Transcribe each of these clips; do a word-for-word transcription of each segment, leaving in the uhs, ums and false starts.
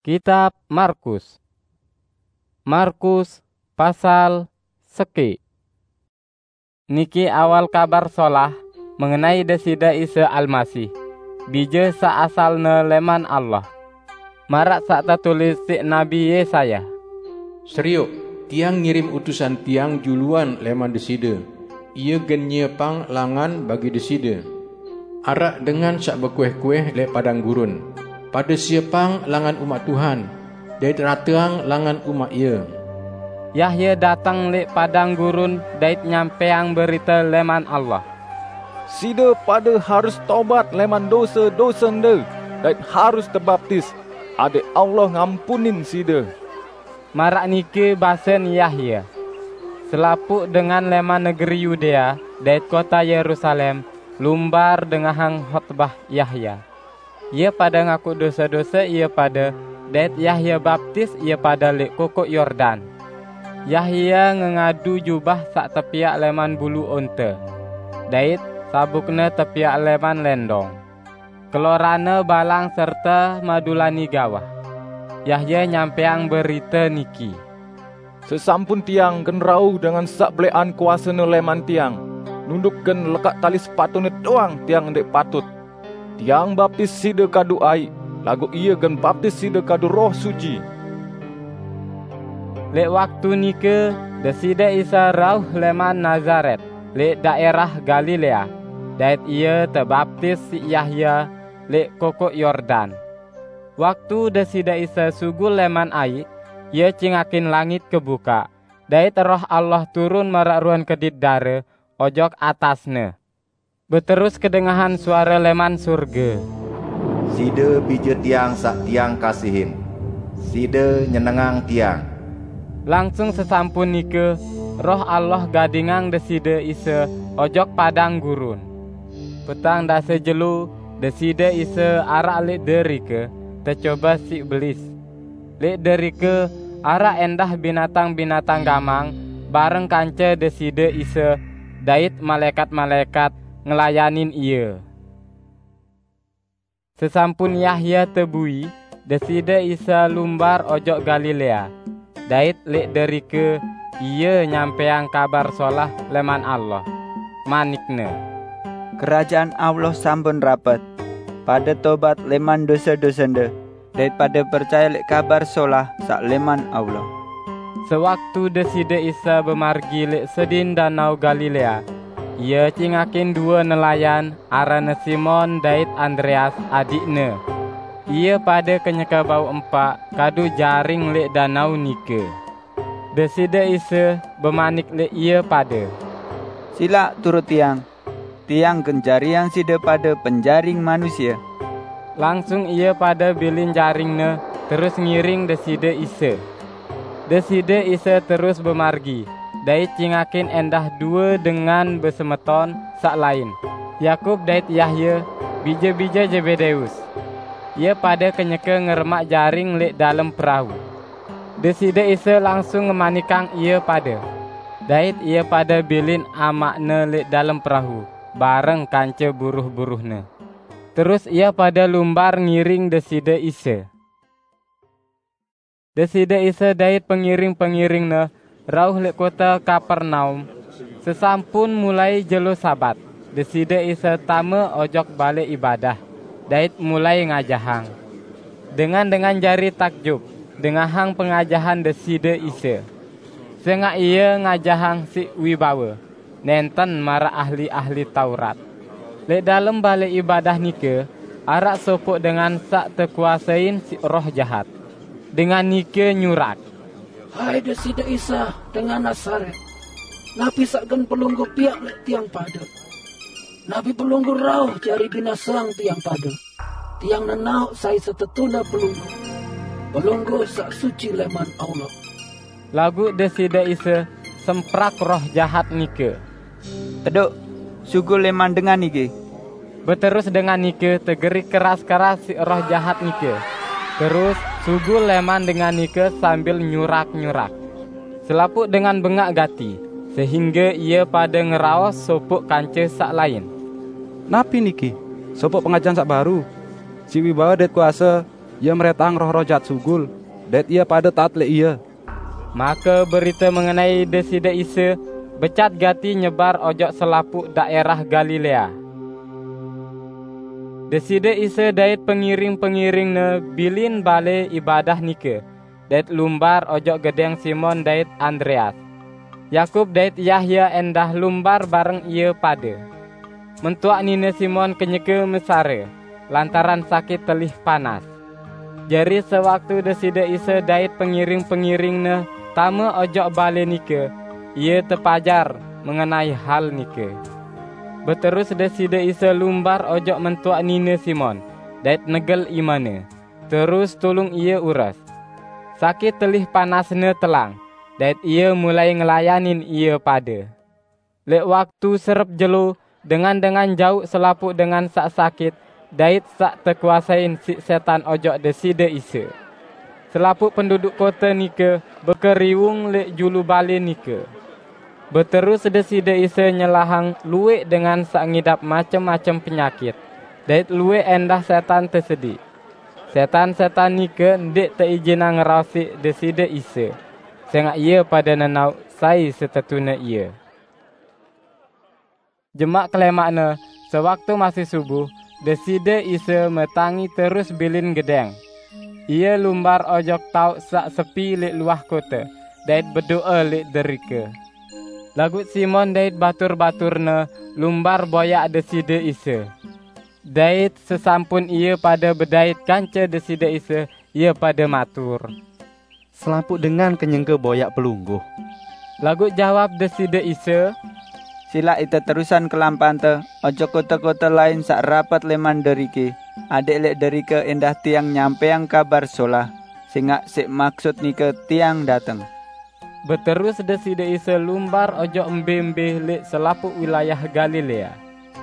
Kitab Markus. Markus pasal seki. Niki awal Kabar Solah mengenai Deside Isa Almasih, Bija saasalne leman Allah. Marak saq tetulis siq Nabi Yesaya, "Seriuk, Tiang ngirim utusan Tiang juluan leman Deside. Ie gen nyiepang langan bagi Deside. Araq dengan saq bekueh-kueh leq padang gurun, 'Pade siepang langan Umaq Tuhan, dait rateang langan Umaq Ie.'" Yahya dateng leq padang gurun dait nyampeang berite leman Allah. "Side pade harus tobat leman dose-dosende dait harus tebaptis, adaq Allah ngampunin side." Maraq niki basen Yahya, selapuq dengan leman negeri Yudea dait kota Yerusalem lumbar dengahang hotbah Yahya. Ie pade ngaku dose-dose ie pade, dait Yahya baptis ie pade leq Kokoq Yordan. Yahya ngengadu jubah saq tepiaq leman bulu onte, dait sabukne tepiaq leman lendong. Kelorane balang serte madulani gawah. Yahya nyampeang berite niki, "Sesampun tiang gen rauh dengan saq beleqan kuasene leman tiang, nunduk gen lekaq tali sepatune doang tiang ndeq patut. Tiang baptis side kadu aiq, laguq ie gen baptis side kadu Roh Suci." Leq waktu nike Deside Isa rauh leman Nazaret, leq daerah Galilea, dait Ie tebaptis siq Yahya leq Kokoq Yordan. Waktu Deside Isa sugul leman aiq, Ie cingakin langit kebukaq, dait Roh Allah turun maraq ruen kedit dare ojok atas-Ne. Beterus kedengahan suare leman surge, "Side Bije Tiang saq Tiang kasihin. Side nyenengang Tiang." Langsung sesampun nike, Roh Allah gadingang Deside Isa ojok padang gurun. Petang dase jelo Deside Isa araq leq derike, tecobe siq belis. Leq derike araq endah binatang-binatang gamang bareng kance Deside Isa dait malaekat-malaekat ngelayanin Ie. Sesampun Yahya tebui, Deside Isa lumbar ojok Galilea, dait leq derike Ie nyampeang Kabar Solah leman Allah. Manik-Ne, "Kerajaan Allah sampun rapet. Pade tobat leman dose-dosende, dait pade percaye leq Kabar Solah saq leman Allah." Sewaktu Deside Isa bemargi leq sedin Danau Galilea, Ie cingakin due nelayan aranne Simon dait Andreas adiqne. Ie pade kenyeke bau empaq kadu jaring leq danau nike. Deside Isa bemanik leq ie pade, "Silaq turut Tiang, Tiang gen jariang side pade penjaring manusie." Langsung ie pade bilin jaringne terus ngiring Deside Isa. Deside Isa terus bemargi, dait cingakin endah due dengan besemeton saq lain, Yakub dait Yahya, bije-bije Zebedeus. Ie pade kenyeke ngeremaq jaring leq dalem perau. Deside Isa langsung ngemanikang ie pade, dait ie pade bilin amaq-Ne leq dalem perau bareng kance buruh-buruhne. Terus ie pade lumbar ngiring Deside Isa. Deside Isa dait pengiring-pengiring-Ne rauh leq kote Kapernaum. Sesampun mulai jelo Sabat, Deside Isa tame ojok balai ibadah dait mulai ngajahang. Dengan-dengan jari takjub dengahang pengajahan Deside Isa, sengaq Ie ngajahang siq wibawe, nenten maraq ahli-ahli Taurat. Leq dalem balai ibadah nike araq sopoq dengan saq tekuasein siq roh jahat. Dengan nike nyurak, "Hai Deside Isa dengan Nazaret, napi saq gen Pelungguh piaq leq tiang pade? Napi Pelungguh rauh jari binaseang tiang pade? Tiang nenaoq sai setetune Pelungguh, Pelungguh saq suci leman Allah." Laguq Deside Isa semprak roh jahat nike, "Teduk, sugul leman dengan niki!" Beterus dengan nike tegerik keras-keras siq roh jahat nike, terus sugul leman dengan nike sambil nyurak-nyurak. Selapuq dengan bengaq gati, sehingge ie pade ngeraos sopoq kance saq lain, "Napi niki? Sopoq pengajahan saq baru, siq wibawe dait kuase, Ia mrentang roh-roh jhat sugul, dait ie pade taat lek Ie." Make berite mengenai Deside Isa becat gati nyebar ojok selapuq daerah Galilea. Deside Isa dait pengiring-pengiring-Ne bilin bale ibadah nike, dait lumbar ojok gedeng Simon dait Andreas. Yakub dait Yahya endah lumbar bareng ie pade. Mentuak nine Simon kenyeke mesare, lantaran sakit telih panas. Jari sewaktu Deside Isa dait pengiring-pengiring-Ne tame ojok bale nike, Ie tepajar mengenai hal nike. Beterus Deside Isa lumbar ojok mentuak nine Simon, dait negel imane, terus tulung ie ures. Sakit telih panasne telang, dait ie mulai ngelayanin ie pade. Lek waktu serep jelo, dengan-dengan jauq selapuq dengan saq sakit dait saq tekuasain siq setan ojok Deside Isa. Selapuq penduduk kote nike bekeriwung lek julu bale nike. Beterus Deside Isa nyelahang lueq dengan saq ngidap macem-macem penyakit, dait lueq endah setan tesediq. Setan-setan nike ndeq teijinang ngeraos siq Deside Isa, sengaq ie pade nenaoq sai setetune Ie. Jemaq kelemaqne, sewaktu masih subuh, Deside Isa metangi terus bilin gedeng. Ie lumbar ojok taoq saq sepi lek luah kote, dait bedoe lek derike. Laguq Simon dait batur-baturne lumbar boyaq Deside Isa. Dait sesampun ie pade bedait kance Deside Isa, ie pade matur, "Selapuq dengan kenyeke boyaq Pelungguh." Laguq jawab Deside Isa, "Silaq ite terusan kelampante ojok kote-kote lain saq rapet leman deriki, adeq lek derike endah Tiang nyampeang Kabar Solah, sengaq siq maksut nike Tiang dateng." Beterus Deside Isa lumbar ojok embe-embe lek selapuq wilayah Galilea,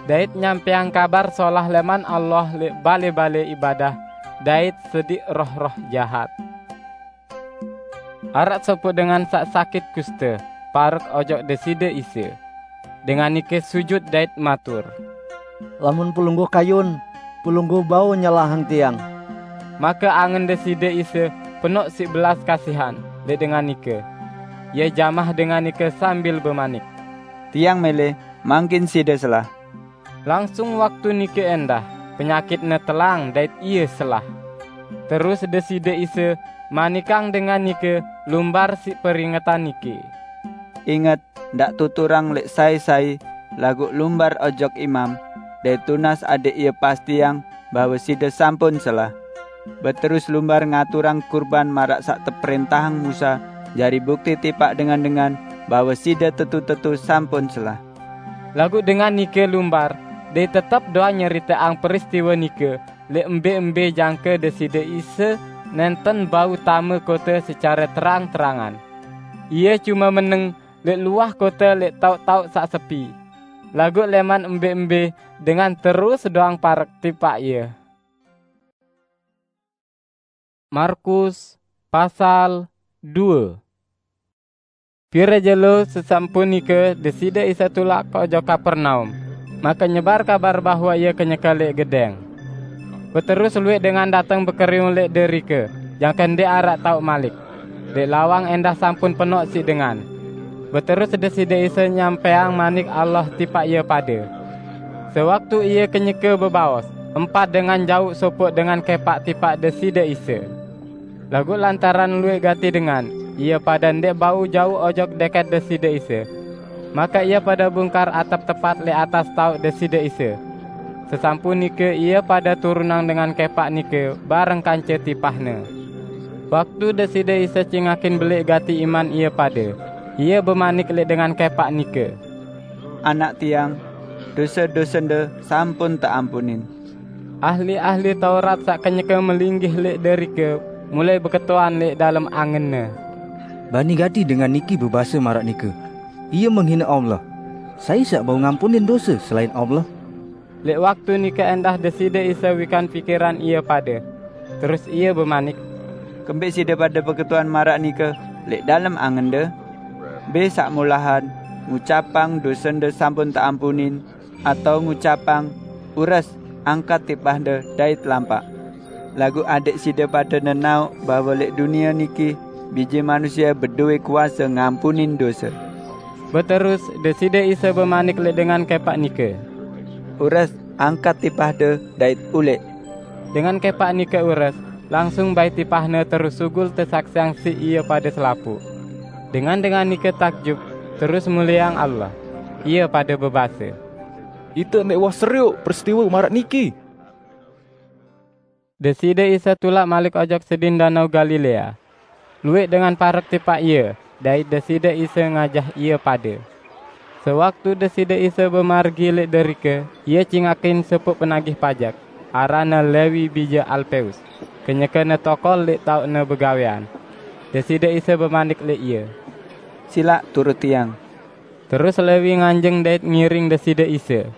dait nyampeang Kabar Solah leman Allah lek bale-bale ibadah dait sediq roh-roh jahat. Araq sopoq dengan saq sakit kuste parek ojok Deside Isa. Dengan nike sujut dait matur, "Lamun Pelungguh kayun, Pelungguh bau nyelahang tiang." Make angen Deside Isa penoq siq belas kasihan lek dengan nike. Ie jamah dengan nike sambil bemanik, "Tiang mele, mangkin side selah." Langsung waktu nike endah, penyakitne telang dait ie selah. Terus Deside Isa manikang dengan nike lumbar siq peringetan nike, "Inget, ndaq tuturang lek sai-sai, laguq lumbar ojok imam, dait tunas adeq ie pastiang bahwe side sampun selah. Beterus lumbar ngaturang kurban maraq saq teprentahang Musa, jari bukti tipaq dengan-dengan bahwe side tetu-tetu sampun selah." Laguq dengan nike lumbar, dait tetep doang nyeriteang peristiwe nike lek embe-embe jangke Deside Isa nenten bau tame kote secare terang-terangan. Ie cume meneng lek luah kote lek taoq-taoq saq sepi. Laguq leman embe-embe dengan terus doang parek tipaq Ie. Markus pasal due. Pire jelo sesampun nike Deside Isa tulak ojok Kapernaum, make nyebar kabar bahwe Ie kenyeke lek gedeng. Beterus lueq dengan dateng bekeriwung lek derike, jangke ndeq araq taoq malik. Lek lawang endah sampun penoq siq dengan. Beterus Deside Isa nyampeang Manik Allah tipaq ie pade. Sewaktu Ie kenyeke bebaos, empat dengan jauq sopoq dengan kepaq tipaq Deside Isa. Laguq lantaran lueq gati dengan, ie pade ndeq bau jauq ojok deket Deside Isa. Make ie pade bungkar atep tepat lek atas taoq Deside Isa. Sesampun nike ie pade turunang dengan kepaq nike bareng kance tipahne. Waktu Deside Isa cingakin beleq gati iman ie pade, Ie bemanik lek dengan kepaq nike, "Anak tiang, dose-dosende sampun teampunin." Ahli-ahli Taurat saq kenyeke melinggih lek derike mulai beketuan lek dalem angenne, "Bani gati dengan niki bebase maraq nike, 'Ie menghine Allah. Sai saq bau ngampunin dose selain Allah?" Lek waktu nike endah Deside Isa wikan pikiran ie pade, terus Ie bemanik, "Kembeq side pade beketuan maraq nike lek dalem angende? Mbe saq molahan, ngucapang, 'Dosende sampun teampunin,' atau ngucapang, 'Ures, angkat tipahde dait lampaq'? Laguq adẽq side pade nenaoq bahwe leq dunie niki Bije Manusie bedoe kuase ngampunin dose." Beterus Deside Isa bemanik leq dengan kepaq nike, "Ures, angkat tipahde dait uleq." Dengan kepaq nike ures, langsung bai tipahne terus sugul tesaksiang siq ie pade selapuq. Dengan-dengan nike takjub, terus mulieang Allah. Ie pade bebase, "Ite ndeq uwah serioq peristiwe maraq niki." Deside Isa tulak malik ojok sedin Danau Galilea. Lueq dengan parek tipaq Ie, dait Deside Isa ngajah ie pade. Sewaktu Deside Isa bemargi leq derike, Ie cingakin sopoq penagih pajek, aranne Lewi bije Alpeus, kenyeke ne tokol leq taoqne begawean. Deside Isa bemanik leq ie, "Silaq turut Tiang." Terus Lewi nganjeng dait ngiring Deside Isa.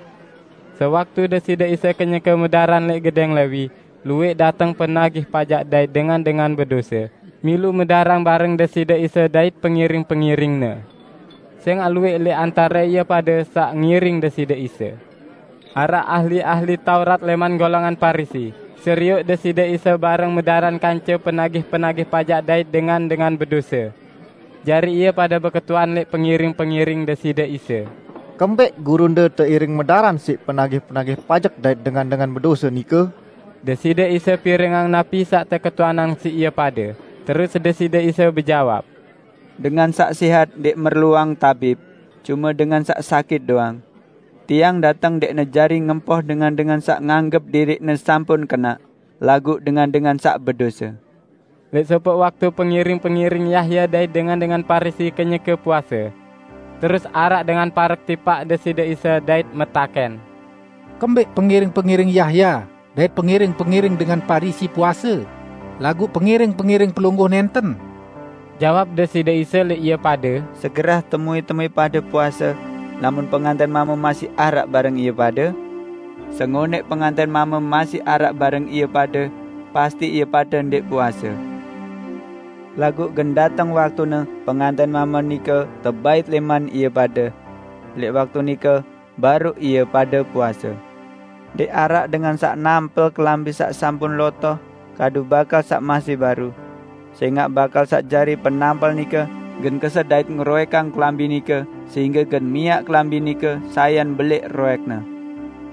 Sewaktu Deside Isa kenyeke medaran leq gedeng Lewi, lueq dateng penagih pajek dait dengan-dengan bedose, milu medarang bareng Deside Isa dait pengiring-pengiring-Ne. Sengaq lueq leq antare ie pade saq ngiring Deside Isa. Araq ahli-ahli Taurat leman golongan Parisi, serioq Deside Isa bareng medaran kance penagih-penagih pajek dait dengan-dengan bedose. Jari ie pade beketuan leq pengiring-pengiring Deside Isa, "Kembeq gurunde teiring medaran siq penagih-penagih pajek dait dengan-dengan bedose nike?" Deside Isa pirengang napi saq teketuanang siq ie pade, terus Deside Isa bejawab, "Dengan saq sehat ndeq merluang tabib, cume dengan saq sakit doang. Tiang dateng ndeqne jari ngempoh dengan-dengan saq nganggep diriqne sampun kenaq, laguq dengan-dengan saq bedose." Leq sopoq waktu pengiring-pengiring Yahya dait dengan-dengan Parisi kenyeke puase. Terus araq dengan parek tipaq Deside Isa dait metaken, "Kembeq pengiring-pengiring Yahya dait pengiring-pengiring dengan Parisi puase, laguq pengiring-pengiring Pelungguh nenten?" Jawab Deside Isa leq ie pade, "Segerah temui-temui pade puase, lamun penganten mame masih araq bareng ie pade? Sengoneq penganten mame masih araq bareng ie pade, pasti ie pade ndeq puase. Laguq gen dateng waktune penganten mame nike tebait leman ie pade. Leq waktu nike baruq ie pade puase. Ndeq araq dengan saq nampel kelambi saq sampun lotoh kadu bakal saq masih baru. Sengaq bakal saq jari penampel nike gen keset dait ngeroekang kelambi nike, sehingge gen miaq kelambi nike sayan beleq roekne.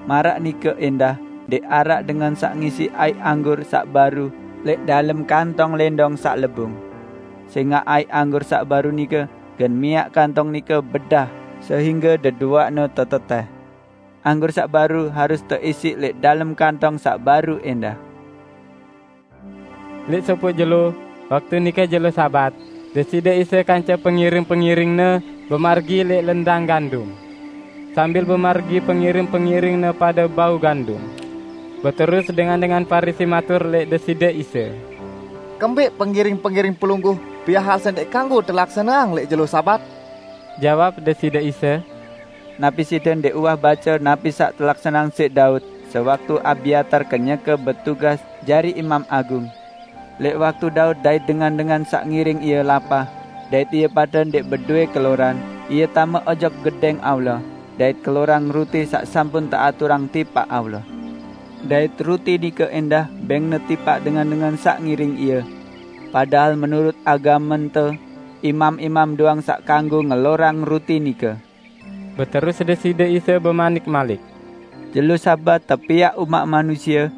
Maraq nike endah, ndeq araq dengan saq ngisi aiq anggur saq baru leq dalem kantong lendong saq lebung. Sengaq aiq anggur saq baru nike gen miaq kantong nike bedah, sehingge deduaqne teteteh. Anggur saq baru harus teisiq leq dalem kantong saq baru endah." Leq sopoq jelo, waktu nike jelo Sabat, Deside Isa kance pengiring-pengiring-Ne bemargi leq lendang gandum. Sambil bemargi, pengiring-pengiring-Ne pade bau gandum. Beterus dengan-dengan Parisi matur leq Deside Isa, "Kembeq pengiring-pengiring Pelungguh piaq hal saq ndeq kanggo telaksaneang leq jelo Sabat?" Jawab Deside Isa, "Napi side ndeq uwah bace napi saq telaksaneang siq Daud sewaktu Abiatar kenyeke betugas jari imam agung? Leq waktu Daud dait dengan-dengan saq ngiring ie lapah, dait ie pade ndeq bedoe keloran, ie tame ojok Gedeng Allah, dait kelorang ruti saq sampun teaturang tipaq Allah. Dait ruti nike endah bengne tipaq dengan-dengan saq ngiring ie, padahal menurut agamente, imam-imam doang saq kanggo ngelorang ruti nike." Beterus Deside Isa bemanik malik, "Jelo Sabat tepiaq umaq manusie,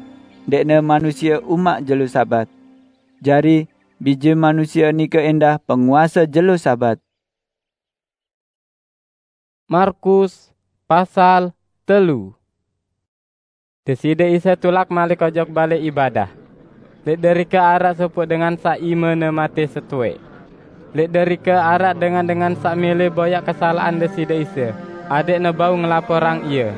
ndeqne manusie umaq jelo Sabat. Jari, Bije Manusie nike endah penguase jelo Sabat." Markus pasal telu. Deside Isa tulak malik ojok Balai Ibadah. Leq derike araq sopoq dengan saq imene mate setueq. Leq derike araq dengan-dengan saq mele boyaq kesalaqan Deside Isa, adeqne bau ngelaporang Ie.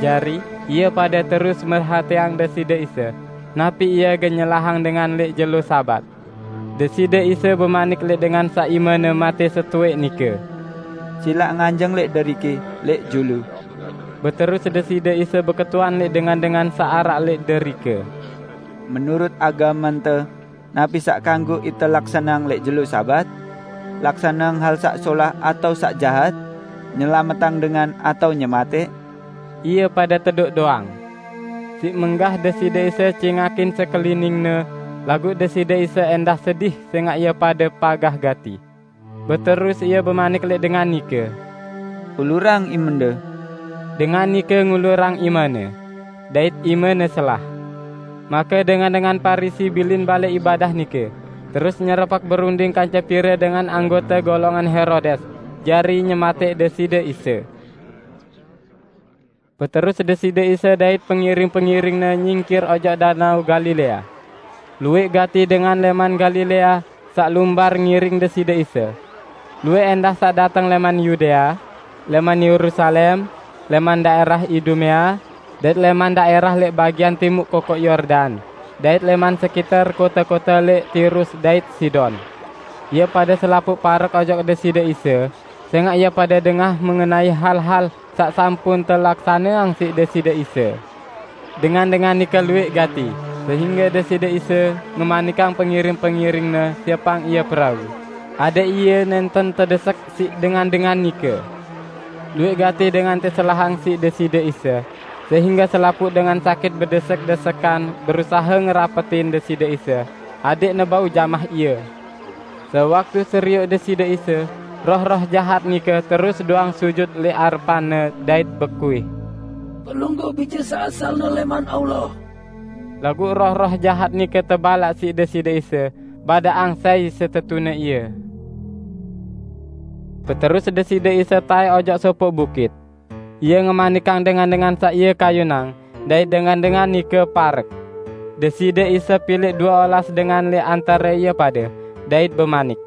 Jari, ie pade terus merhateang Deside Isa, napi Ie gen nyelahang dengan leq jelo Sabat. Deside Isa bemanik leq dengan saq imene mate setueq nike, "Silaq nganjeng leq deriki, leq julu." Beterus Deside Isa beketuan leq dengan-dengan saq araq leq derike, "Menurut agamente, napi saq kanggo ite laksaneang leq jelo Sabat? Laksaneang hal saq solah atao saq jahat? Nyelametang dengan atao nyematẽq?" Ie pade teduk doang. Siq menggah Deside Isa cingakin sekeliningne, laguq Deside Isa endah sedih sengaq ie pade pagah gati. Beterus ie bemanik leq dengan nike, "Ulurang imende." Dengan nike ngulurang imene, dait imene selah. Make dengan-dengan Parisi bilin balẽ ibadah nike, terus nyerepek berunding kance pire dengan anggote golongan Herodes, jari nyemateq Deside Isa. Beterus Deside Isa dait pengiring-pengiring-Ne nyingkir ojok Danau Galilea. Lueq gati dengan leman Galilea saq lumbar ngiring Deside Isa. Lueq endah saq dateng leman Yudea, leman Yerusalem, leman daerah Idumea, dait leman daerah leq bagian timuq Kokoq Yordan, dait leman sekiter kote-kote leq Tirus dait Sidon. Ie pade selapuq parek ojok Deside Isa, sengaq ie pade dengah mengenai hal-hal saq sampun telaksaneang siq Deside Isa. Dengan-dengan nike lueq gati, sehingge Deside Isa ngemanikang pengiring-pengiring-Ne siepang ie perau, adeq ie nenten tedesek siq dengan-dengan nike. Lueq gati dengan teselahang siq Deside Isa, sehingge selapuq dengan sakit bedesek-desekan berusahe ngerapetin Deside Isa, adeqne bau jamah Ie. Sewaktu serioq Deside Isa, roh-roh jahat nike terus doang sujut leq arepan-Ne dait bekuih, "Pelungguh Bije saq asalne leman Allah!" Laguq roh-roh jahat nike tebalaq siq Deside Isa, badaqang sai setetune Ie. Beterus Deside Isa tae ojok sopoq bukit. Ie ngemanikang dengan-dengan saq Ie kayunang, dait dengan-dengan nike parek. Deside Isa pileq due olas dengan leq antare ie pade, dait bemanik,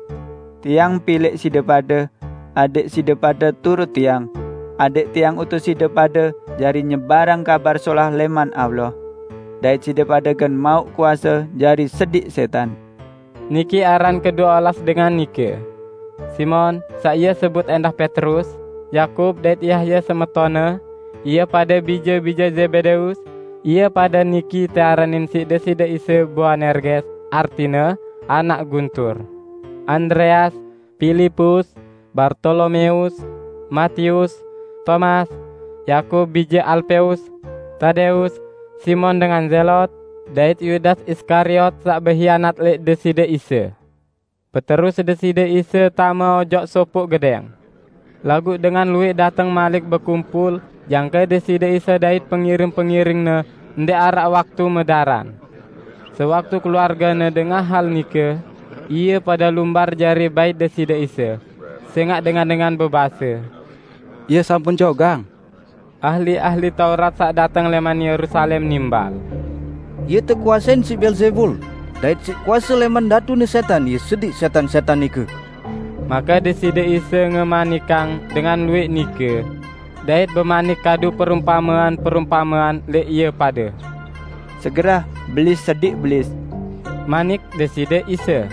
"Tiang pileq side pade, adeq side pade turut Tiang, adeq Tiang utus side pade jari nyebarang Kabar Solah leman Allah, dait side pade gen mauq kuase jari sediq setan." Niki aran kedue olas dengan nike: Simon, saq ie sebut endah Petrus, Yakub dait Yahya semetonne, ie pade bije-bije Zebedeus, ie pade niki tearanin siq Deside Isa Boanerges, artine, anak guntur, Andreas, Pilipus, Bartolomeus, Matius, Tomas, Yakub bije Alpeus, Tadeus, Simon dengan Zelot, dait Yudas Iskariot saq behianat leq Deside Isa. Beterus Deside Isa tame ojok sopoq gedeng. Laguq dengan lueq dateng malik bekumpul, jangke Deside Isa dait pengiring-pengiring-Ne ndeq araq waktu medaran. Sewaktu keluargene dengah hal nike, ie pade lumbar jari bait Deside Isa, sengaq dengan-dengan bebase, "Ie sampun cogang." Ahli-ahli Taurat saq dateng leman Yerusalem nimbal, "Ie tekuasein siq Beelzebul, dait siq kuase leman datune setan Ie sediq setan-setan nike." Make Deside Isa ngemanikang dengan lueq nike, dait bemanik kadu perumpamean-perumpamean leq ie pade. "Segerah, belis sediq belis," manik Deside Isa.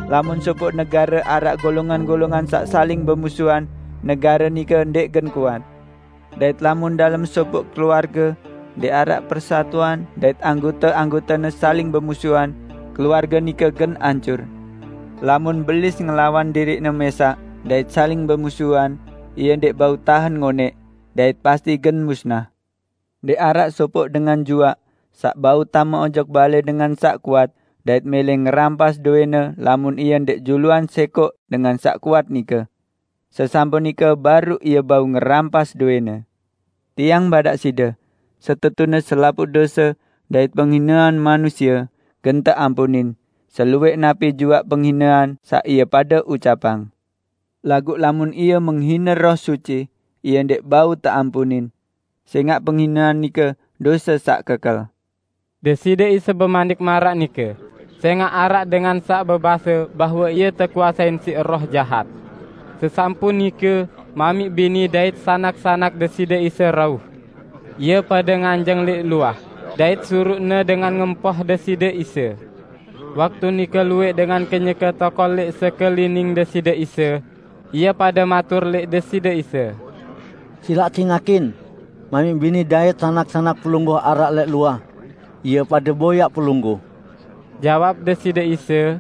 "Lamun sopoq negare araq golongan-golongan saq saling bemusuhan, negare nike ndeq gen kuat. Dait lamun dalem sopoq keluarge ndeq araq persatuan dait anggote-anggotene saling bemusuhan, keluarge nike gen ancur. Lamun belis ngelawan diriqne mesaq dait saling bemusuhan, ie ndeq bau tahen ngoneq, dait pasti gen musnah. Ndeq araq sopoq dengan juaq saq bau tame ojok bale dengan saq kuat dait mele ngerampas dowene lamun ie ndeq juluan sekoq dengan saq kuat nike. Sesampun nike baruq ie bau ngerampas dowene. Tiang badaq side, setetune selapuq dose dait penghinean manusie gen teampunin, selueq napi juaq penghinean saq ie pade ucapang. Laguq lamun ie menghine Roh Suci, ie ndeq bau teampunin, sengaq penghinean nike dose saq kekel." Deside Isa bemanik maraq nike, sengaq araq dengan saq bebase bahwe ie tekuasein siq roh jahat. Sesampun nike, mamiq bini dait sanak-sanak Deside Isa rauh. Ie pade nganjeng leq luah, dait suruqne dengan ngempoh Deside Isa. Waktu nike lueq dengan kenyeke tokol leq sekelining Deside Isa, ie pade matur leq Deside Isa, "Silaq cingakin, mamiq bini dait sanak-sanak pelungguh araq leq luah. Ie pade boyaq pelungguh." Jawab Deside Isa,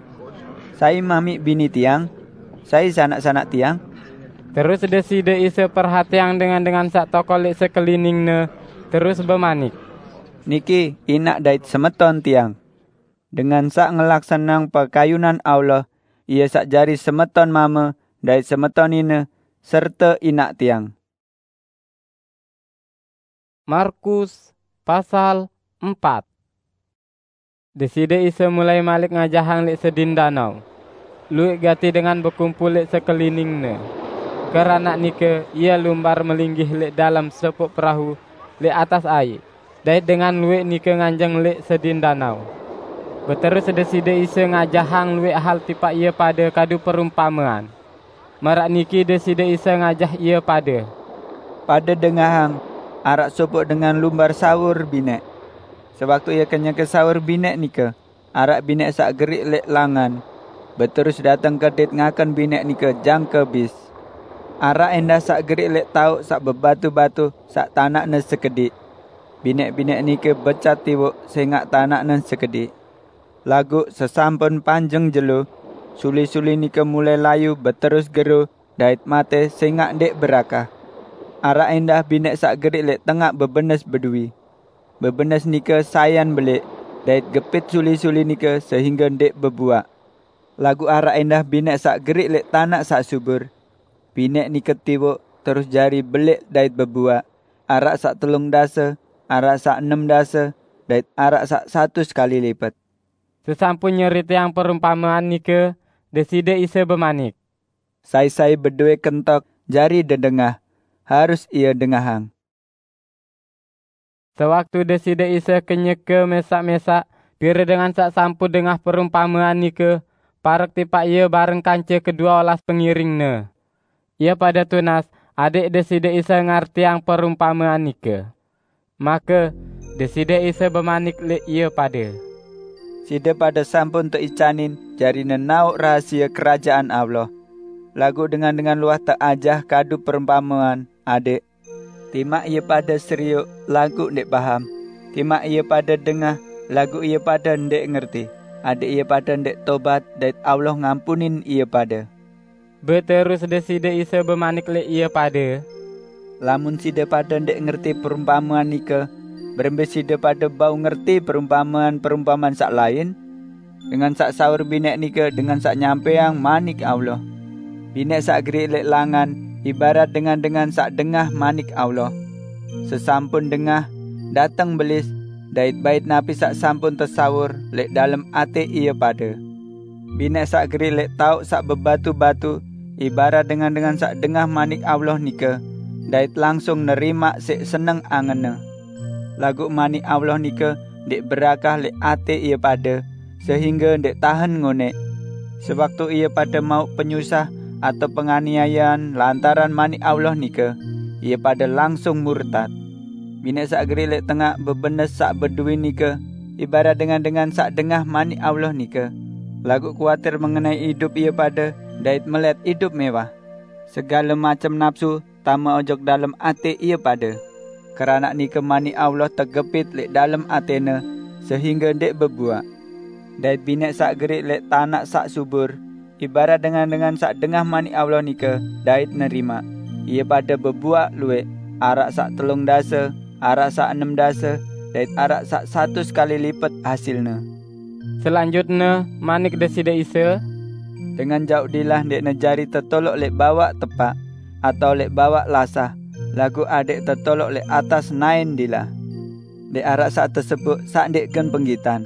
"Sai mamiq bini Tiang? Sai sanak-sanak Tiang?" Terus Deside Isa perhateang dengan-dengan saq tokol leq sekelining-Ne, terus bemanik, Niki inak dait semeton tiang. Dengan sak ngelaksanang pakayunan Allah, ia sak jari semeton mame dait semeton nine, serta inak tiang. Markus pasal empat. Deside Isa mulai malik ngajahang lek sedin danau. Luik gati dengan bekumpul lek sekeliningne. Keranak nike ia lumbar melinggih lek dalam sepuk perahu lek atas ai, dait dengan luik nike nganjeng lek sedin danau. Beterus Deside Isa ngajahang luik hal tipak ia pade kadu perumpamean. Marak niki Deside Isa ngajah ia pade. Pade dengahang, arak sopok dengan lumbar saur binek. Sewaktu ia kenyeke saur binek nike, arak binek sak gerik lek langan, beterus dateng kedit ngaken binek nike jangke bis. Arak endah sak gerik lek tauk sak bebatu-batu sak tanakne sekedik. Binek-binek nike becat tiwuk sengak tanakne sekedik. Laguq sesampun panjeng jelo, suli-suli nike mulai layu beterus gero dait mate sengak ndeq berakah. Arak endah binek sak gerik lek tengaq bebenes beduwi. Bebenes nike sayan belik, dait gepit suli-suli nike sehingge ndeq bebuaq. Laguq arak endah binek sak gerik lek tanaq sak subur. Binek nike tiwuk terus jari belik dait bebuaq, arak sak telung dase, arak sak enem dase, dait arak sak satus kali lipet. Sesampun nyeriteang perumpamean nike, Deside Isa bemanik, "Sai-sai bedoe kentok jari dedengah, harus ia dengahang." Sewaktu Deside Isa kenyeke mesak-mesak, pire dengan sak sampun dengah perumpamean nike, parek tipak Ia bareng kance kedua olas pengiring-Ne. Ia pade tunas adeq Deside Isa ngartiang perumpamean nike. Make Deside Isa bemanik leq ie pade, "Side pade sampun teicanin jari nenaoq rahasie Kerajaan Allah. Laguq dengan-dengan luah teajah kadu perumpamean adeq, timaq ie pade serioq laguq ndeq paham, timaq ie pade dengah laguq ie pade ndeq ngerti, adeq ie pade ndeq tobat dait Allah ngampunin ie pade." Beterus Deside Isa bemanik leq ie pade, "Lamun side pade ndeq ngerti perumpamean nike, berembe side pade bau ngerti perumpamean-perumpamean saq lain? Dengan saq saur binek nike dengan saq nyampeang Manik Allah. Binek saq geriq leq langan ibarat dengan-dengan saq dengah Manik Allah. Sesampun dengah, dateng belis dait bait napi saq sampun tesaur leq dalem ate ie pade. Binek saq geriq leq taoq saq bebatu-batu ibarat dengan-dengan saq dengah Manik Allah nike dait langsung nerimaq siq seneng angenne. Laguq Manik Allah nike ndeq berakah leq ate ie pade, sehingge ndeq tahen ngoneq. Sewaktu ie pade mauq penyusah atau penganiayean lantaran Manik Allah nike, ie pade langsung murtad. Binek saq geriq leq tengaq bebenes saq beduwi nike ibarat dengan-dengan saq dengah Manik Allah nike, laguq kuatir mengenai idup ie pade dait melet idup mewah. Segale macem napsu tame ojok dalem ate ie pade. Keranaq nike Manik Allah tegepit leq dalem atene, sehingge ndeq bebuaq. Dait binek saq geriq leq tanaq saq subur, ibarat dengan-dengan saq dengah Manik Allah nike dait nerimaq. Ie pade bebuaq lueq, araq saq telung dase, araq saq enem dase, dait araq saq satus kali lipet hasilne." Selanjutne manik Deside Isa, "Dengan jauq dilah ndeqne jari tetoloq leq bawaq tepaq atao leq bawaq lasah, laguq adeq tetoloq leq atas naen dilah. Ndeq araq saq tesepuk saq ndeq gen penggitan,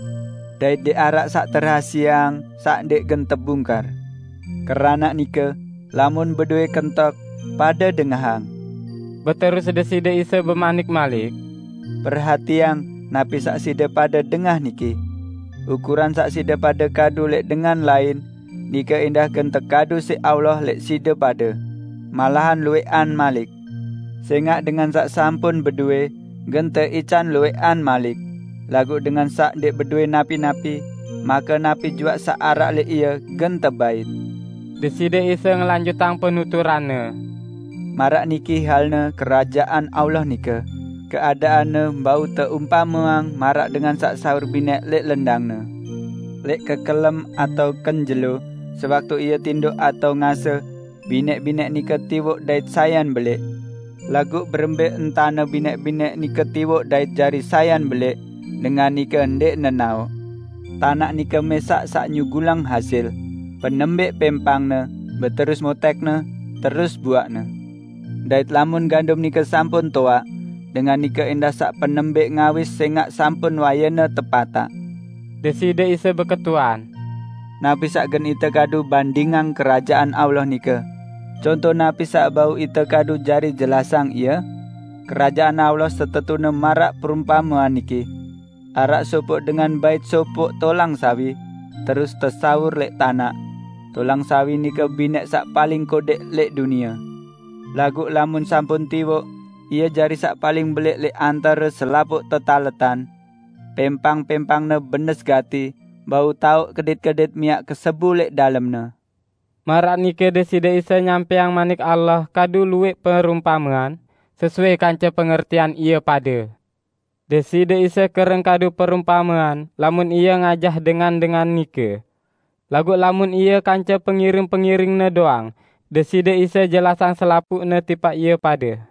dait ndeq araq saq terahasieang saq ndeq gen tebungkar. Keranaq nike, lamun bedoe kentok, pade dengahang." Beterus Deside Isa bemanik malik, "Perhatiang napi saq side pade dengah niki. Ukuran saq side pade kadu leq dengan lain, nike endah gen tekadu siq Allah leq side pade, malahan lueqan malik. Sengaq dengan saq sampun bedoe, gen teican lueqan malik, laguq dengan saq ndeq bedoe napi-napi, make napi juaq saq araq leq ie gen tebait." Deside Isa ngelanjutang penuturan-Ne, "Maraq niki halne Kerajaan Allah nike, keadaanne bau teumpameang maraq dengan saq saur binek leq lendangne. Leq kekelem atao ken jelo, sewaktu ie tindoq atao ngase, binek-binek nike tiwoq dait sayan belik. Laguq berembe entane bineq-bineq nike tiwoq dait jari sayan beleq, dengan nike ndeqne naoq. Tanaq nike mesaq saq nyugulang hasil, penembeq pempangne, beterus motekne, terus buaqne. Dait lamun gandum nike sampun toaq, dengan nike endah saq penembeq ngawis sengaq sampun wayene tepataq. Deside Isa beketuan, "Napi saq gen ite kadu bandingang Kerajaan Allah nike? Conto napi saq bau ite kadu jari jelasang ie? Kerajaan Allah setetune maraq perumpamean niki. Araq sopoq dengan bait sopoq tolang sawi, terus tesaur leq tanaq. Tolang sawi nike bineq saq paling kodeq leq dunie. Laguq lamun sampun tiwoq, ie jari saq paling beleq leq antare selapuq tetaletan. Pempang-pempangne benes gati, bau taoq kedit-kedit miaq kesebu leq dalemne." Maraq nike Deside Isa nyampaiang Manik Allah kadu lueq perumpamean, sesuai kance pengertian ie pade. Deside Isa kereng kadu perumpamean lamun Ie ngajah dengan-dengan nike. Laguq lamun Ie kance pengiring-pengiring-Ne doang, Deside Isa jelasang selapuqne tipaq ie pade.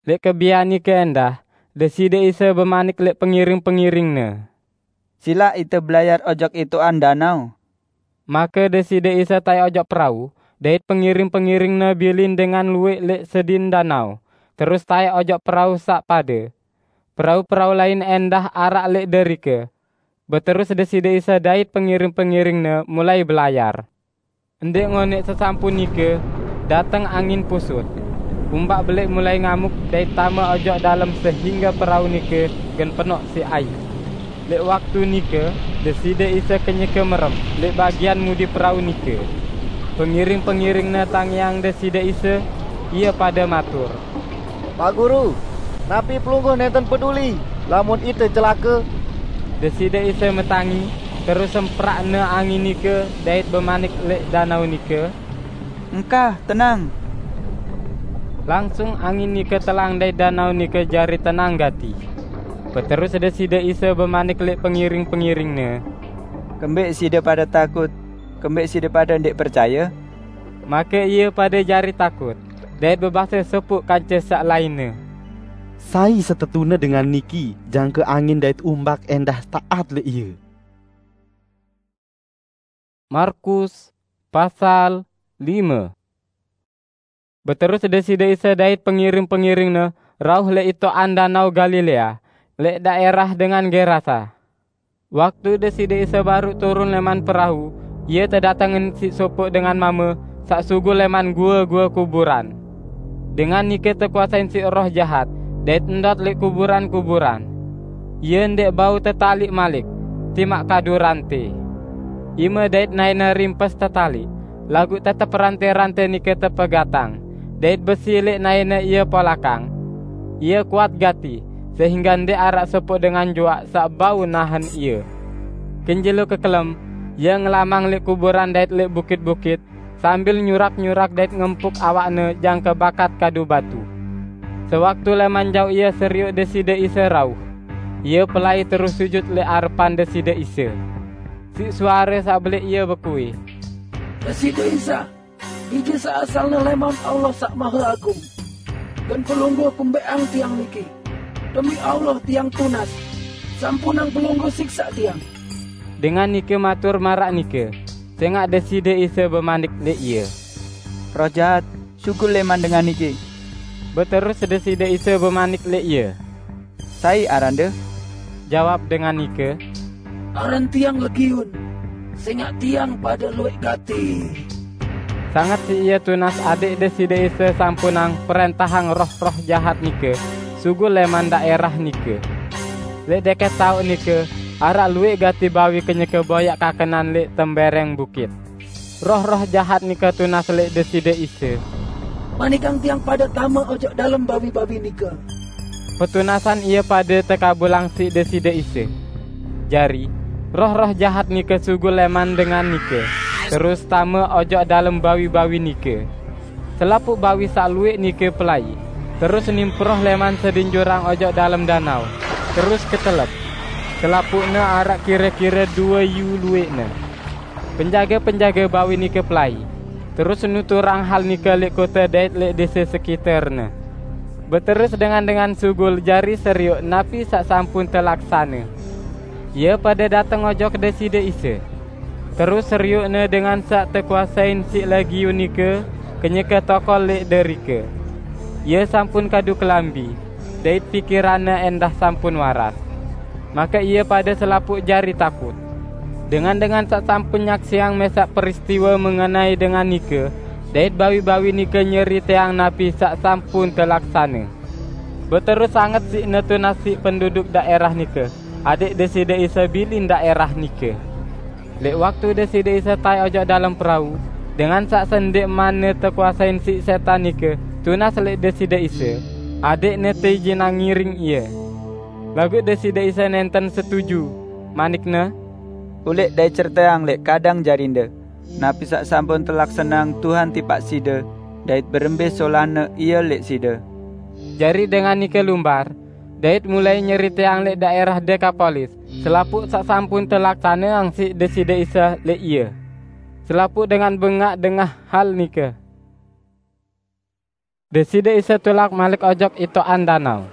Leq kebian nike endah, Deside Isa bemanik leq pengiring-pengiring-Ne, "Silaq ite belayar ojok itoqan danau." Make Deside Isa taek ojok perau, dait pengiring-pengiring-Ne bilin dengan lueq leq sedin danau, terus taek ojok perau saq pade. Perau-perau lain endah araq leq derike. Beterus Deside Isa dait pengiring-pengiring-Ne mulai belayar. Ndeq ngoneq sesampun nike, dateng angin pusut. Umbak beleq mulai ngamuk dait tame ojok dalem sehingge perau nike gen penoq siq aiq. Leq waktu nike, Deside Isa kenyeke merem leq bagian mudi perau nike. Pengiring-pengiring-Ne tangiang Deside Isa, ie pade matur, "Pak Guru, napi Pelungguh nenten peduli lamun ite celake?" Deside Isa metangi, terus semprakne angin nike dait bemanik leq danau nike, "Engkah, tenang!" Langsung angin nike telang dait danau nike jari tenang gati. Beterus Deside Isa bemanik leq pengiring-pengiring-Ne, "Kembeq side pade takut? Kembeq side pade ndeq percaye?" Make ie pade jari takut, dait bebase sopoq kance saq lainne, "Sai setetune dengan niki, jangke angin dait umbak endah taat leq Ie?" Markus pasal lime. Beterus Deside Isa dait pengiring-pengiring-Ne rauh leq itoqan Danau Galilea, leq daerah dengan Gerasa. Waktu Deside Isa baruq turun leman perau, Ie tedatengen siq sopoq dengan mame saq sugul leman gua-gua kuburan. Dengan nike tekuasein siq roh jahat, dait ndot leq kuburan-kuburan. Ie ndeq bau tetaliq malik, timaq kadu rante. Ime dait naene rimpes tetaliq, laguq tetep rante-rante nike tepegatang, dait besi leq naene ie polakang. Ie kuat gati, sehingge ndeq araq sopoq dengan juaq saq bau nahen ie. Kin jelo kekelem, ie ngelamang leq kuburan dait leq bukit-bukit, sambil nyurak-nyurak dait ngempuk awakne jangke bakat kadu batu. Sewaktu leman jaoq ie serioq Deside Isa rauh, ie pelai terus sujut leq arepan Deside Isa. Siq suare saq beleq ie bekuih, "Deside Isa, Ije saq asalne leman Allah Saq Mahe Agung, gen Pelungguh kembeqang tiang niki. Demi Allah tiang tunas. Sampunang Pelungguh siksaq tiang." Dengan nike matur maraq nike, sengaq Deside Isa bemanik leq ie, "Roh jahat, sugul leman dengan niki!" Beterus Deside Isa bemanik leq ie, "Sai arande?" Jawab dengan nike, "Aran tiang Legiun, sengaq tiang pade lueq gati." Sanget siq ie tunas adẽq Deside Isa sampunang prẽntahang roh-roh jahat nike sugul leman daerah nike. Leq deket taoq nike, araq lueq gati bawi kenyeke boyaq kakenan leq tembereng bukit. Roh-roh jahat nike tunas leq Deside Isa, "Manikang tiang pade tame ojok dalem bawi-bawi nike." Petunasan ie pade tekabulang siq Deside Isa. Jari, roh-roh jahat nike sugul leman dengan nike, terus tame ojok dalem bawi-bawi nike. Selapuq bawi saq lueq nike pelai, terus nimproh leman sedin jurang ojok dalem danau, terus ketelep. Selapuqne araq kire-kire due yu lueqne. Penjage-penjage bawi nike pelai, Terus nuturang hal nike lek kote dait lek dese sekiterne. Beterus dengan-dengan sugul jari seriuk napi saq sampun telaksane. Ie pade dateng ojok Deside Isa. Terus seriukne dengan saq tekuasain siq Legiun nike kenyeke tokol lek derike. Ie sampun kadu kelambi, dait pikiranne endah sampun waras. Make ie pade selapuq jari takut. Dengan-dengan saq sampun nyaksiang mesaq peristiwe mengenai dengan nike, dait bawi-bawi nike nyeriteang napi saq sampun telaksane. Beterus sanget siqne tunas siq penduduk daerah nike, adeq Deside Isa bilin daerah nike. Leq waktu Deside Isa tae ojok dalem perau, dengan saq sendeqmanne tekuasain siq setan nike tunas leq Deside Isa, adeqne teijinang ngiring Ie. Laguq Deside Isa nenten setuju, manikne, "Uleq dait ceriteang leq kadang jarinde napi saq sampun telaksaneang Tuhan tipaq side, dait berembe solanne Ie leq side." Jari dengan nike lumbar, dait mulai nyeriteang leq daerah Dekapolis selapuq saq sampun telaksaneang siq Deside Isa leq ie. Selapuq dengan bengaq dengah hal nike. Deside Isa tulak malik ojok itoqan danao.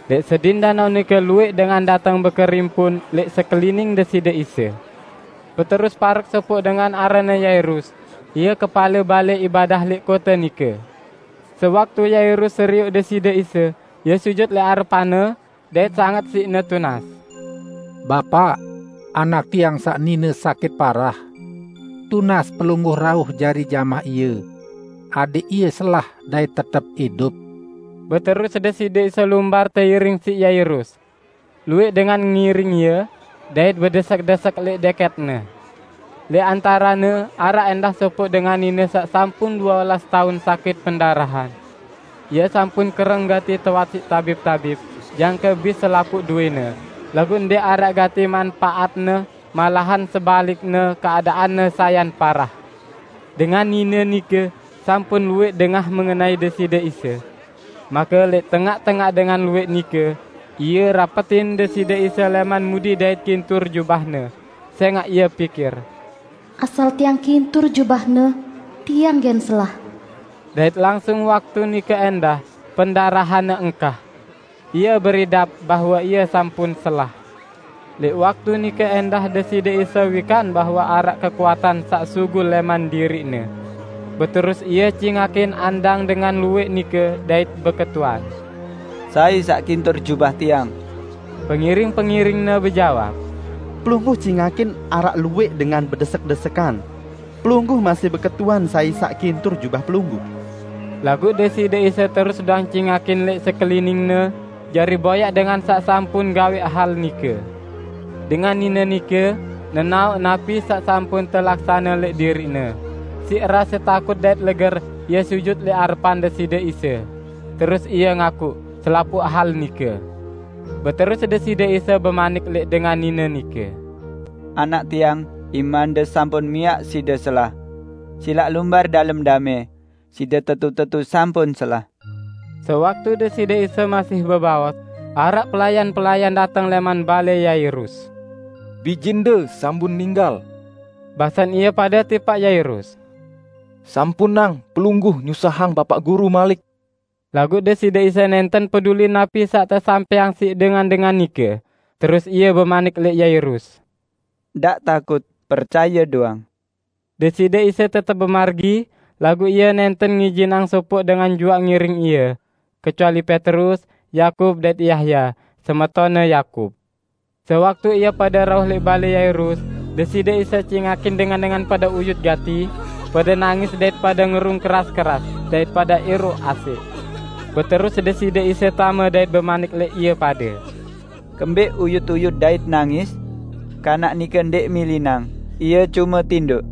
Leq sedin danao nike lueq dengan dateng bekerimpun leq sekelining Deside Isa. Beterus parek sopoq dengan aranne Yairus, ie kepale bale ibadah leq kote nike. Sewaktu Yairus seriuk Deside Isa, ie sujut leq arepanne, dait sanget siqne tunas. "Bapaq, anak tiang saq nine sakit parah. Tunas Pelungguh rauh jari jamah ie, adeq ie selah dait tetep idup." Beterus Deside Isa lumbar teiring siq Yairus. Lueq dengan ngiring Ie, dait bedesek-desek leq deketne. Leq antarene araq endah sopoq dengan nine saq sampun due olas taun sakit pendarahan. Ie sampun kereng gati tewat siq tabib-tabib, jangke bis selapuq duene, laguq ndeq araq gati manpaatne, malahan sebalikne keadaanne sayan parah. Dengan nine nike sampun lueq dengah mengenai Deside Isa. Make leq tengaq-tengaq dengan lueq nike, ie rapetin Deside Isa leman mudi dait kintur jubah-Ne, sengaq ie pikir, "Asal tiang kintur jubah-Ne, tiang gen selah." Dait langsung waktu nike endah, pendarahanne engkah. Ie beridap bahwe ie sampun selah. Leq waktu nike endah Deside Isa wikan bahwe araq kekuatan saq sugul leman diriq-Ne. Beterus Ie cingakin andang dengan lueq nike dait beketuan, "Sai saq kintur jubah Tiang?" Pengiring-pengiring-Ne bejawab, "Pelungguh cingakin araq lueq dengan bedesek-desekan. Pelungguh masih beketuan sai saq kintur jubah Pelungguh." Laguq Deside Isa terus doang cingakin leq sekelining-Ne, jari boyaq dengan saq sampun gaweq hal nike. Dengan nine nike nenaoq napi saq sampun telaksane leq diriqne. Siq rase takut dait leger, ie sujut leq arepan Deside Isa. Terus ie ngakuq selapuq hal nike. Beterus Deside Isa bemanik leq dengan nine nike, "Anak Tiang, imande sampun miaq side selah. Silaq lumbar dalem dame, side tetu-tetu sampun selah." Sewaktu Deside Isa masih bebaos, araq pelayan-pelayan dateng leman bale Yairus. "Bijinde sampun ninggal," basen ie pade tipaq Yairus. "Sampunang Pelungguh nyusahang Bapaq Guru malik." Laguq Deside Isa nenten peduli napi saq tesampaiang siq dengan-dengan nike, terus Ie bemanik leq Yairus, "Ndaq takut, percaye doang." Deside Isa tetep bemargi, laguq Ie nenten ngijinang sopoq dengan juaq ngiring Ie, kecuali Petrus, Yakub, dait Yahya, semetonne Yakub. Sewaktu ie pade rauh leq bale Yairus, Deside Isa cingakin dengan-dengan pade uyut gati, pade nangis dait pade ngerung keras-keras, dait pade iruq asik. Beterus Deside Isa tame dait bemanik leq ie pade, "Kembeq uyut-uyut dait nangis? Kanak nike ndeq milinang, ie cume tindoq."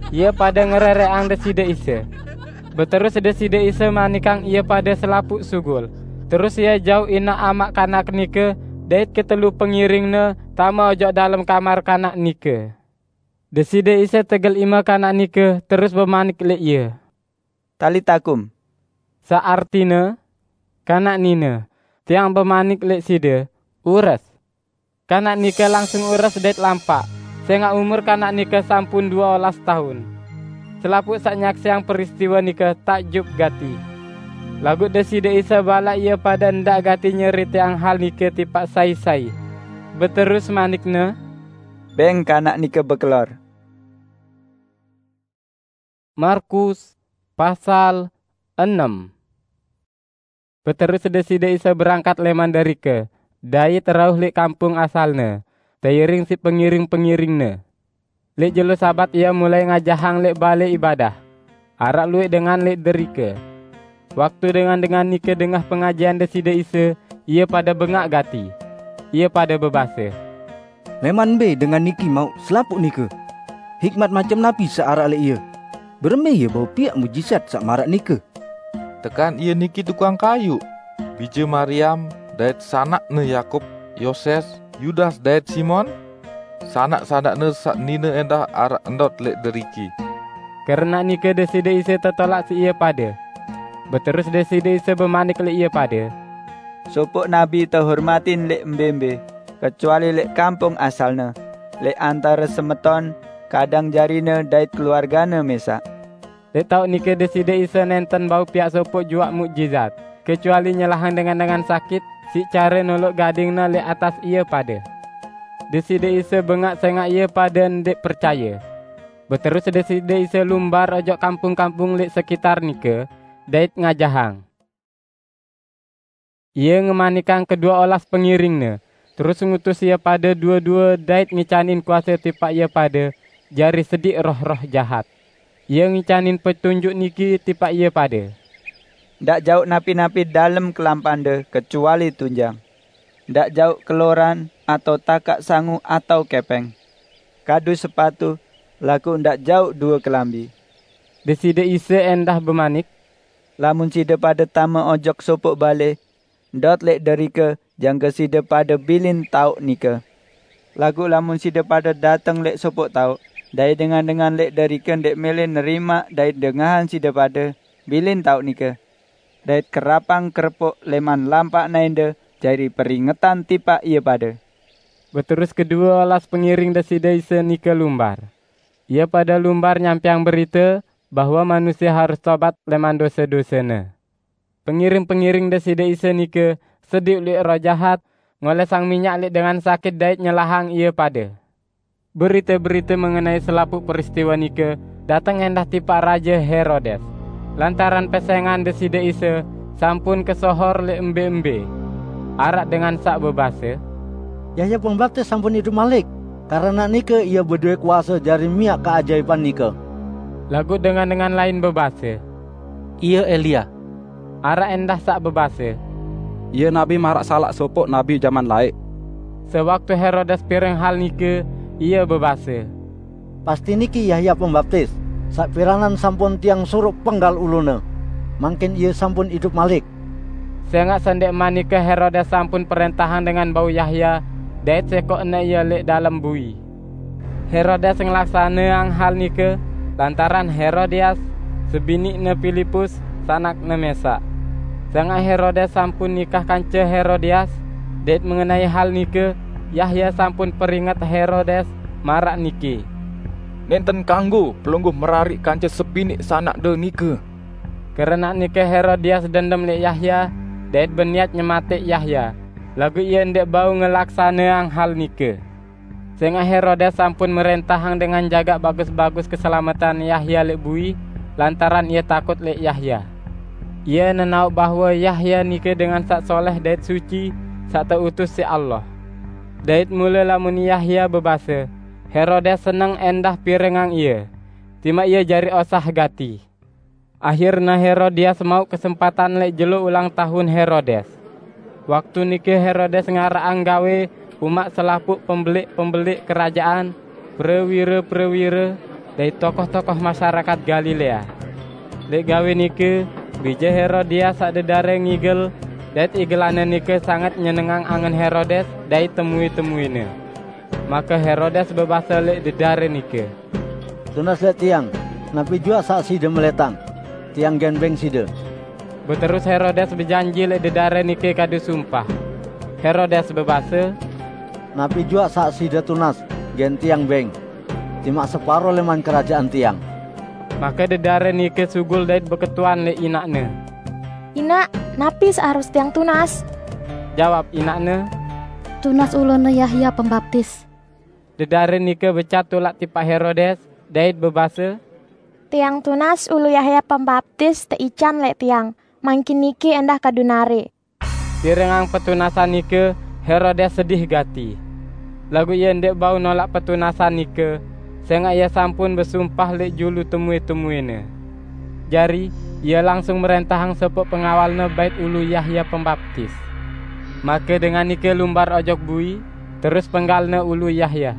Ie pade ngerereqang Deside Isa. Beterus Deside Isa manikang ie pade selapuq sugul. Terus Ie jauq inaq amaq kanak nike dait ketelu pengiring-Ne tame ojok dalem kamar kanak nike. Deside Isa tegel ime kanak nike terus bemanik leq ie, "Talita kum," saq artine, "Kanak nine, Tiang bemanik leq side, ures!" Kanak nike langsung ures dait lampaq, sengaq umur kanak nike sampun due olas taun. Selapuq saq nyaksiang peristiwe nike takjub gati. Laguq Deside Isa balaq ie pade ndaq gati nyeriteang hal nike tipaq sai-sai. Beterus manik-Ne, "Beng kanak nike bekelor." Markus pasal enem. Beterus Deside Isa berangkat leman derike, dait rauh leq kampung asalne, teiring siq pengiring-pengiring-Ne. Leq jelo Sabat Ie mulai ngajahang leq Bale Ibadah. Araq lueq dengan leq derike. Waktu dengan-dengan nike dengah pengajahan Deside Isa, ie pade bengaq gati. Ie pade bebase, "Leman mbe dengan niki mauq selapuq nike? Hikmat macem napi saq araq leq Ie? Berembe Ie bau piaq mujizat saq maraq nike? Tekan Ie niki tukang kayuq, bije Mariam dait sanakne Yakub, Yoses, Yudas dait Simon? Sanak-sanakne saq nine endah araq ndot leq deriki." Keranaq nike Deside Isa tetolaq siq ie pade. Beterus Deside Isa bemanik leq ie pade, "Sopoq nabi tehormatin leq mbe-mbe, kecuali leq kampung asalne, leq antare semeton, kadang jarine dait keluargane mesaq." Leq taoq nike Deside Isa nenten bau piaq sopoq juaq mukjizat, kecuali nyelahang dengan-dengan sakit siq care noloq gadingne leq atas ie pade. Deside Isa bengaq sengaq ie pade ndeq percaye. Beterus Deside Isa lumbar ojok kampung-kampung leq sekitar nike, dait ngajahang. Ie ngemanikang kedue olas pengiring-Ne, terus ngutus ie pade due-due dait ngicanin kuase tipaq ie pade jari sediq roh-roh jahat. Ie ngicanin petunjuk niki tipaq ie pade, "Ndaq jauq napi-napi dalem kelampande kecuali tunjang. Ndaq jauq keloran atau takaq sangu atau kepeng. Kadu sepatu, laguq ndaq jauq due kelambi." Deside Isa endah bemanik, "Lamun side pade tame ojok sopoq bale, ndot leq derike jangke side pade bilin taoq nike. Laguq lamun side pade dateng leq sopoq taoq, dait dengan-dengan leq derike ndeq mele nerimaq dait dengahang side pade bilin taoq nike, dait kerapang kerepuk leman lampaqne ende jari peringetan tipaq ie pade." Beterus kedue olas pengiring Deside Isa nike lumbar. Ie pade lumbar nyampeang berite bahwe manusie harus tobat leman dose-dosene. Pengiring-pengiring Deside Isa nike sediq lueq roh jahat, ngolesang minyak leq dengan sakit dait nyelahang ie pade. Berite-berite mengenai selapuq peristiwe nike dateng endah tipaq Raje Herodes. Lantaran pesengan Deside Isa sampun kesohor leq mbe-mbe, araq dengan saq bebase, "Yahya Pembaptis sampun idup malik. Keranaq nike ie bedowe kuase jari miaq keajaipan nike." Laguq dengan-dengan lain bebase, "Ie Elia." Araq endah saq bebase, "Ie nabi maraq salaq sopoq nabi jaman laeq." Sewaktu Herodes pireng hal nike, ie bebase, "Pasti niki Yahya Pembaptis, saq piranan sampun tiang suruq penggal ulune. Mangkin ie sampun idup malik." Sengaq sendeqman nike Herodes sampun perentahang dengan bau Yahya dait sekoqne ie leq dalem bui. Herodes ngelaksaneang hal nike lantaran Herodias, sebiniqne Pilipus, sanakne mesaq. Sengaq Herodes sampun nikah kance Herodias, dait mengenai hal nike, Yahya sampun peringet Herodes maraq niki, "Nenten kanggo pelungguh merariq kance sebiniq sanakde nike." Keranaq nike Herodias dendem leq Yahya, dait beniat nyemateq Yahya, laguq ie ndeq bau ngelaksaneang hal nike. Sengaq Herodes sampun merentahang dengan jagaq bagus-bagus keselametan Yahya leq bui, lantaran ie takut leq Yahya. Ie nenaoq bahwe Yahya nike dengan saq soleh dait suci, saq teutus siq Allah. Dait mule lamun Yahya bebase, Herodes seneng endah pirengang ie, timaq ie jari osah gati. Ahirne Herodias mauq kesempatan leq jelo ulang tahun Herodes. Waktu nike Herodes ngaraqang gawe umaq selapuq pembeliq-pembeliq kerajaan, prewire-prewire, dait tokoh-tokoh masyarakat Galilea. Leq gawe nike, bije Herodias saq dedare ngigel, dait igelanne nike sanget nyenengang angen Herodes dait temui-temuine. Make Herodes bebase leq dedare nike, "Tunas leq tiang, napi juaq saq side meletang. Tiang gen beng side." Beterus Herodes bejanji leq dedare nike kadu sumpah. Herodes bebase, "Napi juaq saq side tunas, gen tiang beng, timaq separo leman kerajaan tiang." Maka dedare nike sugul dait beketuan leq inaqne. "Inaq, napi saq harus tiang tunas?" Jawab inaqne, "Tunas ulune Yahya Pembaptis." Dedare nike becat tulak tipaq Herodes dait bebase, "Tiang tunas ulu Yahya Pembaptis teican leq tiang, mangkin niki endah kadu nare." Pirengang petunasan nike, Herodes sedih gati. Laguq ie ndeq bau nolaq petunasan nike, sengaq ie sampun besumpah leq julu temue-temuene. Jari, ie langsung mrentahang sopoq pengawalne bait ulu Yahya Pembaptis. Make dengan nike lumbar ojok bui, terus penggalne ulu Yahya.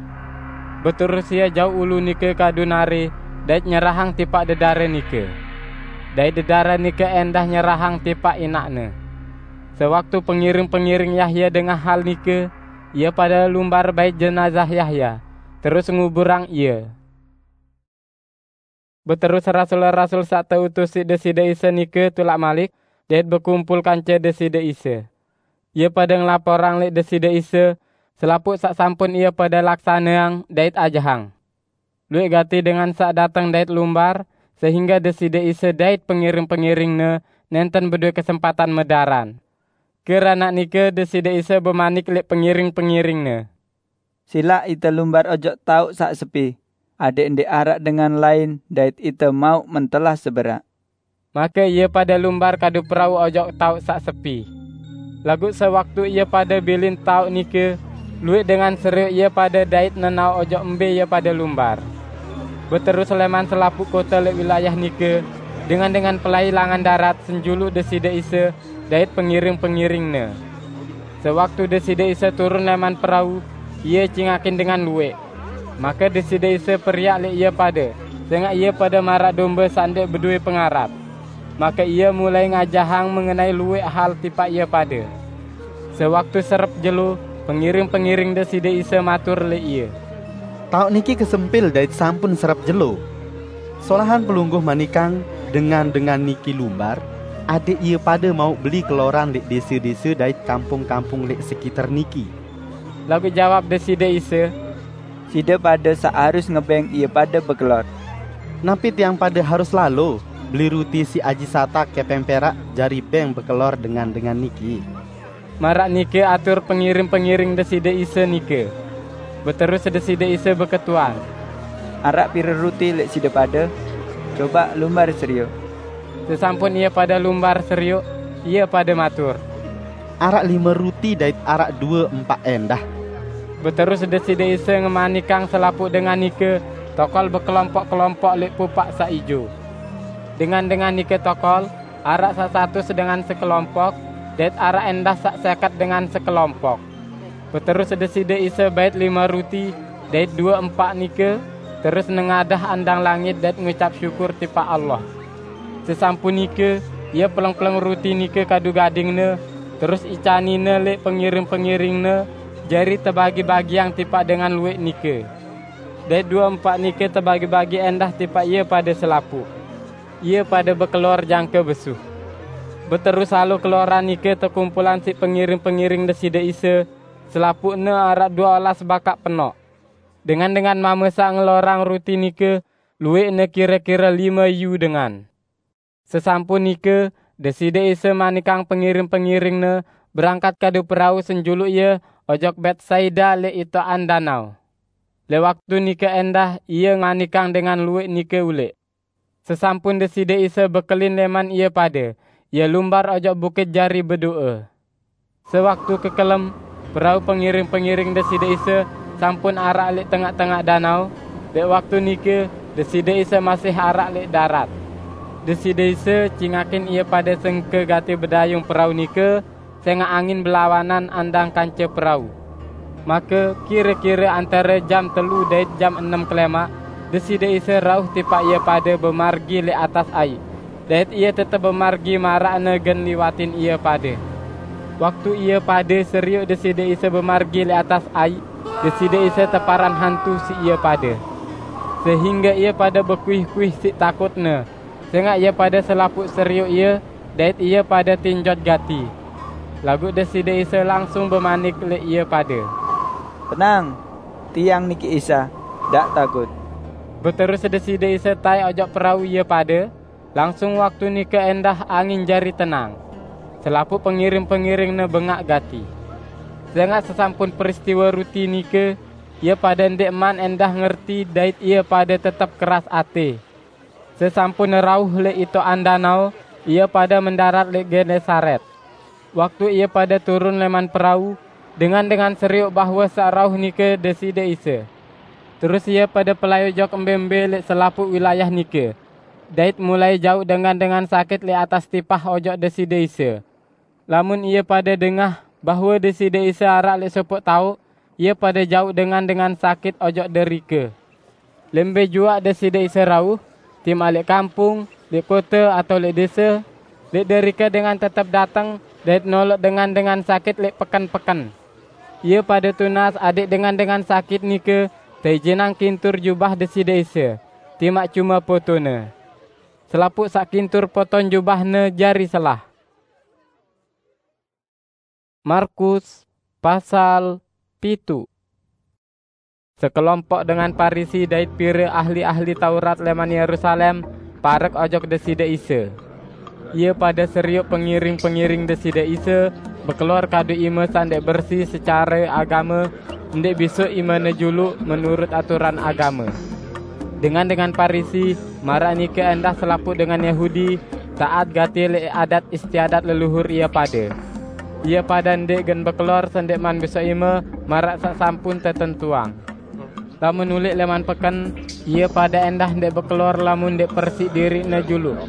Beterus ie jauq ulu nike kadu nare dait nyerahang tipaq dedare nike. Dait dedare nike endah nyerahang tipaq inaqne. Sewaktu pengiring-pengiring Yahya dengah hal nike, ie pade lumbar bait jenazah Yahya, terus nguburang ie. Beterus rasul-rasul saq teutus siq Deside Isa nike tulak malik dait bekumpul kance Deside Isa. Ie pade ngelaporang leq Deside Isa selapuq saq sampun ie pade laksaneang dait ajahang. Lueq gati dengan saq dateng dait lumbar, sehingge Deside Isa dait pengiring-pengiring-Ne nenten bedoe kesempatan medaran. Keranaq nike Deside Isa bemanik leq pengiring-pengiring-Ne, "Silaq ite lumbar ojok taoq saq sepi, adeq ndeq araq dengan lain dait ite mauq mentelah seberaq." Make ie pade lumbar kadu perau ojok taoq saq sepi. Laguq sewaktu ie pade bilin taoq nike, lueq dengan serioq ie pade dait nenaoq ojok mbe ie pade lumbar. Beterus leman selapuq kote leq wilayah nike, dengan-dengan pelai langan darat senjuluq Deside Isa dait pengiring-pengiring-Ne. Sewaktu Deside Isa turun leman perau, Ie cingakin dengan lueq. Make Deside Isa periak leq ie pade, sengaq ie pade maraq dombe saq ndeq bedoe pengarap. Make Ie mulai ngajahang mengenai lueq hal tipaq ie pade. Sewaktu serep jelo, pengiring-pengiring Deside Isa matur leq Ie, "Taoq niki kesempil dait sampun serep jelo. Solahan Pelungguh manikang dengan-dengan niki lumbar, adeq ie pade mauq beli keloran leq dese-dese dait kampung-kampung leq sekiter niki." Laguq jawab Deside Isa, "Side pade saq harus ngebeng ie pade bekelor." "Napi tiang pade harus lalo beli ruti siq aji satak kepeng perak jari beng bekelor dengan-dengan niki?" Maraq nike atur pengiring-pengiring Deside Isa nike. Beterus Deside Isa beketuan, "Araq pire ruti leq side pade? Cobaq lumbar serioq." Sesampun ie pade lumbar serioq, ie pade matur, "Araq lime ruti dait araq due empaq endah." Beterus Deside Isa ngemanikang selapuq dengan nike tokol bekelompok-kelompok leq pupaq saq ijo. Dengan-dengan nike tokol, araq saq satus dengan sekelompok, dait araq endah saq seket dengan sekelompok. Beterus Deside Isa bait lime ruti dait due empaq nike, terus nengadah andang langit dait ngucap syukur tipaq Allah. Sesampun nike, Ie peleng-peleng ruti nike kadu gading-Ne, terus icanine leq pengiring-pengiring-Ne, jari tebagi-bagiang tipaq dengan lueq nike. Dait due empaq nike tebagi-bagi endah tipaq ie pade selapuq. Ie pade bekelor jangke besuh. Beterus lalo keloran nike tekumpulang siq pengiring-pengiring Deside Isa, selapuqne araq due olas bakaq penoq. Dengan-dengan mame saq ngelorang ruti nike lueqne kire-kire lime iyu dengan. Sesampun nike, Deside Isa manikang pengiring-pengiring-Ne berangkat kadu perau senjuluq Ie ojok Betsaida leq itoqan danao. Leq waktu nike endah Ie manikang dengan lueq nike uleq. Sesampun Deside Isa bekelin leman ie pade, Ie lumbar ojok bukit jari bedoe. Sewaktu kekelem, perau pengiring-pengiring Deside Isa sampun araq leq tengaq-tengaq danao, leq waktu nike Deside Isa masih araq leq darat. Deside Isa cingakin ie pade sengke gati bedayung perau nike, sengaq angin belawanan andang kance perau. Make kire-kire antare jam telu dait jam enem kelemaq, Deside Isa rauh tipaq ie pade bemargi leq atas aiq, dait Ie tetep bemargi maraqne gen liwatin ie pade. Waktu ie pade serioq Deside Isa bemargi leq atas aiq, Deside Isa teparan hantu siq ie pade, sehingge ie pade bekuih-kuih siq takutne, sengaq ie pade selapuq serioq Ie, dait ie pade tinjot gati. Laguq Deside Isa langsung bemanik leq ie pade, "Tenang! Tiang niki Isa, ndaq takut!" Beterus Deside Isa taek ojok perau ie pade, langsung waktu nike endah angin jari tenang. Selapuq pengiring-pengiringne bengaq gati. Sengaq sesampun peristiwe ruti nike, ie pade ndeqman endah ngerti dait ie pade tetep keras ate. Sesampun rauh leq itoqan danao, ie pade mendarat leq Genesaret. Waktu ie pade turun leman perau, dengan-dengan serioq bahwe saq rauh nike Deside Isa. Terus ie pade pelai ojok mbe-mbe leq selapuq wilayah nike, dait mulai jauq dengan-dengan sakit leq atas tipah ojok Deside Isa. Lamun ie pade dengah bahwe Deside Isa araq leq sopoq taoq, ie pade jauq dengan-dengan sakit ojok derike. Lembe juaq Deside Isa rauh, timaq leq kampung, leq kote atao leq dese, leq derike dengan tetep dateng dait noloq dengan-dengan sakit leq peken-peken. Ie pade tunas adẽq dengan-dengan sakit nike teijinang kintur jubah Deside Isa, timaq cume potone. Selapuq saq kintur poton jubah-Ne jari selah. Markus pasal pitu. Sekelompok dengan Parisi dait pire ahli-ahli Taurat leman Yerusalem parek ojok Deside Isa. Ie pade serioq pengiring-pengiring Deside Isa bekelor kadu ime saq ndeq bersi secare agame, ndeq bisoq imene juluq menurut aturan agame. Dengan-dengan Parisi, maraq nike endah selapuq dengan Yahudi, taat gati leq adat istiadat leluhur ie pade. Ie pade ndeq gen bekelor sendeqman bisoq ime maraq saq sampun tetentuang. Lamun uleq leman peken, ie pade endah ndeq bekelor lamun ndeq persiq diriqne juluq.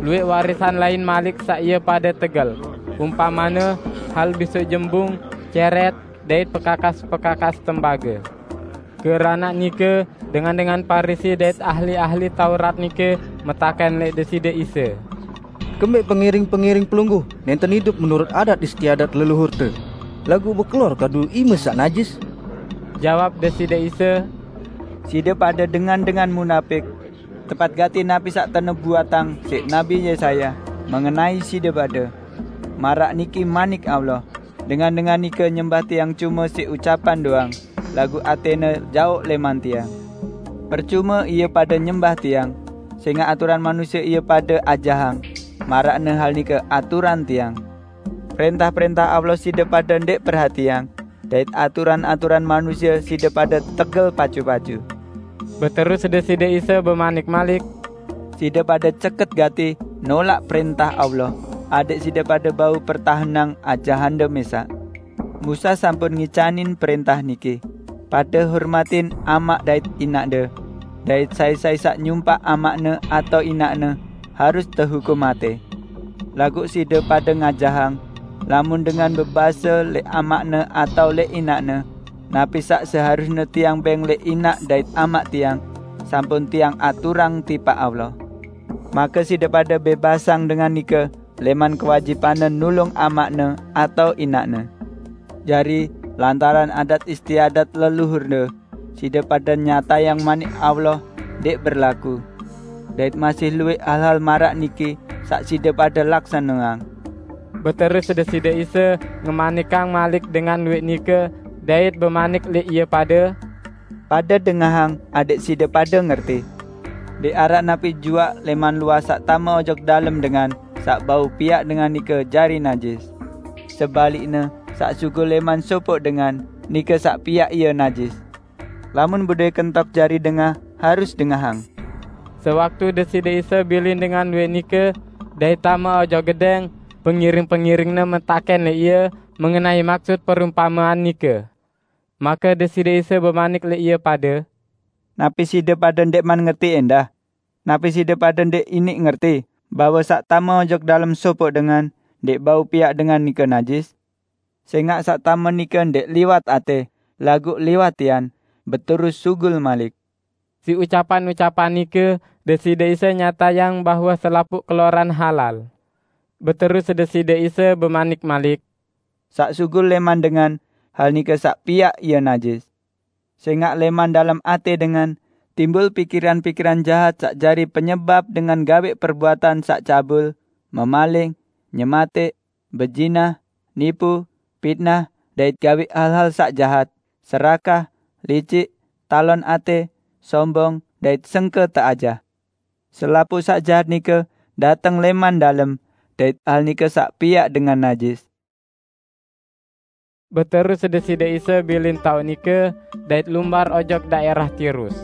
Lueq warisan lain malik saq ie pade tegel, umpamane hal bisoq jembung, ceret, dait pekakas-pekakas tembage. Keranaq nike, dengan-dengan Parisi dait ahli-ahli Taurat nike metaken leq Deside Isa, "Kembeq pengiring-pengiring Pelungguh nenten idup menurut adat istiadat leluhurte, laguq bekelor kadu ime saq najis?" Jawab Deside Isa, "Side pade dengan-dengan munapik! Tepat gati napi saq tenubuatang siq Nabi Yesaya mengenai side pade. Maraq niki manik Allah, 'Dengan-dengan nike nyembah Tiang cume siq ucapan doang, laguq atene jaoq leman Tiang. Percume ie pade nyembah Tiang, sengaq aturan manusie ie pade ajahang, maraqne hal nike aturan Tiang. Prentah-prentah Allah side pade ndeq perhatiang, dait aturan-aturan manusie side pade tegel pacu-pacu.'" Beterus Deside Isa bemanik malik, "Side pade ceket gati nolaq prentah Allah, adẽq side pade bau pertahenang ajahande mesaq. Musa sampun ngicanin prentah niki, 'Pade hormatin amaq dait inaqde,' dait 'Sai-sai saq nyumpaq amaqne atao inaqne harus tehukum mate.' Laguq side pade ngajahang, lamun dengan bebase leq amaqne atao leq inaqne, 'Napi saq seharusne tiang beng leq inaq dait amaq tiang, sampun tiang aturang tipaq Allah.' Make side pade bebasang dengan nike leman kewajibanne nulung amaqne atao inaqne. Jari, lantaran adat istiadat leluhurne, side pade nyatayang manik Allah ndeq berlaku. Dait masih lueq hal-hal maraq niki saq side pade laksaneang." Beterus Deside Isa ngemanikang malik dengan lueq nike dait bemanik leq ie pade, "Pade dengahang adẽq side pade ngerti. Ndeq araq napi juaq leman luah saq tame ojok dalem dengan saq bau piaq dengan nike jari najis. Sebalikne, saq sugul leman sopoq dengan, nike saq piaq ie najis. Lamun bedoe kentok jari dengah, harus dengahang." Sewaktu Deside Isa bilin dengan lueq nike dait tame ojok gedeng, pengiring-pengiring-Ne metaken leq Ie mengenai maksud perumpamean nike. Make Deside Isa bemanik leq ie pade, "Napi side pade ndeqman ngerti endah? Napi side pade ndeq iniq ngerti bahwe saq tame ojok dalem sopoq dengan ndeq bau piaq dengan nike najis? Sengaq saq tame nike ndeq liwat ate, laguq liwat tian, beterus sugul malik." Siq ucapan-ucapan nike Deside Isa nyatayang bahwe selapuq keloran halal. Beterus Deside Isa bemanik malik, "Saq sugul leman dengan, hal nike saq piaq ie najis. Sengaq leman dalem ate dengan timbul pikiran-pikiran jahat saq jari penyebap dengan gaweq perbuatan saq cabul, memaling, nyemateq, bezinah, nipu, pitnah, dait gaweq hal-hal saq jahat, serakah, licik, talon ate, sombong, dait sengke teajah. Selapuq saq jahat nike dateng leman dalem, dait hal nike saq piaq dengan najis. Beterus Deside Isa bilin taoq nike dait lumbar ojok daerah Tirus.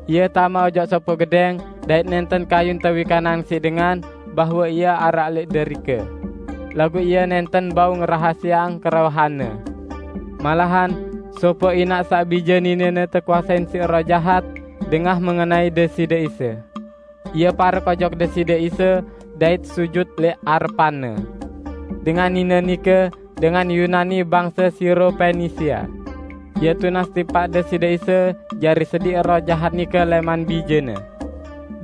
Ie tame ojok sopoq gedeng dait nenten kayun tewikanang siq dengan bahwe ie araq leq derike. Laguq ie nenten bau ngerahasiaang kerewehanne. Malahan, sopoq inaq saq bije ninene tekuasein siq roh jahat dengah mengenai Deside Isa. Ie parek ojok Deside Isa dait sujut leq arepan-Ne. Dengan nine nike dengan Yunani bangse Siro Fenisia. Ie tunas tipaq Deside Isa jari sediq roh jahat nike leman bijene.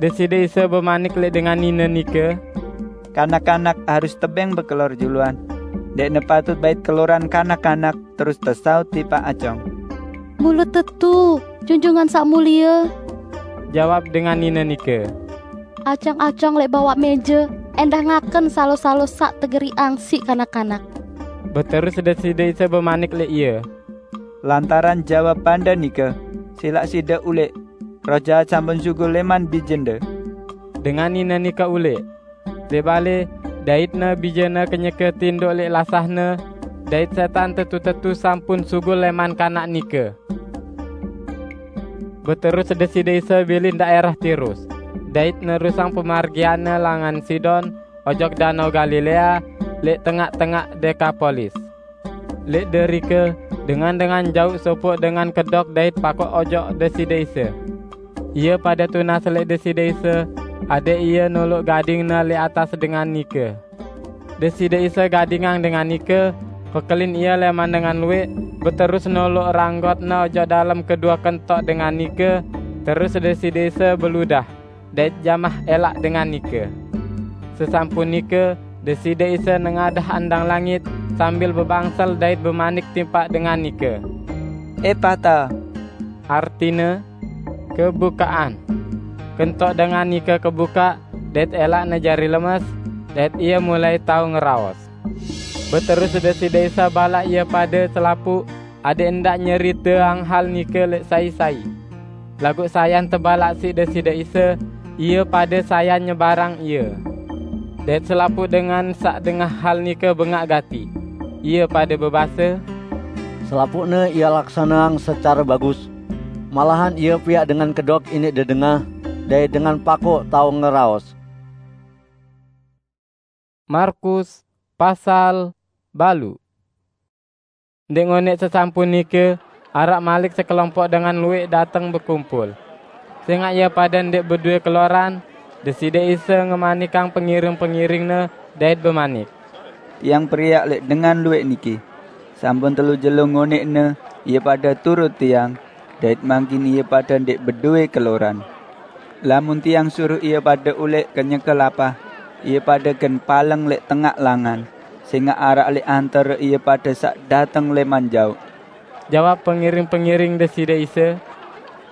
Deside Isa bemanik leq dengan nine nike, "Kanak-kanak harus tebeng bekelor juluan. Ndeqne patut bait keloran kanak-kanak terus tesaut tipaq acong." "Mule tetu, Junjungan Saq Mulie," jawab dengan nine nike. "Acong-acong leq bawaq meje endah ngaken salo-salo saq tegeriqang siq kanak-kanak." Beterus Deside Isa bemanik leq ie, "Lantaran jawabande nike, silaq side uleq. Roh jahat sampun sugul leman bijende." Dengan nine nike uleq. Leq bale, daitne bijene kenyeke tindoq leq lasahne, dait setan tetu-tetu sampun sugul leman kanak nike. Beterus Deside Isa bilin daerah Tirus, dait nerusang pemargian-Ne langan Sidon ojok Danau Galilea leq tengaq-tengaq Dekapolis. Leq derike, dengan-dengan jauq sopoq dengan kedok dait pakoq ojok Deside Isa. Ie pade tunas leq Deside Isa, adeq Ie noloq gading-Ne leq atas dengan nike. Deside Isa gadingang dengan nike, pekelin ie leman dengan lueq, beterus noloq ranggot-Ne ojok dalem kedue kentok dengan nike, terus Deside Isa beludah, dait jamah elaq dengan nike. Sesampun nike, Deside Isa nengadah andang langit sambil bebangsel dait bemanik tipaq dengan nike, "Epata," artine, "Kebukaqan." Kentok dengan nike kebukaq, dait elaqne jari lemes, dait ie mulai tao ngeraos. Beterus Deside Isa balaq ie pade selapuq adeq ndaq nyeriteang hal nike leq sai-sai. Laguq sayan tebalaq siq Deside Isa, ie pade sayan nyebarang Ie. Dait selapuq dengan saq dengah hal nike bengaq gati. Ie pade bebase, "Selapuqne Ia laksaneang secare bagus. Malahan Ia piaq dengan kedok iniq dedengah, dait dengan pakoq tao ngeraos." Markus pasal baluq. Ndeq ngoneq sesampun nike, araq malik sekelompok dengan lueq dateng bekumpul. Sengaq ie pade ndeq bedoe keloran, Deside Isa ngemanikang pengiring-pengiring-Ne dait bemanik, "Tiang periak leq dengan lueq niki. Sampun telu jelo ngoneqne ie pade turut Tiang, dait mangkin ie pade ndeq bedoe keloran. Lamun Tiang suruh ie pade uleq kenyeke lapah, ie pade gen paleng leq tengaq langan, sengaq araq leq antare ie pade saq dateng leman jauq." Jawab pengiring-pengiring Deside Isa,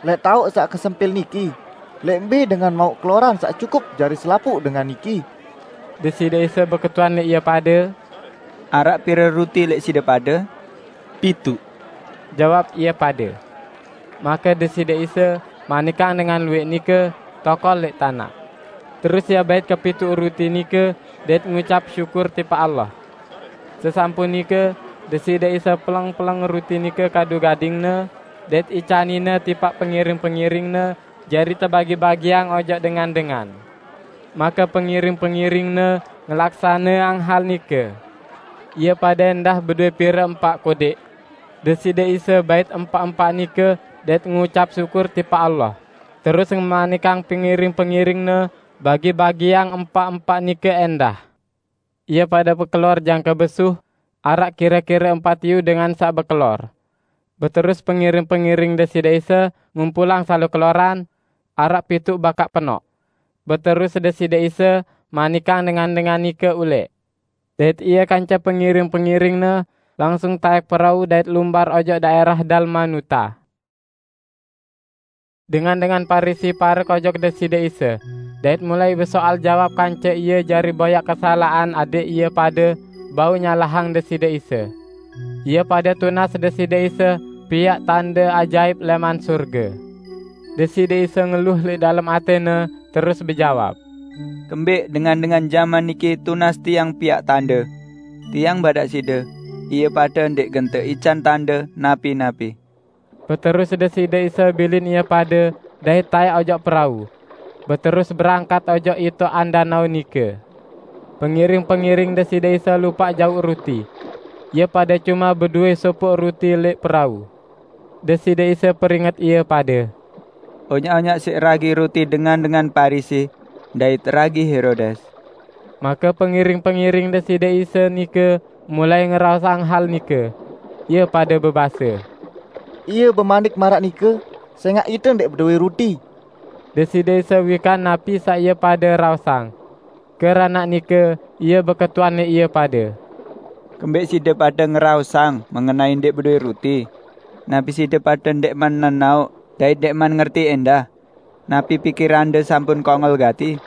"Leq taoq saq kesempil niki, leq mbe dengan mauq keloran saq cukup jari selapuq dengan niki?" Deside Isa beketuan leq ie pade, "Araq pire ruti leq side pade?" "Pituq," jawab ie pade. Make Deside Isa manikang dengan lueq nike tokol leq tanaq. Terus Ie bait kepituq ruti nike dait ngucap syukur tipaq Allah. Sesampun nike, Deside Isa peleng-peleng ruti nike kadu gading-Ne, dait icanin-Ne tipaq pengiring-pengiring-Ne jari tebagi-bagiang ojok dengan-dengan. Make pengiring-pengiring-Ne ngelaksaneang hal nike. Ie pade endah bedoe pire empaq kodeq. Deside Isa bait empaq-empaq nike dait ngucap syukur tipaq Allah, terus ngemanikang pengiring-pengiring-Ne bagi-bagiang empaq-empaq nike endah. Ie pade bekelor jangke besuh, araq kire-kire empat iyu dengan saq bekelor. Beterus pengiring-pengiring Deside Isa ngumpulang salo keloran, araq pituq bakaq penoq. Beterus Deside Isa manikang dengan-dengan nike uleq. Dait Ie kance pengiring-pengiring-Ne langsung taek perau dait lumbar ojok daerah Dalmanuta. Dengan-dengan Parisi parek ojok Deside Isa, dait mulai besoal jawab kance Ie jari boyaq kesalaqan adeq ie pade bau nyalahang Deside Isa. Ie pade tunas Deside Isa piaq tande ajaip leman surge. Deside Isa ngeluh lẽq dalem atẽne, terus bejawab, "Kembeq dengan-dengan jaman niki tunas Tiang piaq tande? Tiang badaq side, ie pade ndeq gen teican tande napi-napi." Beterus Deside Isa bilin ie pade dait taẽk ojok perau, beterus berangkat ojok itoqan danao nike. Pengiring-pengiring Deside Isa lupaq jauq ruti. Ie pade cume bedowe sopoq ruti lẽq perau. Deside Isa peringet ie pade, "Onyaq-onyaq siq ragi ruti dengan-dengan Parisi dait ragi Herodes." Make pengiring-pengiring Deside Isa nike mulai ngeraosang hal nike. Ie pade bebase, "Ie bemanik maraq nike, sẽngaq ite ndeq bedowe ruti." Deside Isa wikan napi saq ie pade raosang. Keranaq nike Ie beketuan lẽq ie pade, "Kembeq side pade ngeraosang mengenai ndeq bedowe ruti? Napi side pade ndeqman nenaoq dait ndeqman ngerti endah? Napi pikirande sampun kongel gati?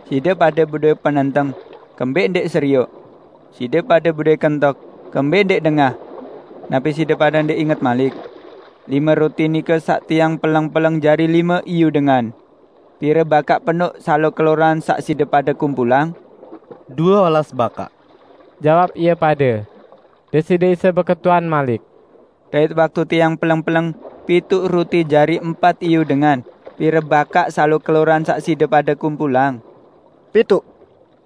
Side pade bedowe penenteng, kembeq ndeq serioq? Side pade bedowe kentok, kembeq ndeq dengah? Napi side pade ndeq inget malik? Lime ruti nike saq Tiang peleng-peleng jari lime iyu dengan. Pire bakaq penuq salo keloran saq side pade kumpulang?" "Due olas bakaq," jawab ie pade. Deside Isa beketuan malik, "Dait waktu Tiang peleng-peleng pituq ruti jari empat iyu dengan, pire bakaq salo keloran saq side pade kumpulang?" "Pituq,"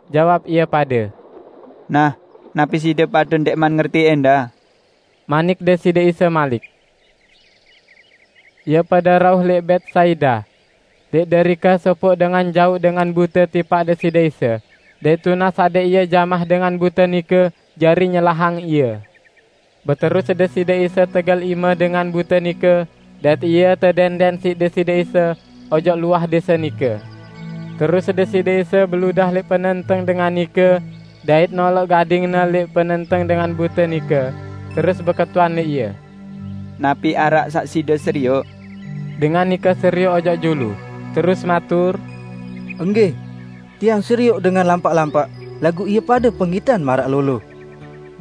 jawab ie pade. "Nah, napi side pade ndeqman ngerti endah?" Manik Deside Isa malik, "Ie pade rauh lẽq Betsaida. Lẽq derike sopoq dengan jauq dengan bute tipaq Deside Isa, dait tunas adẽq ie jamah dengan bute nike jari nyelahang ie. Beterus Deside Isa tegel ime dengan bute nike, dait ie tedenden siq Deside Isa ojok luah dese nike. Terus Deside Isa beludah lẽq penenteng dengan nike, dait noloq gadingne lẽq penenteng dengan bute nike, terus beketuan lẽq ie, 'Napi araq saq side serioq?' Dengan nike serioq ojok julu, terus matur, 'Enggih, tiang serioq dengan lampaq-lampaq, laguq ie pade penggitan maraq lolo.'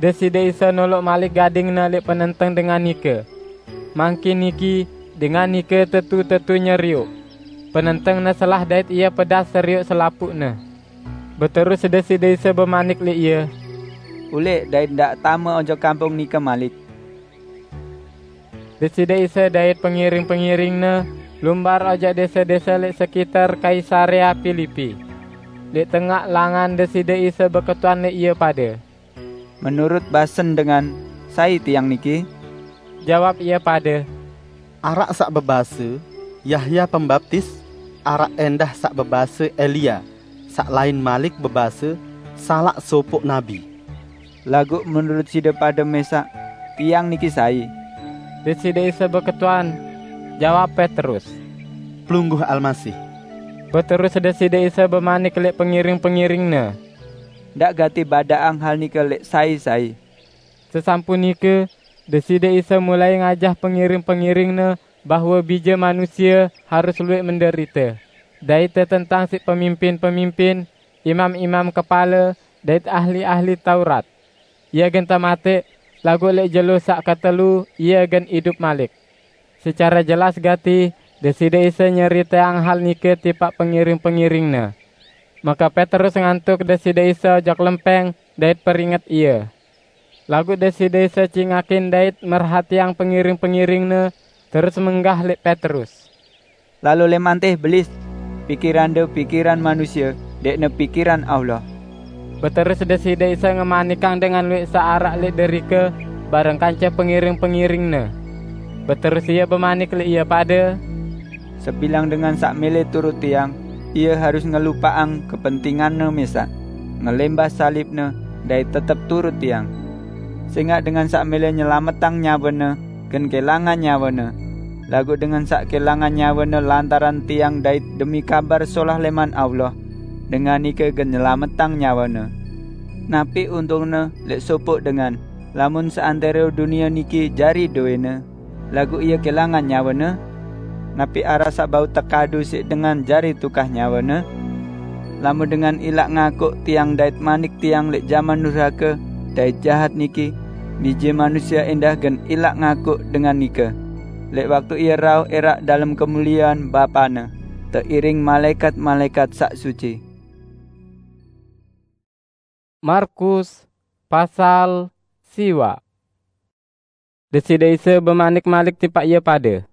Deside Isa noloq malik gadingne lẽq penenteng dengan nike. Mangkin niki dengan nike tetu-tetu nyerioq. Penentengne selah dait ie pedas serioq selapuqne." Beterus Deside Isa bemanik lẽq ie, "Ulẽq dait ndaq tame ojok kampung nike malik." Deside Isa dait pengiring-pengiring-Ne lumbar ojok dese-dese lẽq sekiter Kaisarea Pilipi. Lẽq tengaq langan Deside Isa beketuan lẽq ie pade, "Menurut basen dengan, sai Tiang niki?" Jawab ie pade, "Araq saq bebase, 'Yahya Pembaptis,' araq endah saq bebase, 'Elia,' saq lain malik bebase, 'Salaq sopoq nabi.' Laguq menurut side pade mesaq, Tiang niki sai?" Deside Isa beketuan, jawab Petrus, "Pelungguh Almasih." Beterus Deside Isa bemanik lẽq pengiring-pengiring-Ne, "Ndaq gati badaqang hal nike lẽq sai-sai." Sesampun nike, Deside Isa mulai ngajah pengiring-pengiring-Ne bahwe Bije Manusie harus luwẽq menderite, dait tetentang siq pemimpin-pemimpin, imam-imam kepale, dait ahli-ahli Taurat. Ie gen tematẽq, laguq lẽq jelo saq ketelu Ie gen idup malik. Secare jelas gati Deside Isa nyeriteang hal nike tipaq pengiring-pengiring-Ne. Make Petrus ngantuk Deside Isa ojok lempẽng dait peringet Ie. Laguq Deside Isa cingakin dait merhatiang pengiring-pengiring-Ne, terus menggah lẽq Petrus, "Lalo lẽman teh, Belis! Pikirande pikiran manusie, ndeqne pikiran Allah." Beterus Deside Isa ngemanikang dengan luwẽq saq araq lẽq derike bareng kance pengiring-pengiring-Ne. Beterus Ie bemanik lẽq ie pade, "Sebilang dengan saq mẽlẽ turut Tiang, ie harus ngelupaqang kepentinganne mesaq, ngelẽmbah salibne, dait tetep turut Tiang. Sẽngaq dengan saq mẽlẽ nyelametang nyawene, gen kẽlangan nyawene. Laguq dengan saq kẽlangan nyawene lantaran Tiang dait demi Kabar Solah lẽman Allah, dengan nike gen nyelametang nyawene. Napi untungne lẽq sopoq dengan, lamun seantẽro dunie niki jari dowẽne, laguq ie kẽlangan nyawene? Napi araq saq bau tekadu siq dengan jari tukah nyawene? Lamun dengan ilaq ngakuq Tiang dait manik Tiang lẽq jaman nurhake dait jahat niki, Bije Manusie endah gen ilaq ngakuq dengan nike lek waktu ia rauh erak dalam kemuliaan Bapane, teiring malaikat-malaikat sak suci. Markus pasal siwa. Deside Isa bemanik malik tipaq ie pade,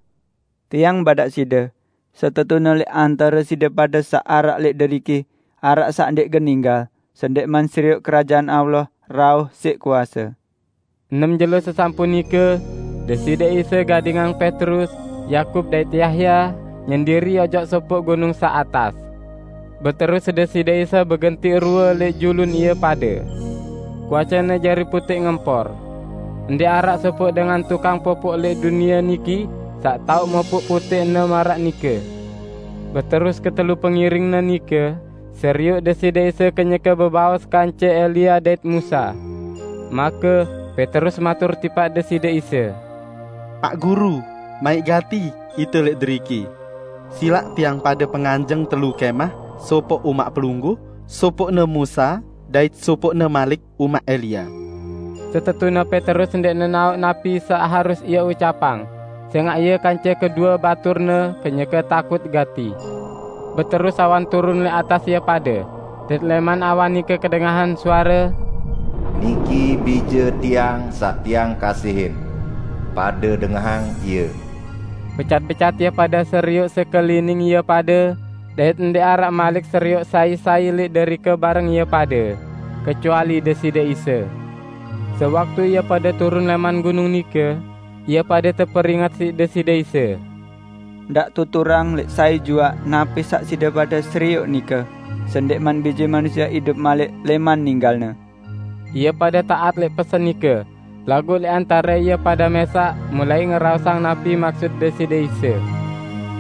"Tiang badak side, setetune lek antare side pade saq araq lek deriki, araq saq ndeq gen ninggal, sendekman serioq Kerajaan Allah rauh siq kuase." Enem jelo sesampun nike, Deside Isa gadingang Petrus, Yakub dait Yahya nyendiri ojok sopoq gunung saq atas. Beterus Deside Isa begenti rue lek julun ie pade. Kuasene jari puteq ngempor. Ndeq araq sopoq dengan tukang popoq lek dunie niki saq tao mopoq puteqne maraq nike. Beterus ketelu pengiringne nike serioq Deside Isa kenyeke bebaos kance Elia dait Musa. Make Petrus matur tipaq Deside Isa, "Pak Guru, maiq gati ite lek deriki. Silaq tiang pade penganjeng telu kemah, sopoq umaq Pelungguh, sopoqne Musa, dait sopoqne malik umaq Elia." Setetune Petrus ndeq nenaoq napi saq harus ie ucapang, sengaq ie kance kedue baturne kenyeke takut gati. Beterus awan turun lek atas ie pade, dait leman awan nike kedengahan suare, "Niki Bije Tiang saq Tiang kasihin. Pade dengahang Ie." Becat-becat ie pade serioq sekelining ie pade, dait ndeq araq malik serioq sai-sai lek derike bareng ie pade, kecuali Deside Isa. Sewaktu ie pade turun leman gunung nike, ie pade teperinget siq Deside Isa, "Ndaq tuturang lek sai juaq napi saq side pade serioq nike, sendekman Bije Manusie idup malik leman ninggalne." Ie pade taat lek pesen nike, laguq lek antare ie pade mesaq mulai ngeraosang napi maksud Deside Isa,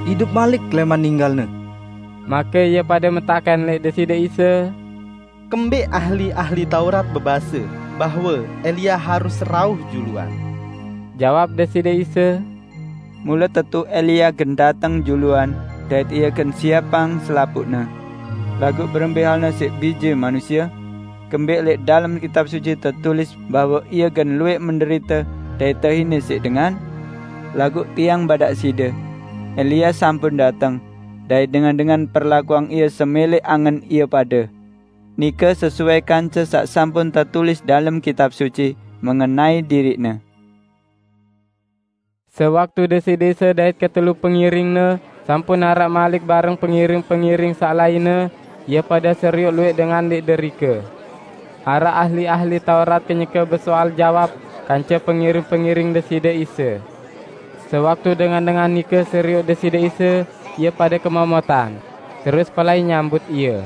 "Idup malik leman ninggalne." Make ie pade metaken lek Deside Isa, "Kembeq ahli-ahli Taurat bebase bahwe Elia harus rauh juluan?" Jawab Deside Isa, "Mule tetu Elia gen dateng juluan, dait ie gen siapang selapuqne. Laguq berembe halne siq Bije Manusie? Kembeq lek dalem Kitab Suci tetulis bahwe ie gen lueq menderite dait tehine siq dengan? Laguq tiang badak side, Elia sampun dateng, dait dengan-dengan perlakuang ie semele angen ie pade. Nike sesuai kance saq sampun tetulis dalem Kitab Suci mengenai diriqne." Sewaktu Deside Isa dait ketelu pengiring-Ne sampun araq malik bareng pengiring-pengiring saq lainne, ie pade serioq lueq dengan leq derike. Araq ahli-ahli Taurat kenyeke besoal jawab kance pengiring-pengiring Deside Isa. Sewaktu dengan-dengan nike serioq Deside Isa, ie pade kemomotan, terus pelai nyambut Ie.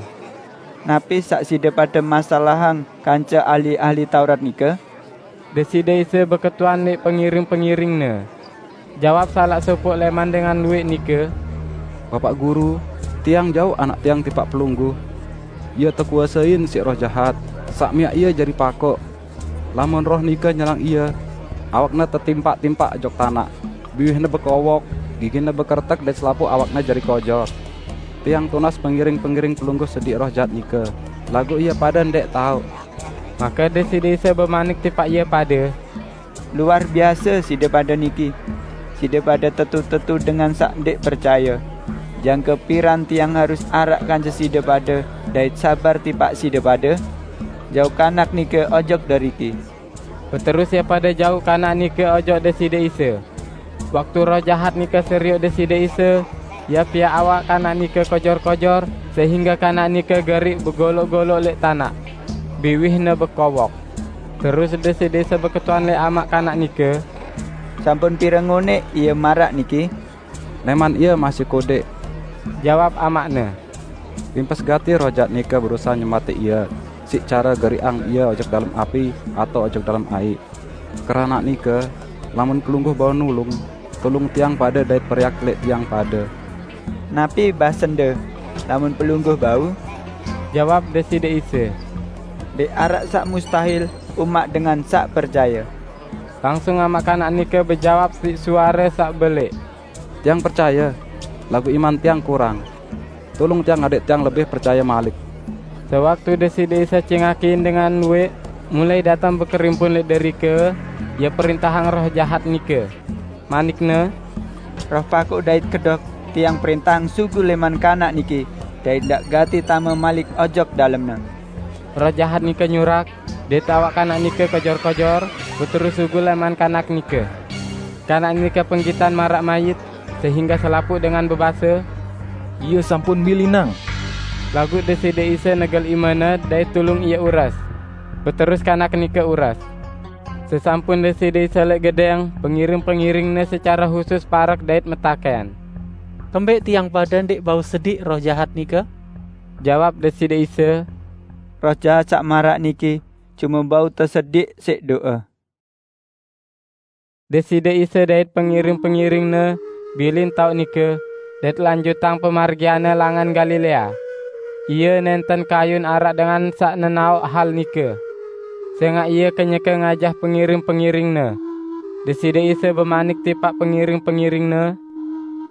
"Napi saq side pade masalahang kance ahli-ahli Taurat nike?" Deside Isa beketuan leq pengiring-pengiring-Ne. Jawab salaq sopoq leman dengan lueq nike, "Bapaq Guru, tiang jauq anak tiang tipaq Pelungguh. Ie tekuasein siq roh jahat, saq miaq ie jari pakoq. Lamun roh nike nyerang ie, awakne tetimpak-timpak ojok tanaq, biwihne bekowok, gigine bekeretek dait selapuq awakne jari kojor. Tiang tunas pengiring-pengiring Pelungguh sediq roh jahat nike, laguq ie pade ndeq taoq." Make Deside Isa bemanik tipaq ie pade, "Luar biase side pade niki! Side pade tetu-tetu dengan saq ndeq percaye. Jangke piran tiang harus araq kance side pade dait sabar tipaq side pade? Jauq kanak nike ojok deriki." Beterus ie pade jauq kanak nike ojok Deside Isa. Waktu roh jahat nike serioq Deside Isa, ie piaq awak kanak nike kojor-kojor, sehingge kanak nike geriq begoloq-goloq leq tanaq, biwihne bekowok. Terus Deside Isa beketuan leq amaq kanak nike, "Sampun pire ngoneq ie maraq niki?" "Leman ie masih kodeq," jawab amaqne, "limpes gati roh jahat nike berusahe nyematiq ie siq care geriqang ie ojok dalem api atao ojok dalem aiq. Keranaq nike, lamun Pelungguh bau nulung, tulung tiang pade dait periak leq tiang pade." "Napi basende, 'Lamun Pelungguh bau'?" jawab Deside Isa. "Ndeq araq saq mustahil umaq dengan saq percaye." Langsung amaq kanak nike bejawab siq suare saq beleq, "Tiang percaye, laguq iman tiang kurang. Tulung tiang adek tiang lebih percaye malik." Sewaktu Deside Isa cingakin dengan lueq mulai dateng bekerimpun leq derike, Ie perintahang roh jahat nike. Manik-Ne, Roh paku dait kedok, tiang perintahang sugul leman kanak niki, dait ndak gati tame malik ojok dalemne. Roh jahat nike nyurak, dait awak kanak nike kojor-kojor, beterus sugul leman kanak nike. Kanak nike penggitan maraq mayit, sehingga selapuq dengan bebase, "Ie sampun milinang." Laguq Deside Isa negel imene dait tulung ie ures. Beterus kanak nike ures. Sesampun Deside Isa leq gedeng, pengiring-pengiring-Ne secare husus parek dait metaken, "Kembeq tiang pade ndeq bau sediq roh jahat nike?" Jawab Deside Isa, "Roh jahat saq maraq niki cume bau tesediq siq do'e." Deside Isa dait pengiring-pengiring-Ne bilin taoq nike, dait lanjutang pemargian-Ne langan Galilea. Ie nenten kayun araq dengan saq nenaoq hal nike, sengaq Ie kenyeke ngajah pengiring-pengiring-Ne. Deside Isa bemanik tipaq pengiring-pengiring-Ne,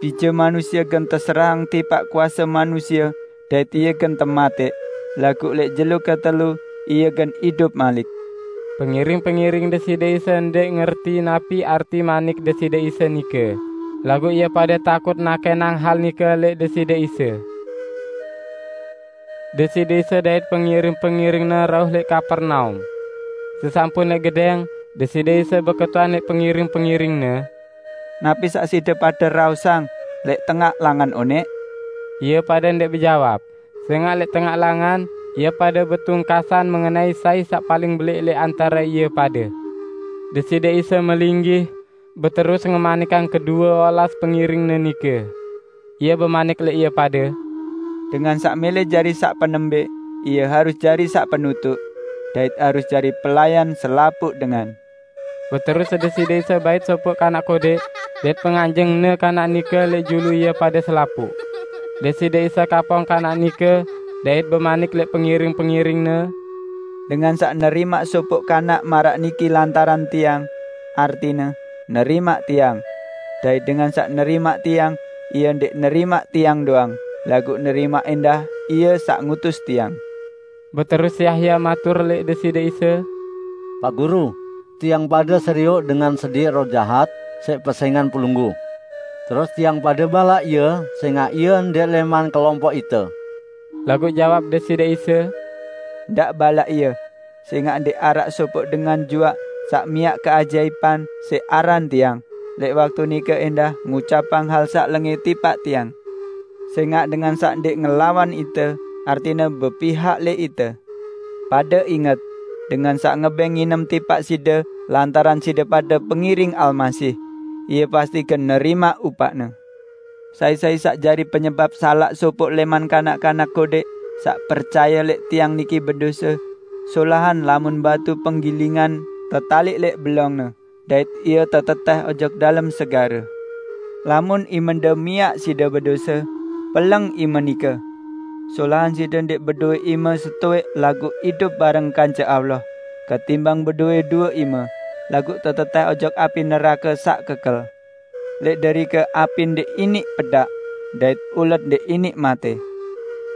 "Bije Manusie gen teserahang tipaq kuase manusie, dait Ie gen temateq, laguq leq jelo ketelu Ie gen idup malik." Pengiring-pengiring Deside Isa ndeq ngerti napi arti manik Deside Isa nike, laguq ie pade takut nakenang hal nike leq Deside Isa. Deside Isa dait pengiring-pengiring-Ne rauh leq Kapernaum. Sesampun leq gedeng, Deside Isa beketuan leq pengiring-pengiring-Ne, "Napi saq side pade raosang leq tengaq langan oneq?" Ie pade ndeq bejawab, sengaq leq tengaq langan ie pade betungkasan mengenai sai saq paling beleq leq antare ie pade. Deside Isa melinggih, beterus ngemanikang kedue olas pengiring-Ne nike. Ie bemanik leq ie pade, "Dengan saq mele jari saq penembeq, ie harus jari saq penutuq, dait harus jari pelayan selapuq dengan." Beterus Deside Isa bait sopoq kanak kodeq, dait penganjeng-Ne kanak nike leq julu ie pade selapuq. Deside Isa kapong kanak nike, dait bemanik leq pengiring-pengiring-Ne, "Dengan saq nerimaq sopoq kanak maraq niki lantaran Tiang, artine, nerimaq Tiang. Dait dengan saq nerimaq Tiang, ie ndeq nerimaq Tiang doang, laguq nerimaq endah Ie saq ngutus Tiang." Beterus Yahya matur leq Deside Isa, "Pak Guru, tiang pade serioq dengan sediq roh jahat siq pesengan Pelungguh. Terus tiang pade balaq ie, sengaq ie ndeq leman kelompoq ite." Laguq jawab Deside Isa, "Ndaq balaq ie, sengaq ndeq araq sopoq dengan juaq saq miaq keajaipan siq aran Tiang, leq waktu nike endah ngucapang hal saq lenge tipaq Tiang. Sengaq dengan saq ndeq ngelawan ite, artine bepihak leq ite. Pade inget, dengan saq ngebeng nginem tipaq side lantaran side pade pengiring Almasih, ie pasti gen nerimaq upaqne. Sai-sai saq jari penyebap salaq sopoq leman kanak-kanak kodeq saq percaye leq Tiang niki bedose, solahan lamun batu penggilingan tetaliq leq belongne, dait ie teteteh ojok dalem segare. Lamun imende miaq side bedose, peleng ime nike. Solahan side ndeq bedowe ime setoeq laguq idup bareng kance Allah, ketimbang bedowe due ime, laguq teteteh ojok api nerake saq kekel. Leq derike api ndeq iniq pedaq, dait ulet ndeq iniq mate.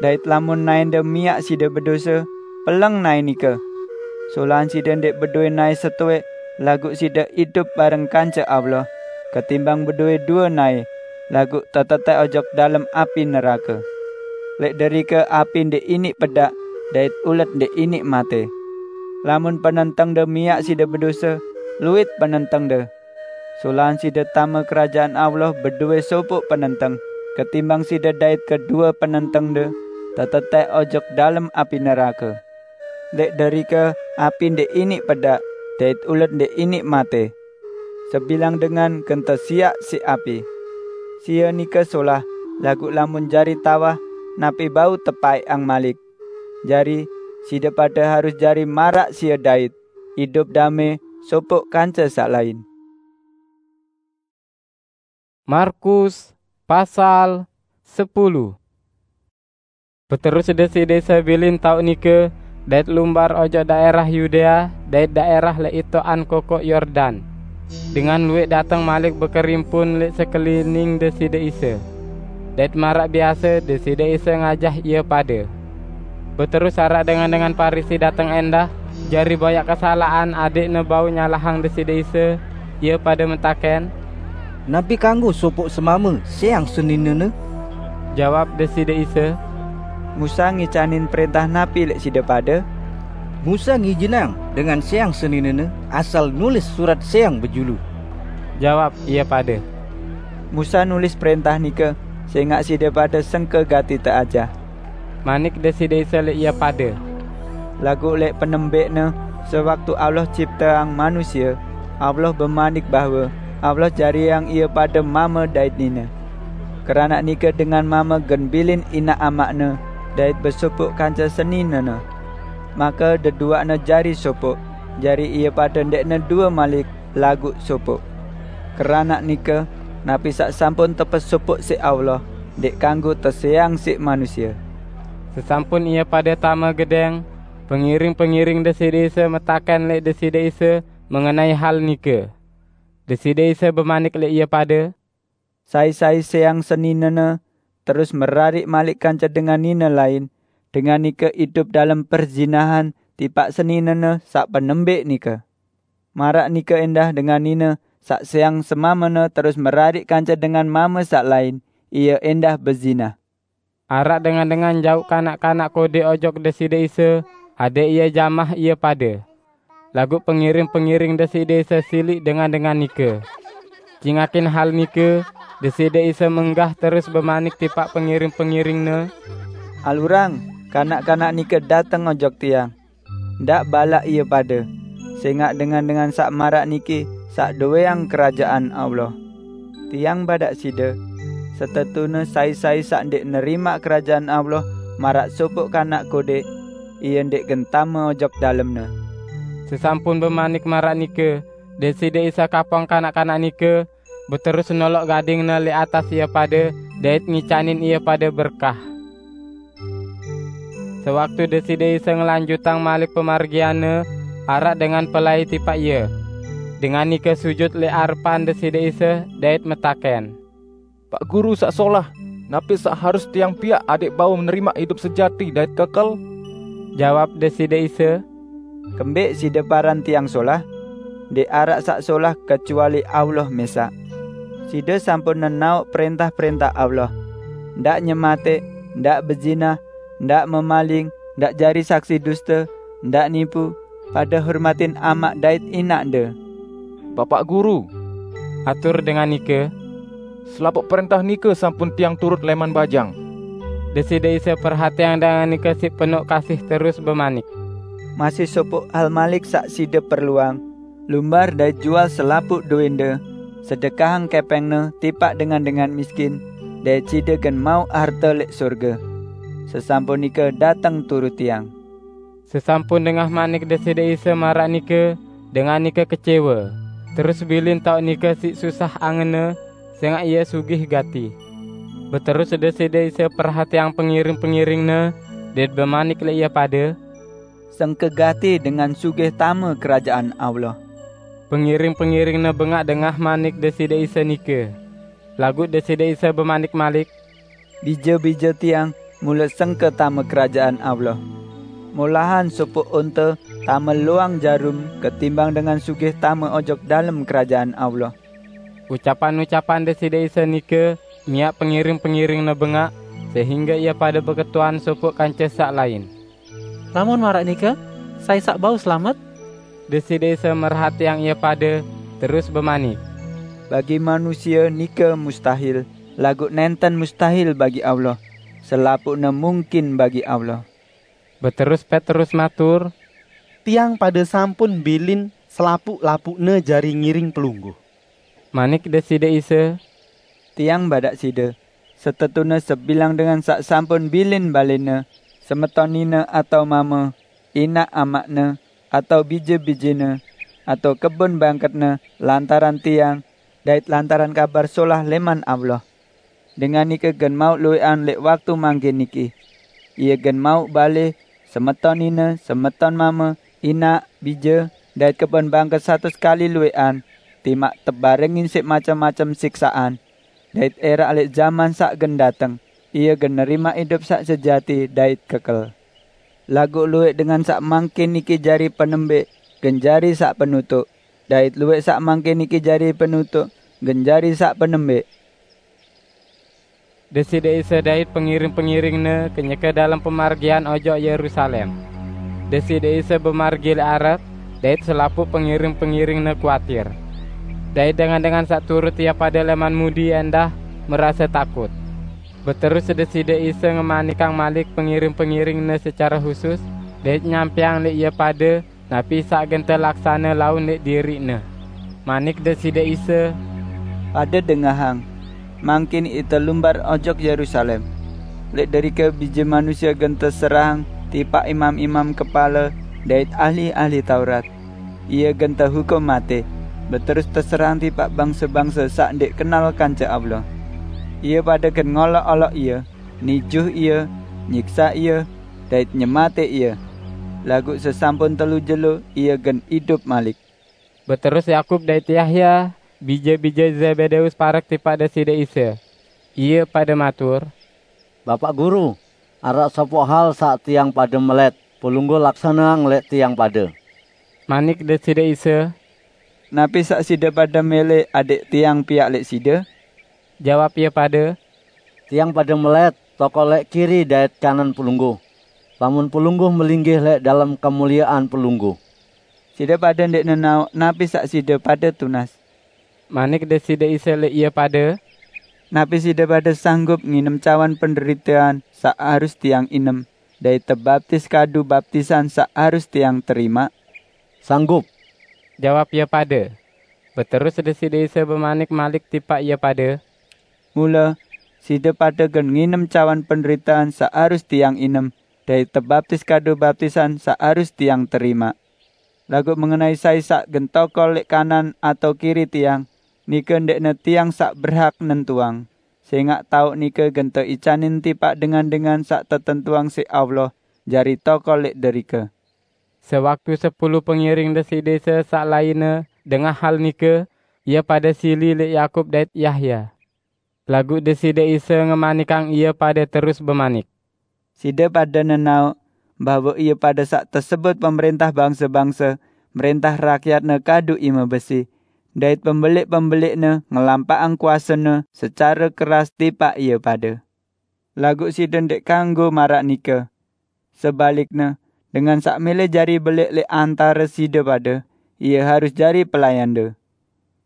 Dait lamun naende miaq side bedose, peleng nae nike. Solahan side ndeq bedowe nae setoeq, laguq side idup bareng kance Allah, ketimbang bedowe due nae, laguq teteteh ojok dalem api nerake. Leq derike api ndeq iniq pedaq, dait ulet ndeq iniq mate. Lamun penentengde miaq side bedose, luit penentengde. Solahan side tame Kerajaan Allah bedowe sopoq penenteng, ketimbang side dait kedue penentengde teteteh ojok dalem api nerake. Leq derike api ndeq iniq pedaq, dait ulet ndeq iniq mate. Sebilang dengan gen tesiaq siq api. Sie nike solah, laguq lamun jari tawah, napi bau tepaeqang malik? Jari, side pade harus jari maraq sie dait, idup dame sopoq kance saq lain." Markus pasal sepuluh. Beterus Deside Isa bilin taoq nike, dait lumbar ojok daerah Yudea dait daerah leq itoqan kokoq Yordan. Dengan lueq dateng malik bekerimpun leq sekelining Deside Isa. Dait maraq biase, Deside Isa ngajah ie pade. Beterus araq dengan-dengan Parisi dateng endah, jari boyaq kesalaqan adeqne bau nyalahang Deside Isa, ie pade metaken, "Napi kanggo sopok semama seyang seninene?" Jawab Deside Isa, "Musa ngicanin prentah napi lek side pade?" "Musa ngijinang dengan seyang seninene asal nulis surat seyang bejulu." Jawab ia pade, "Musa nulis prentah nika sengak side pade sengke gati teajah." Manik Deside Isa lek ia pade, "Laguq lek penembekne, sewaktu Allah cipteang manusia, Allah bemanik bahwe Allah jariang ie pade mame dait nine. Keranak nike dengan mame gen bilin inaq amakne dait besopok kance seninene. Make deduaqne jari sopok, jari ie pade ndeqne due malik laguq sopok. Keranak nike, napi saq sampun tepesopok siq Allah, ndeq kanggo teseang siq manusia." Sesampun ie pade tame gedeng, pengiring-pengiring Deside Isa metaken lek Deside Isa mengenai hal nike. Deside Isa bemanik lek ie pade, "Sai-sai seyang seninene terus merariq malik kance dengan nine lain, dengan nike idup dalem perzinahan tipaq seninene saq penembek nike. Maraq nike endah dengan nine saq seyang semamene terus merariq kance dengan mame saq lain, ie endah bezinah." Araq dengan-dengan jauq kanak-kanak kodeq ojok Deside Isa, adeq Ie jamah ie pade. Laguq pengiring-pengiring Deside Isa siliq dengan-dengan nike. Cingakin hal nike, Deside Isa menggah terus bemanik tipaq pengiring-pengiring-Ne, "Alurang kanak-kanak nike dateng ojok Tiang. Ndaq balaq ie pade, sengaq dengan-dengan saq maraq niki saq dowéang Kerajaan Allah. Tiang badaq side, setetune sai-sai saq ndéq nerimaq Kerajaan Allah maraq sopoq kanak kodéq, ie ndéq gen tame ojok dalemne." Sesampun bemanik maraq nike, Deside Isa kapong kanak-kanak nike, beterus noloq gading-Ne lẽq atas ie pade dait ngicanin ie pade berkah. Sewaktu Deside Isa ngelanjutang malik pemargian-Ne, araq dengan pelai tipaq Ie. Dengan nike sujut lẽq arepan Deside Isa dait metaken, "Pak Guru saq solah, napi saq harus tiang piaq adẽq bau nerimaq idup sejati dait kekel?" Jawab Deside Isa, "Kembẽq side paran Tiang solah? Ndẽq araq saq solah kecuali Allah mẽsaq. Side sampun nenaoq prẽntah-prẽntah Allah: Ndaq nyematẽq, ndaq bezinah, ndaq memaling, ndaq jari saksi duste, ndaq nipu, pade hormatin amaq dait inaqde." "Bapak Guru," atur dengan nike, "selapuq prẽntah nike sampun tiang turut lẽman bajang." Deside Isa perhatiang dengan nike siq penoq kasih terus bemanik, "Masih sopoq hal malik saq side perluang. Lumbar dait jual selapuq dowẽnde, sedekahang kẽpẽngne tipaq dengan-dengan miskin, dait side gen mauq harte lẽq sorge. Sesampun nike dateng turut Tiang." Sesampun dengah manik Deside Isa maraq nike, dengan nike kecewe, terus bilin taoq nike siq susah angenna, sengaq ie sugih gati. Beterus Deside Isa perhatiang pengiring-pengiring-Ne, dait bemanik lẽq ie pade, "Sengke gati dengan sugih tame Kerajaan Allah." Pengiring-pengiring-Ne bengaq dengah manik Deside Isa nike. Laguq Deside Isa bemanik malik, "Bije-bije Tiang mule sengke tame Kerajaan Allah. Molahan sopoq onte tame loang jarum ketimbang dengan sugih tame ojok dalem Kerajaan Allah." Ucapan-ucapan Deside Isa nike miaq pengiring-pengiring-Ne bengaq, sehingge ie pade beketuan sopoq kance saq lain. "Lamun maraq nike, sai saq bau selamet?" Deside Isa merhatiang ie pade, terus bemanik, "Bagi manusia nike mustahil, laguq nenten mustahil bagi Allah. Selapuqne mungkin bagi Allah." Beterus Petrus matur, "Tiang pade sampun bilin selapuq-lapuqne jari ngiring Pelungguh." Manik Deside Isa, "Tiang badaq side, setetune sebilang dengan saq sampun bilin balene, semeton nine atao mame, inaq amaqne, atao bije-bijene, atao kebon bangketne lantaran Tiang dait lantaran Kabar Solah lẽman Allah, dengan nike gen mauq luwẽqan lẽq waktu mangkin niki. Ie gen mauq bale, semeton nine, semeton mame, inaq, bije, dait kebon bangket satus kali luwẽqan, timaq tebarengin siq macem-macem siksaqan, dait ẽraq lẽq jaman saq gen dateng, ie gen nerimaq idup saq sejati dait kekel. Laguq luwẽq dengan saq mangkin niki jari penembẽq, gen jari saq penutuq, dait luwẽq saq mangkin niki jari penutuq, gen jari saq penembẽq. Deside Isa dait pengiring-pengiring-Ne kenyeke dalem pemargian ojok Yerusalem. Deside Isa bemargi leq areq, dait selapuq pengiring-pengiring-Ne kuatir. Dait dengan-dengan saq turut Ie pade leman mudi endah merase takut. Beterus Deside Isa ngemanikang malik pengiring-pengiring-Ne secare husus, dait nyampeang leq ie pade napi saq gen telaksane laun leq diriq-Ne. Manik Deside Isa, "Pade dengahang! Mangkin ite lumbar ojok Yerusalem. Leq derike Bije Manusie gen teserahang tipaq imam-imam kepale dait ahli-ahli Taurat. Ie gen tehukum mate, beterus teserahang tipaq bangse-bangse saq ndeq kenal kance Allah. Ie pade gen ngolok-olok Ie, nijuh Ie, nyiksa Ie, dait nyemate Ie. Laguq sesampun telu jelo Ie gen idup malik." Beterus Yakub dait Yahya, bije-bije Zebedeus, parek tipaq Deside Isa. Ie pade matur, "Bapaq Guru, araq sopoq hal saq tiang pade melet Pelungguh laksaneang leq tiang pade." Manik Deside Isa, "Napi saq side pade mele adẽq Tiang piaq leq side?" Jawab ie pade, "Tiang pade melet tokol leq kiri dait kanan Pelungguh, lamun Pelungguh melinggih leq dalem kemuliean Pelungguh." "Side pade ndeq nenaoq napi saq side pade tunas," manik Deside Isa leq ie pade. "Napi side pade sanggup nginem cawan penderitean saq harus Tiang inem, dait tebaptis kadu baptisan saq harus Tiang terimaq?" "Sanggup," jawab ie pade. Beterus Deside Isa bemanik malik tipaq ie pade, "Mule, side pade gen nginem cawan penderitean saq harus Tiang inem, dait tebaptis kadu baptisan saq harus Tiang terimaq. Laguq mengenai sai saq gen tokol leq kanan atao kiri Tiang, nike ndeqne Tiang saq berhak nentuang, sengaq taoq nike gen teicanin tipaq dengan-dengan saq tetentuang siq Allah jari tokol leq derike." Sewaktu sepulu pengiring Deside Isa saq lainne dengah hal nike, ie pade sili leq Yakub dait Yahya. Laguq Deside Isa ngemanikang ie pade terus bemanik, "Side pade nenaoq bahwe ie pade saq tesebut pemerintah bangse-bangse, merintah rakyatne kadu ime besi, dait pembeleq-pembeleqne ngelampaqang kuasene secare keras tipaq ie pade. Laguq side ndeq kanggo maraq nike. Sebalikne, dengan saq mele jari beleq leq antare side pade, ie harus jari pelayande.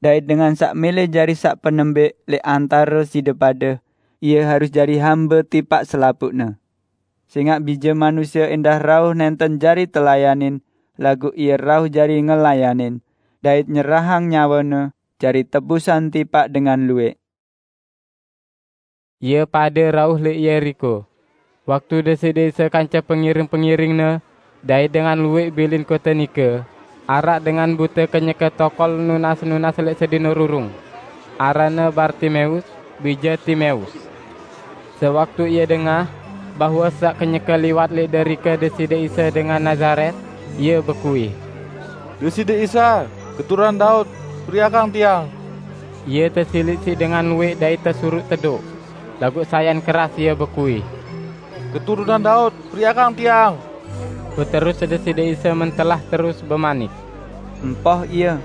Dait dengan saq mele jari saq penembẽq leq antare side pade, ie harus jari hambe tipaq selapuqne. Sengaq Bije Manusie endah rauh nenten jari telayanin, laguq Ie rauh jari ngelayanin, dait nyerahang nyawe-Ne jari tebusan tipaq dengan lueq." Ie pade rauh leq Yeriko. Waktu Deside Isa kance pengiring-pengiring-Ne dait dengan lueq bilin kote nike, araq dengan bute kenyeke tokol nunas-nunas leq sedino rurung, aranne Bartimeus, bije Timeus. Sewaktu ie dengah bahwe saq kenyeke liwat leq derike Deside Isa dengan Nazaret, ie bekuih, "Deside Isa, Keturunan Daud, periakang tiang!" Ie tesiliq siq dengan lueq dait tesuruq tedoq, laguq sayan keras ie bekuih, "Keturunan Daud, periakang tiang!" Beterus Deside Isa mentelah terus bemanik, "Empoh Ie!"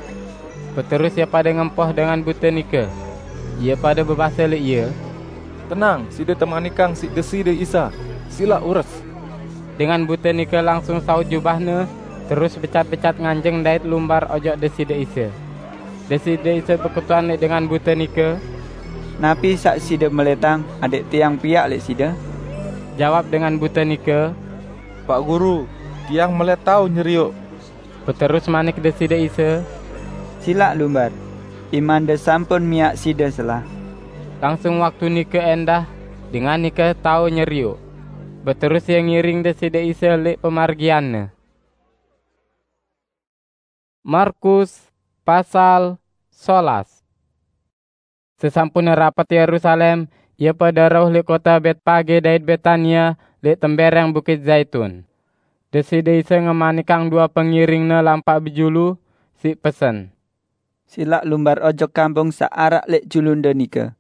Beterus ie pade ngempoh dengan bute nike. Ie pade bebase leq Ie, "Tenang, side temanikang siq Deside Isa. Silaq ures!" Dengan bute nike langsung saut jubahne, terus becat-becat nganjeng dait lumbar ojok Deside Isa. Deside Isa beketuan leq dengan bute nike, "Napi saq side meletang adẽq Tiang piaq leq side?" Jawab dengan bute nike, "Paq Guru, tiang melet tao nyerioq." Beterus manik Deside Isa, "Silaq lumbar! Imande sampun miaq side selah." Langsung waktu nike endah, dengan nike tao nyerioq. Beterus ie ngiring Deside Isa leq pemargianne. Markus pasal solas. Sesampune rapet Yerusalem, ie pade rauh leq kote Betpage dait Betania leq tembereng Bukit Zaitun. Deside Isa ngemanikang due pengiring-Ne lampaq bejulu siq pesen, "Silaq lumbar ojok kampung saq araq leq julunde nike.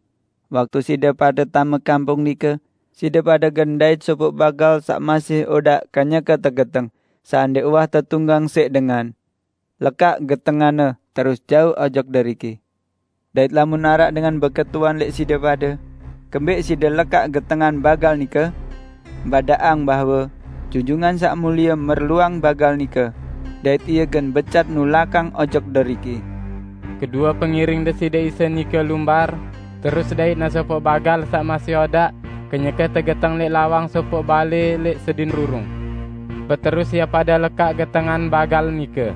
Waktu side pade tame kampung nike, side pade gen ndait sopoq bagal saq masih odaq kenyeke tegeteng, saq ndeq uwah tetunggang siq dengan. Lekaq getenganne terus jauq ojok deriki. Dait lamun araq dengan beketuan lek side pade, kembek side lekaq getengan bagal nike, badaqang bahwe Junjungan Saq Mulie merluang bagal nike, dait ie gen becat nulakang ojok deriki." Kedue pengiring Deside Isa nike lumbar, terus dait nasopoq bagal saq masih odaq, kenyeke tegeteng leq lawang sopoq bale leq sedin rurung. Beterus ie pade lekaq getengan bagal nike.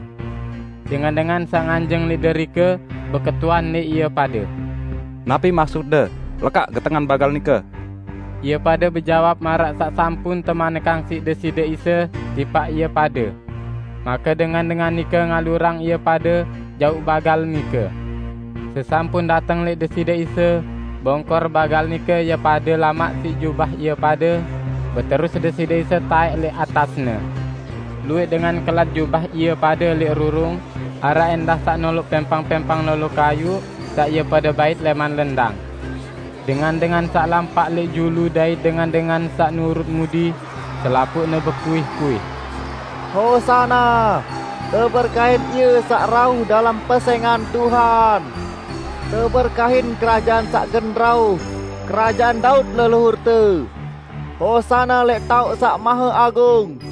Dengan-dengan saq nganjeng leq derike beketuan leq ie pade, "Napi maksudde lekaq getengan bagal nike?" Ie pade bejawab maraq saq sampun temanekang siq Deside Isa tipaq ie pade. Make dengan-dengan nike ngalurang ie pade jauq bagal nike. Sesampun dateng leq Deside Isa, bongkor bagal nike ie pade lamaq siq jubah ie pade, beterus Deside Isa taeq leq atasne. Lueq dengan kelat jubah ie pade leq rurung, araq endah saq noloq pempang-pempang lolo kayuq saq ie pade bait leman lendang. Dengan-dengan saq lampaq leq julu dait dengan-dengan saq nurut mudi, selapuqne bekuih-kuih, "Hosana! Teberkahin Ie saq rauh dalem pesengan Tuhan! Teberkahin Kerajaan saq gen rauh, Kerajaan Daud leluhurte! Hosana leq taoq saq mahe agung!"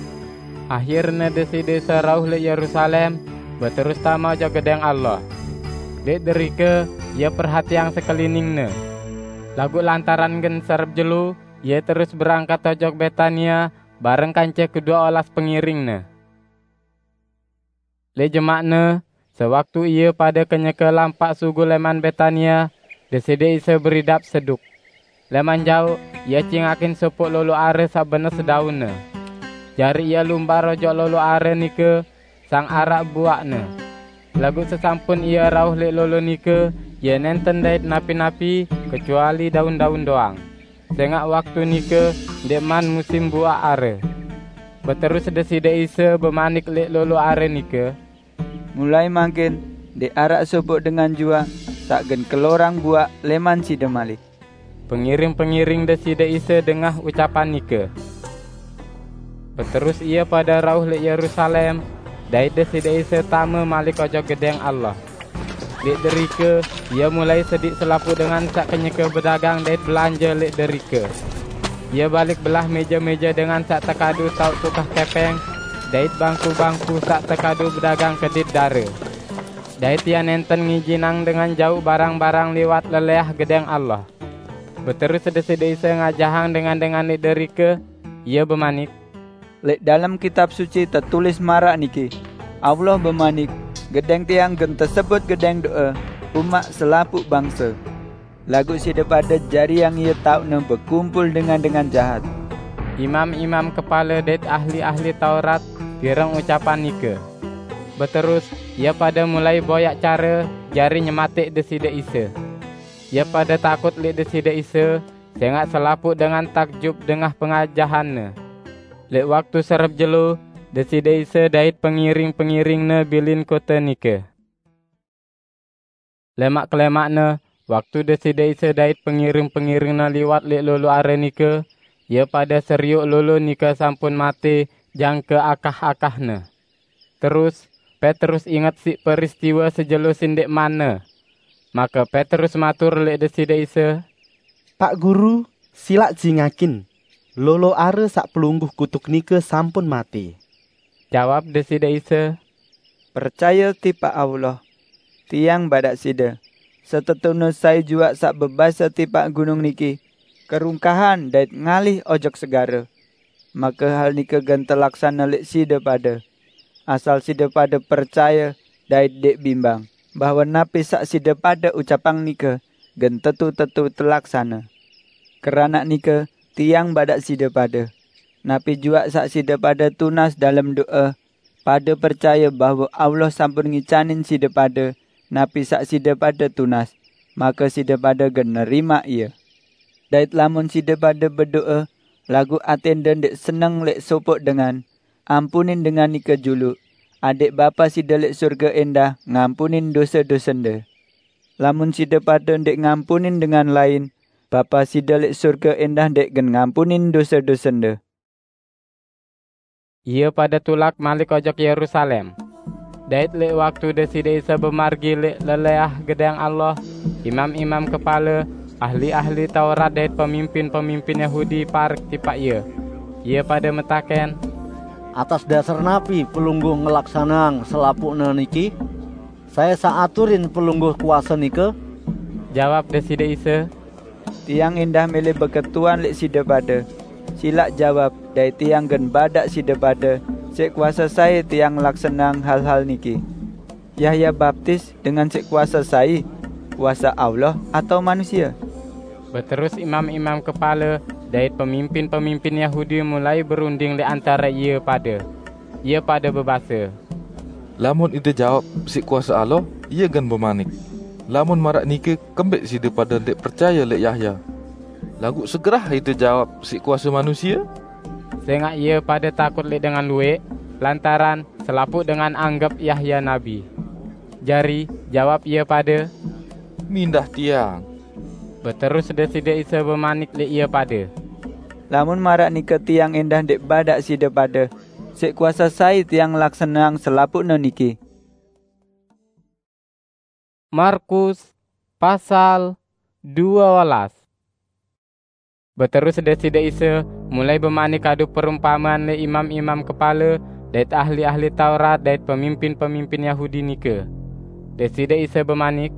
Ahirne Deside Isa rauh leq Yerusalem, beterus tame ojok Gedeng Allah. Leq derike Ie perhatiang sekeliningne. Laguq lantaran gen serep jelo, Ie terus berangkat ojok Betania bareng kance kedue olas pengiring-Ne. Leq jemaqne, sewaktu ie pade kenyeke lampaq sugul leman Betania, Deside Isa beridap seduk. Leman jaoq, Ie cingakin sopoq lolo are saq benes daunne. Jari Ie lumbar ojok lolo are nike, sang araq buaqne. Laguq sesampun Ie rauh leq lolo nike, Ie nenten dait napi-napi kecuali daun-daun doang, sengaq waktu nike ndeqman musim buaq are. Beterus Deside Isa bemanik leq lolo are nike, "Mulai mangkin ndeq araq sopoq dengan juaq saq gen kelorang buaq leman side malik." Pengiring-pengiring Deside Isa dengah ucapan nike. Beterus ie pade rauh leq Yerusalem, dait Deside Isa tame malik ojok Gedeng Allah. Leq derike, Ie mulai sediq selapuq dengan saq kenyeke bedagang dait belanje leq derike. Ie balik belah meje-meje dengan saq tekadu taoq tukah kepeng, dait bangku-bangku saq tekadu bedagang kedit dare. Dait Ie nenten ngijinang dengan jauq barang-barang liwat leleah Gedeng Allah. Beterus Deside Isa ngajahang dengan-dengan leq derike, Ie bemanik, "Leq dalem Kitab Suci tetulis maraq niki, 'Allah bemanik, Gedeng Tiang gen tesebut gedeng do'e umaq selapuq bangse.' Laguq side pade jariang ie taoqne bekumpul dengan-dengan jahat." Imam-imam kepale dait ahli-ahli Taurat pireng ucapan nike. Beterus, ie pade mulai boyaq care jari nyematiq Deside Isa. Ie pade takut leq Deside Isa, sengaq selapuq dengan takjub dengah pengajahan-Ne. Leq waktu serep jelo, Deside Isa dait pengiring-pengiring-Ne bilin kote nike. Lemaq kelemakne, waktu Deside Isa dait pengiring-pengiring-Ne liwat leq lolo are nike, ie pade serioq lolo nike sampun mate jangke akah-akahne. Terus, Petrus inget siq peristiwe sejelo sindeqmanne. Make Petrus matur leq Deside Isa, "Pak Guru, silaq jingakin, lolo are saq pelungguh kutuk nike sampun mate." Jawab Deside Isa, "Percaye tipaq Allah, Tiang badaq side, setetune sai juaq saq bebase tipaq gunung niki, 'Kerungkahan dait ngalih ojok segare,' make hal nike gen telaksane leq side pade. Asal side pade percaye dait ndeq bimbang, bahwe napi saq side pade ucapang nike gen tetu-tetu telaksane. Keranaq nike, Tiang badaq side pade, napi juaq saq side pade tunas dalem do'e, pade percaye bahwe Allah sampun ngicanin side pade napi saq side pade tunas, make side pade gen nerimaq ie. Dait lamun side pade bedo'e, laguq atende ndeq seneng leq sopoq dengan, ampunin dengan nike juluq, adaq Bapa side leq sorge endah ngampunin dose-dosende. Lamun side pade ndeq ngampunin dengan lain, Bapa side leq sorge endah ndeq gen ngampunin dose-dosende." Ie pade tulak malik ojok Yerusalem. Dait leq waktu Deside Isa bemargi leq leleah Gedang Allah, Imam-imam kepale, ahli-ahli Taurat dait pemimpin-pemimpin Yahudi parek tipaq Ie. Ie pade metaken, "Atas dasar napi Pelungguh ngelaksaneang selapuqne niki? Sai saq aturin Pelungguh kuase nike?" Jawab Deside Isa, "Tiang endah mele beketuan leq side pade. Silaq jawab, dait Tiang gen badaq side pade, siq kuase sai Tiang ngelaksaneang hal-hal niki. Yahya baptis dengan siq kuase sai? Kuase Allah atao manusie?" Beterus imam-imam kepale dait pemimpin-pemimpin Yahudi mulai berunding leq antare ie pade. Ie pade bebase, "Lamun ite jawab, 'Siq kuase Allah,' Ie gen bemanik, 'Lamun maraq nike, kembeq side pade ndeq percaye leq Yahya?' Laguq segerah ite jawab, 'Siq kuase manusie,' sengaq ie pade takut leq dengan lueq, lantaran selapuq dengan anggep Yahya nabi. Jari, jawab ie pade, 'Mindah tiang.'" Beterus Deside Isa bemanik leq ie pade, "Lamun maraq nike Tiang endah ndeq badaq side pade, siq kuase sai Tiang ngelaksaneang selapuqne niki." Markus pasal due welas. Beterus Deside Isa mulai bemanik kadu perumpamean leq imam-imam kepale dait ahli-ahli Taurat dait pemimpin-pemimpin Yahudi nike. Deside Isa bemanik,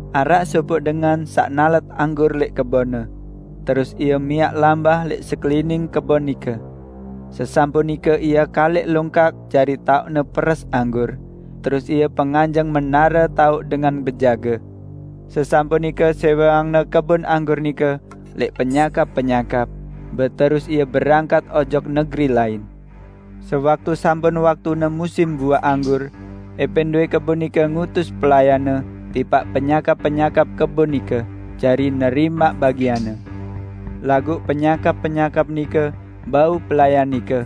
"Araq sopoq dengan saq nalet anggur leq kebonne, terus ie miaq lambah leq sekelining kebon nike. Sesampun nike ie kaleq longkak jari taoqne peres anggur, terus ie penganjeng menare taoq dengan bejage. Sesampun nike seweangne kebon anggur nike leq penyakap-penyakap, beterus ie berangkat ojok negeri lain. Sewaktu sampun waktune musim buaq anggur, epin due kebon nike ngutus pelayanne tipaq penyakap-penyakap kebon nike jari nerimaq bagianne. Laguq penyakap-penyakap nike bau pelayan nike,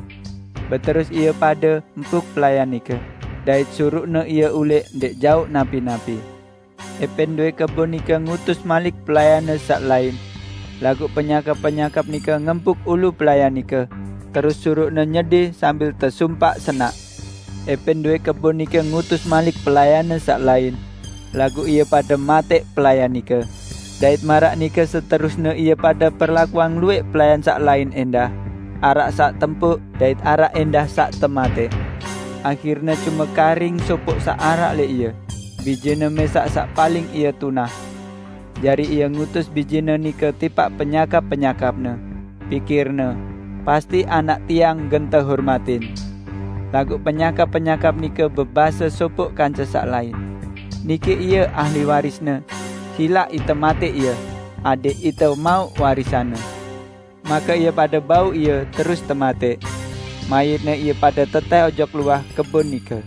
beterus ie pade empuk pelayan nike, dait suruqne ie uleq ndeq jauq napi-napi. Epin due kebon nike ngutus malik pelayanne saq lain, laguq penyakap-penyakap nike ngempuk ulu pelayan nike, terus suruqne nyede sambil tesumpaq senaq. Epin due kebon nike ngutus malik pelayanne saq lain, laguq ie pade mateq pelayan nike. Dait maraq nike seterusne ie pade perlakuang lueq pelayan saq lain endah, araq saq tempuk dait araq endah saq temateq. Ahirne cume karing sopoq saq araq leq ie. Bijene mesaq saq paling ie tunah. Jari ie ngutus bijene nike tipaq penyakap-penyakapne. Pikirne, 'Pasti anak tiang gen tehormatin.' Laguq penyakap-penyakap nike bebase sopoq kance saq lain, 'Niki ie ahli warisne. Silaq ite mateq ie, adẽq ite mauq warisanne.' Make ie pade bau ie terus temateq. Mayitne ie pade teteh ojok luah kebon nike."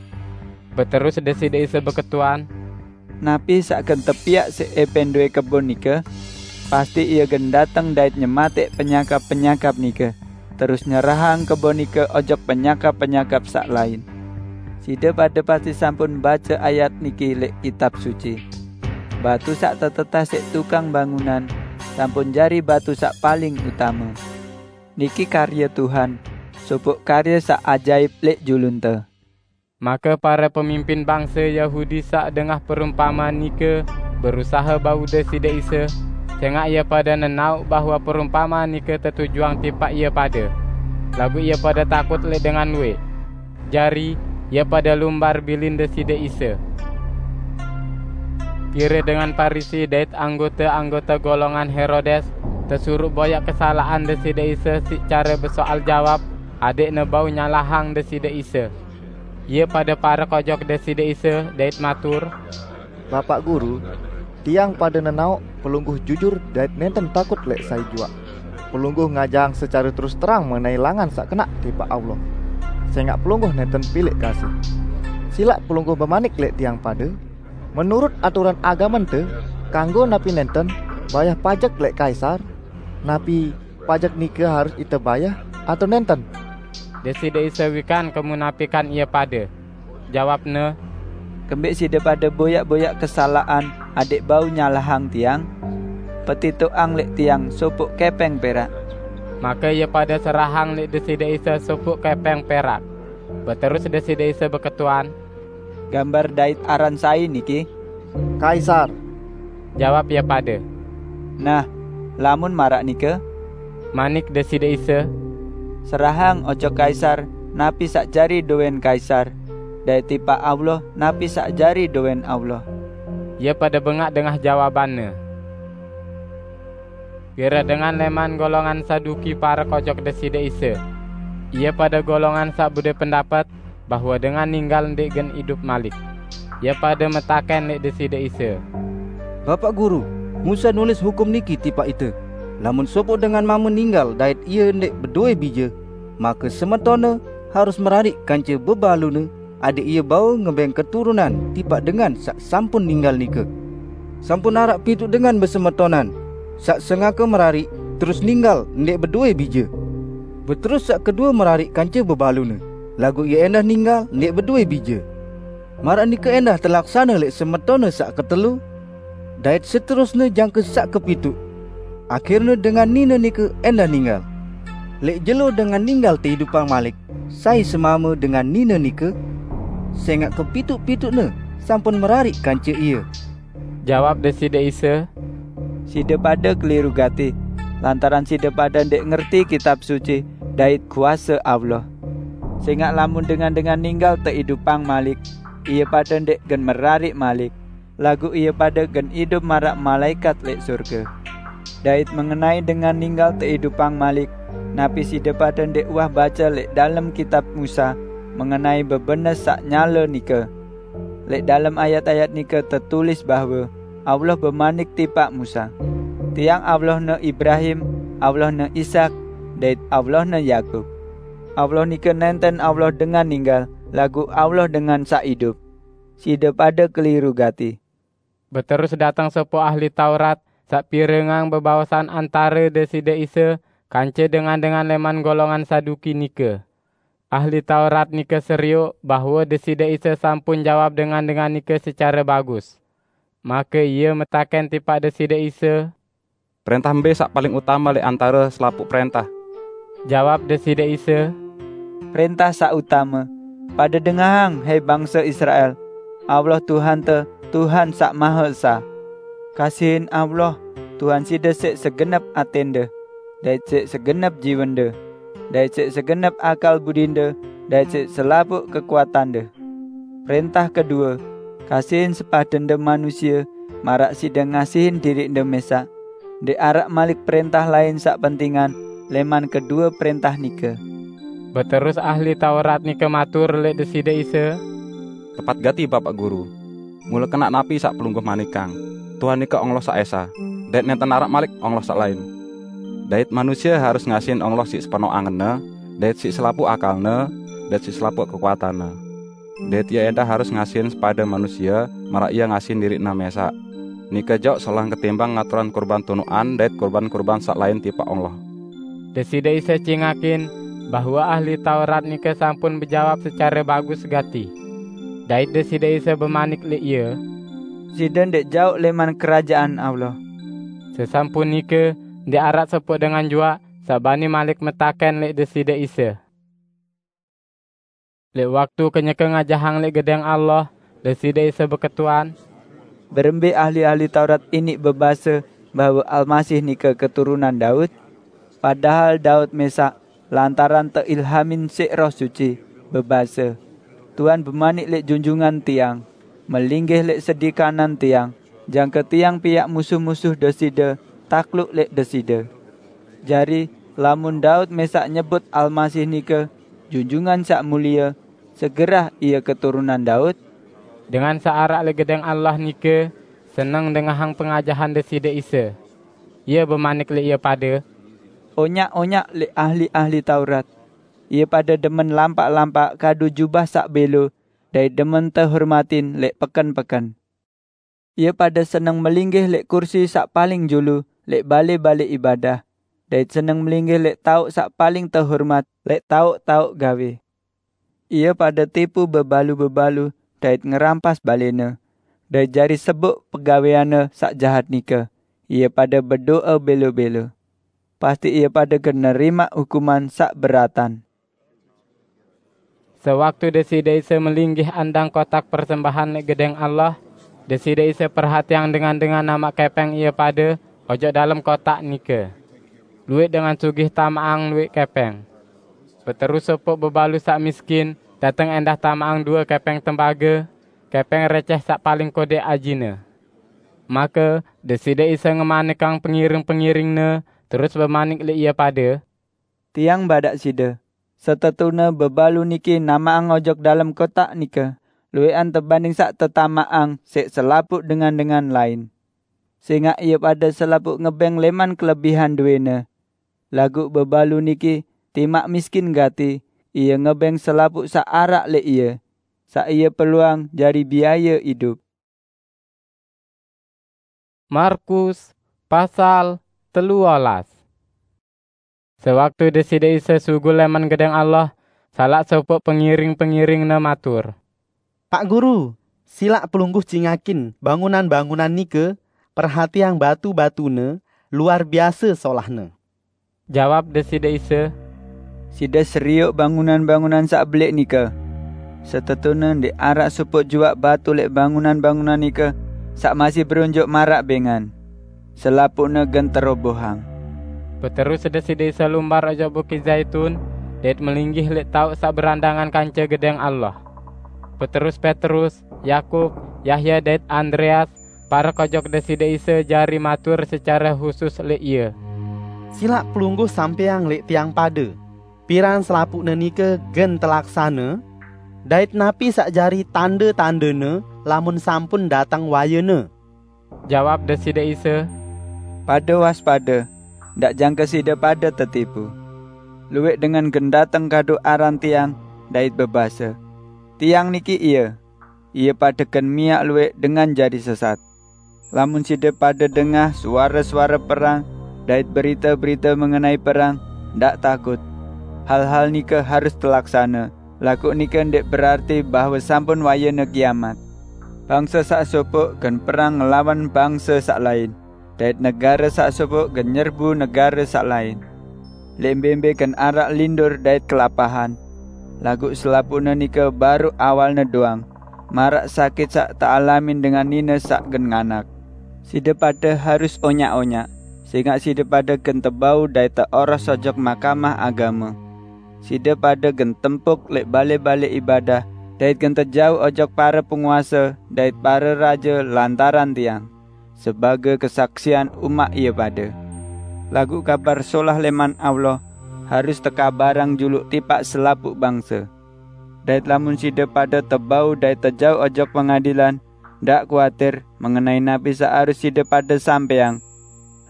Beterus Deside Isa beketuan, "Napi saq gen tepiaq siq epin due kebon nike? Pasti ie gen dateng dait nyemateq penyakap-penyakap nike, terus nyerahang kebon nike ojok penyakap-penyakap saq lain. Side pade pasti sampun bace ayat niki leq Kitab Suci, 'Batu saq teteteh siq tukang bangunan sampun jari batu saq paling utame.' Niki karye Tuhan, sopoq karye saq ajaip leq julunte." Make pare pemimpin bangse Yahudi saq dengah perumpamean nike berusahe bau Deside Isa, sengaq ie pade nenaoq bahwe perumpamean nike tetujuang tipaq ie pade. Laguq ie pade takut leq dengan lueq. Jari, ie pade lumbar bilin Deside Isa. Pire dengan Parisi dait anggote-anggote golongan Herodes tesuruq boyaq kesalaqan Deside Isa siq care besoal jawab, adẽqne bau nyalahang Deside Isa. Ie pade parek ojok Deside Isa dait matur, "Bapaq Guru, tiang pade nenaoq Pelungguh jujur dait nenten takut leq sai juaq. Pelungguh ngajaang secare terus terang mengenai langan saq kenaq tipaq Allah, sengaq Pelungguh nenten pileq kasih. Silaq Pelungguh bemanik leq tiang pade, menurut aturan agamente, kanggo napi nenten bayah pajek leq Kaisar? Napi pajek nike harus ite bayah atao nenten?" Deside Isa wikan kemunapikan ie pade. Jawab-Ne, "Kembeq side pade boyaq-boyaq kesalaqan adẽq bau nyalahang Tiang? Petitoqang leq Tiang sopoq kepeng perak." Make ie pade serahang leq Deside Isa sopoq kepeng perak. Beterus Deside Isa beketuan, "Gambar dait aran sai niki?" "Kaisar." Jawab ie pade, "Nah, lamun maraq nike," manik Deside Isa, "serahang ojok Kaisar napi saq jari doween Kaisar, dait tipaq Allah napi saq jari doween Allah." Ie pade bengaq dengah jawabanne. Pire dengan leman golongan Saduki parek ojok Deside Isa. Ie pade golongan saq bedoe pendapet bahwe dengan ninggal ndeq gen idup malik. Ie pade metaken leq Deside Isa, "Bapaq Guru, Musa nulis hukum niki tipaq ite, 'Lamun sopoq dengan mame ninggal dait ie ndeq bedoe bije, make semetone harus merariq kance bebalune adeq ie bau ngebeng keturunan tipaq dengan saq sampun ninggal nike.' Sampun araq pituq dengan besemetonan, saq sengake merariq, terus ninggal ndeq bedoe bije. Beterus saq kedue merariq kance bebalune, laguq ie endah ninggal ndeq bedoe bije. Maraq nike endah telaksane leq semetone saq ketelu, dait seterusne jangke saq kepituq. Akhirne dengan nine nike endah ninggal. Leq jelo dengan ninggal teidupang malik, sai semame dengan nine nike? Sengaq kepituq-pituqne sampun merariq kance ie." Jawab Deside Isa, "Side pade keliru gati, lantaran side pade ndeq ngerti Kitab Suci dait kuase Allah. Sengaq lamun dengan-dengan ninggal teidupang malik, ie pade ndeq gen merariq malik, laguq ie pade gen idup maraq malaekat leq sorge. Dait mengenai dengan ninggal teidupang malik, napi side pade ndeq uwah bace leq dalem Kitab Musa mengenai bebenes saq nyale nike? Leq dalem ayat-ayat nike tetulis bahwe Allah bemanik tipaq Musa, 'Tiang Allahne Ibrahim, Allahne Ishak, dait Allahne Yakub.' Allah nike nenten Allah dengan ninggal, laguq Allah dengan saq idup. Side pade keliru gati." Beterus dateng sopoq ahli Taurat saq pirengang bebaosan antare Deside Isa kance dengan-dengan leman golongan Saduki nike. Ahli Taurat nike serioq bahwe Deside Isa sampun jawab dengan-dengan nike secare bagus. Make ie metaken tipaq Deside Isa, "Prentah mbe saq paling utame leq antare selapuq prentah?" Jawab Deside Isa, "Prentah saq utame, 'Pade dengahang, he bangse Israel, Allah Tuhante, Tuhan Saq Mahe Esa. Kasihin Allah, Tuhan side siq segenep atende, dait siq segenep jiwende, dait siq segenep akal budinde, dait siq selapuq kekuatande.' Prentah kedue, 'Kasihin sepadende manusie maraq side ngasihin diriqde mesaq.' Ndeq araq malik prentah lain saq pentingan leman kedue prentah nike." Beterus ahli Taurat nike matur leq Deside Isa, "Tepat gati, Bapaq Guru. Mule kenaq napi saq Pelungguh manikang, 'Tuhan nike Allah saq esa, dait nenten araq malik Allah saq lain.' Dait manusie harus ngasihin Allah siq sepenoq angenne, dait siq selapuq akalne, dait siq selapuq kekuatanne. Dait ie endah harus ngasihin sepade manusie maraq ie ngasihin diriqne mesaq. Nike jaoq solah ketimbang ngaturang kurban tunuqan dait kurban-kurban saq lain tipaq Allah." Deside Isa cingakin bahwe ahli Taurat nike sampun bejawab secare bagus gati. Dait Deside Isa bemanik leq ie, "Side ndeq jaoq leman Kerajaan Allah." Sesampun nike, ndeq araq sopoq dengan juaq saq bani malik metaken leq Deside Isa. Leq waktu kenyeke ngajahang leq Gedeng Allah, Deside Isa beketuan, "Berembe ahli-ahli Taurat iniq bebase bahwe Almasih nike keturunan Daud? Padahal Daud mesaq lantaran teilhamin siq Roh Suci, bebase, 'Tuhan bemanik leq Junjungan Tiang, 'Melinggih leq sedi kanan Tiang, jangke Tiang piaq musuh-musuh Deside takluk leq Deside.' Jari, lamun Daud mesaq nyebut Almasih nike Junjungan Saq Mulie, segerah ie keturunan Daud?" Dengan saq araq leq Gedeng Allah nike seneng dengahang pengajahan Deside Isa. Ie bemanik leq ie pade, "Onyak-onyak leq ahli-ahli Taurat. Ie pade demen lampaq-lampaq kadu jubah saq belo dait demen tehormatin leq peken-peken. Ie pade seneng melinggih leq kursi saq paling julu leq bale-bale ibadah, dait seneng melinggih leq taoq saq paling tehormat leq taoq-taoq gawe. Ie pade tipu bebalu-bebalu dait ngerampas balene, dait jari sebuk pegaweanne saq jahat nike, ie pade bedo'e belo-belo. Pasti ie pade gen nerimaq hukuman saq beratan." Sewaktu Deside Isa melinggih andang kotak persembahan leq Gedeng Allah, Deside Isa perhatiang dengan-dengan namaq kepeng ie pade ojok dalem kotak nike. Lueq dengan sugih tamaqang lueq kepeng. Beterus sopoq bebalu saq miskin dateng endah tamaqang due kepeng tembage, kepeng receh saq paling kodeq ajine. Make Deside Isa ngemanikang pengiring-pengiring-Ne, terus bemanik leq ie pade, "Tiang badaq side, setetune bebalu niki namaqang ojok dalem kotak nike lueqan tebanding saq tetamaqang siq selapuq dengan-dengan lain. Sengaq ie pade selapuq ngebeng leman kelebihan duene, laguq bebalu niki timaq miskin gati, ie ngebeng selapuq saq araq leq ie, saq ie perluang jari biaye idup." Markus pasal telu olas. Sewaktu Deside Isa sugul leman Gedeng Allah, salaq sopoq pengiring-pengiring-Ne matur, "Pak Guru, silaq Pelungguh cingakin bangunan-bangunan nike, perhatiang batu-batune, luar biase solahne." Jawab Deside Isa, "Side serioq bangunan-bangunan saq beleq nike. Setetune ndeq araq sopoq juaq batu leq bangunan-bangunan nike saq masih berunjuk maraq bengan. Selapuqne gen terobohang." Beterus Deside Isa lumbar ojok Bukit Zaitun, dait melinggih leq taoq saq berandangan kance Gedeng Allah. Beterus Petrus, Yakub, Yahya dait Andreas parek ojok Deside Isa jari matur secare husus leq Ie, "Silaq Pelungguh sampeang leq tiang pade, piran selapuqne nike gen telaksane, dait napi saq jari tande-tandene lamun sampun dateng wayene?" Jawab Deside Isa, "Pade waspade, ndaq jangke side pade tetipu. Lueq dengan gen dateng kadu aran Tiang dait bebase, 'Tiang niki Ie,' ie pade gen miaq lueq dengan jari sesat. Lamun side pade dengah suare-suare perang dait berite-berite mengenai perang, ndaq takut. Hal-hal nike harus telaksane, laguq nike ndeq berarti bahwe sampun wayene kiamat. Bangse saq sopoq gen perang ngelawan bangse saq lain, dait negare saq sopoq gen nyerbu negare saq lain. Leq mbe-mbe gen araq lindur dait kelapahan, laguq selapuqne nike baruq awalne doang, maraq sakit saq tealamin dengan nine saq gen nganak. Side pade harus onyaq-onyaq, sengaq side pade gen tebau dait teoros ojok Mahkamah Agame. Side pade gen tempuk leq bale-bale ibadah, dait gen tejauq ojok pare penguase dait pare raje lantaran Tiang, sebage kesaksian umaq ie pade. Laguq Kabar Solah leman Allah harus tekabarang juluq tipaq selapuq bangse. Dait lamun side pade tebau dait tejauq ojok pengadilan, ndaq kuatir mengenai napi saq harus side pade sampeang.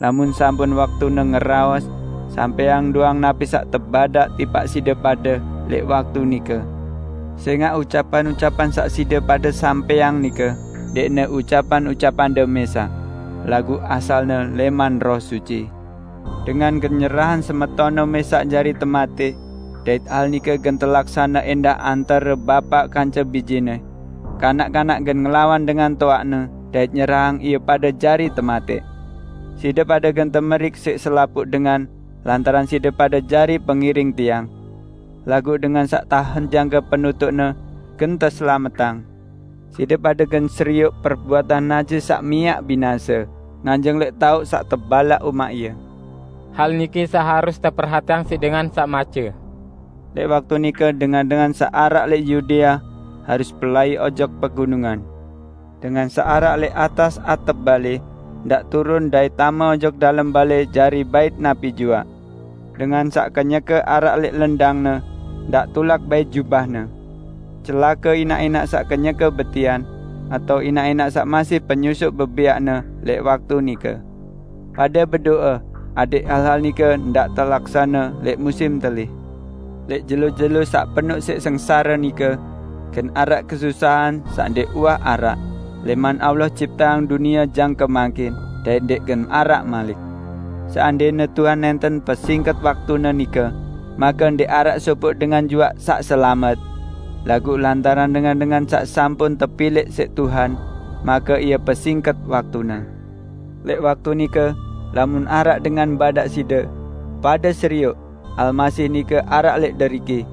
Lamun sampun waktune ngeraos, sampeang doang napi saq tebadaq tipaq side pade leq waktu nike. Sengaq ucapan-ucapan saq side pade sampeang nike ndeqne ucapan-ucapande mesaq, laguq asalne leman Roh Suci. Dengan gen nyerahang semetonne mesaq jari tematiq, dait hal nike gen telaksane endah antare bapaq kance bijene. Kanak-kanak gen ngelawan dengan toaqne dait nyerahang ie pade jari tematiq. Side pade gen temerik siq selapuq dengan lantaran side pade jari pengiring Tiang. Laguq dengan saq tahen jangke penutuqne gen teselametang. Side pade gen serioq perbuatan najis saq miaq binase, nganjeng leq taoq saq tebalaq umaq ie. Hal niki saq harus teperhatiang siq dengan saq mace. Leq waktu nike dengan-dengan saq araq leq Yudea harus pelai ojok pegunungan. Dengan saq araq leq atas atep bale, ndaq turun dait tame ojok dalem bale jari bait napi juaq. Dengan saq kenyeke araq leq lendangne, ndaq tulak bait jubahne. Celake inaq-inaq saq kenyeke betian, atao inaq-inaq saq masih penyusuq bebiaqne leq waktu nike. Pade bedoe, adẽq hal-hal nike ndaq telaksane leq musim telih. Leq jelo-jelo saq penuq siq sengsare nike, gen araq kesusahan saq ndeq uwah araq, leman Allah cipteang dunie jangke mangkin, dait ndeq gen araq malik. Seandene Tuhan nenten pesingket waktune nike, make ndeq araq sopoq dengan juaq saq selamet. Laguq lantaran dengan-dengan saq sampun tepilẽq siq Tuhan, make ie pesingket waktune. Leq waktu nike, lamun araq dengan badaq side, 'Pade serioq, Almasih nike araq leq deriki,'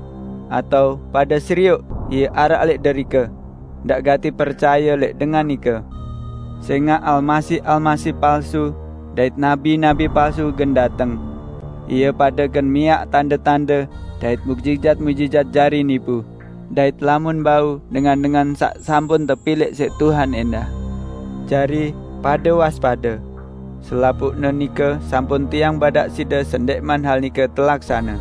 atao 'Pade serioq, Ie araq leq derike,' ndaq gati percaye leq dengan nike, Sengaq almasih-almasih palsu dait nabi-nabi palsu gen dateng. Ie pade gen miaq tande-tande dait mujijat-mujijat jari nipu, dait lamun bau dengan-dengan saq sampun tepilẽq siq Tuhan endah. Jari, pade waspade! Selapuqne nike sampun tiang badaq side sendẽqman hal nike telaksane.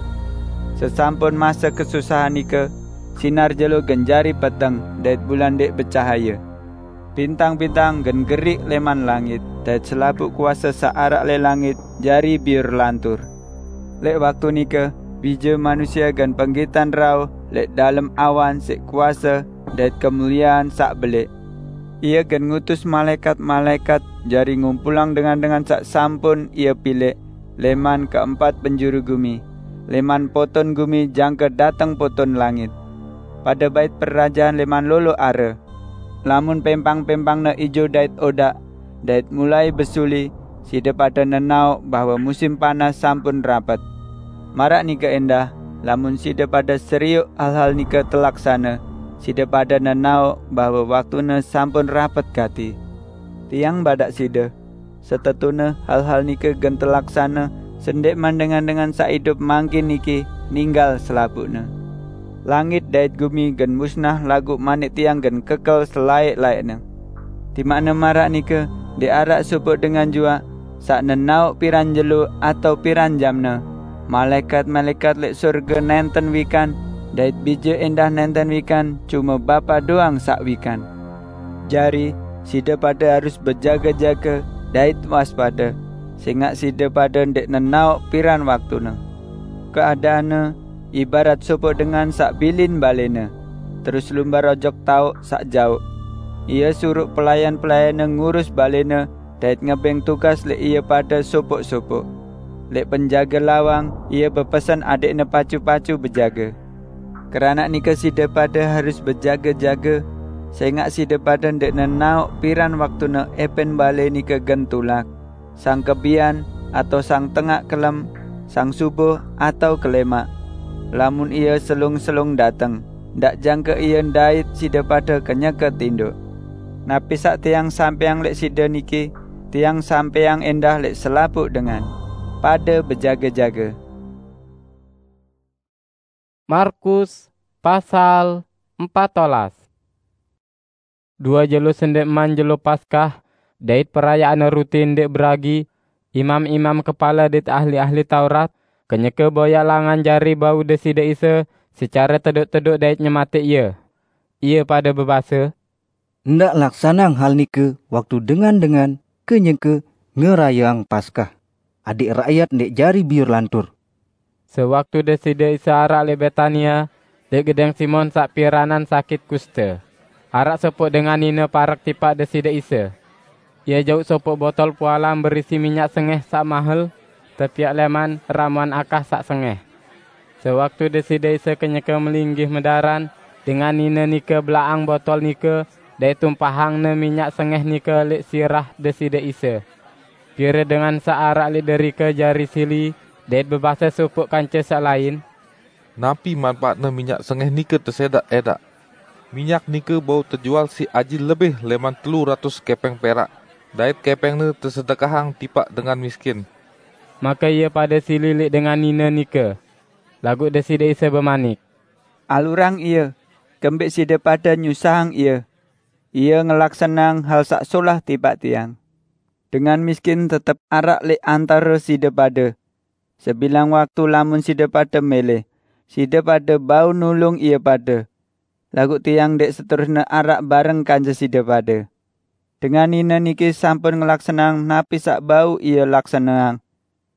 Sesampun mase kesusahan nike, sinar jelo gen jari peteng dait bulan ndẽq becahaye. Bintang-bintang gen geriq lẽman langit, dait selapuq kuase saq araq leq langit jari biur lantur. Leq waktu nike, Bije Manusie gen penggitan rauh leq dalem awan siq kuase dait kemuliean saq belẽq. Ie gen ngutus malaẽkat-malaẽkat jari ngumpulang dengan-dengan saq sampun Ie pilẽq lẽman keempat penjuru gumi, lẽman poton gumi jangke dateng poton langit. Pade bait perajean lẽman lolo are. Lamun pẽmpang-pẽmpangne ijo dait odaq, dait mulai besuli, side pade nenaoq bahwe musim panas sampun rapet. Maraq nike endah, lamun side pade serioq hal-hal nike telaksane, side pade nenaoq bahwe waktune sampun rapet gati. Tiang badaq side, setetune hal-hal nike gen telaksane sendẽqman dengan-dengan saq idup mangkin niki ninggal selapuqne. Langit dait gumi gen musnah, laguq Manik Tiang gen kekel selaẽq-laẽqne. Timaqne maraq nike, ndẽq araq sopoq dengan juaq saq nenaoq piran jelo atao piran jamne. Malaẽkat-malaẽkat leq sorge nẽnten wikan, dait Bije endah nẽnten wikan, cume Bapa doang saq wikan. Jari, side pade harus bejage-jage dait waspade, sengaq side pade ndẽq nenaoq piran waktune. Keadaanne ibarat sopoq dengan saq bilin balẽne, terus lumbar ojok taoq saq jaoq. Ie suruq pelayan-pelayanne ngurus balẽne dait ngebẽng tugas leq ie pade sopoq-sopoq. Leq penjage lawang ie bepesen adẽqne pacu-pacu bejage. Keranaq nike side pade harus bejage-jage, sengaq side pade ndẽq nenaoq piran waktune epẽn balẽ nike gen tulak, sang kebian, atao sang tengaq kelem, sang subuh, atao kelẽmaq. Lamun ie selung-selung dateng, ndaq jangke ie ndait side pade kenyeke tindoq. Napi saq tiang sampẽang leq side niki, tiang sampẽang endah leq selapuq dengan. Pade bejage-jage. Markus pasal empat olas. Due jelo sendẽqman jelo Paskah dait perayaan ruti ndẽq beragi, imam-imam kepale dait ahli-ahli Taurat kenyeke boyaq langan jari bau Deside Isa secare tedoq-tedoq dait nyematẽq Ie. Ie pade bebase, "Ndaq laksaneang hal nike waktu dengan-dengan kenyeke ngerayeang Paskah, adẽq rakyat ndẽq jari biur lantur." Sewaktu Deside Isa araq leq Betania, leq gedẽng Simon saq piranan sakit kuste, araq sopoq dengan nine parek tipaq Deside Isa. Ie jauq sopoq botol pualam berisi minyak sengẽh saq mahel, tepiaq lẽman ramuan akah saq sengẽh. Sewaktu Deside Isa kenyeke melinggih medaran, dengan nine nike belaqang botol nike dait tumpahangne minyak sengẽh nike leq sirah Deside Isa. Pire dengan saq araq leq derike jari sili dait bebase sopoq kance saq lain, "Napi manpaatne minyak sengẽh nike tesedaq-edaq? Minyak nike bau tejual siq aji lebih lẽman telu ratus kepeng perak, dait kepengne tesedekahang tipaq dengan miskin." Make ie pade sili leq dengan nine nike. Laguq Deside Isa bemanik, "Alurang ie, kembẽq side pade nyusahang ie. Ie ngelaksaneang hal saq solah tipaq Tiang. Dengan miskin tetep araq leq antare side pade. Sebilang waktu lamun side pade mele, side pade bau nulung ie pade. Laguq Tiang ndẽq seterusne araq bareng kance side pade. Dengan nine niki sampun ngelaksaneang napi saq bau ie laksaneang.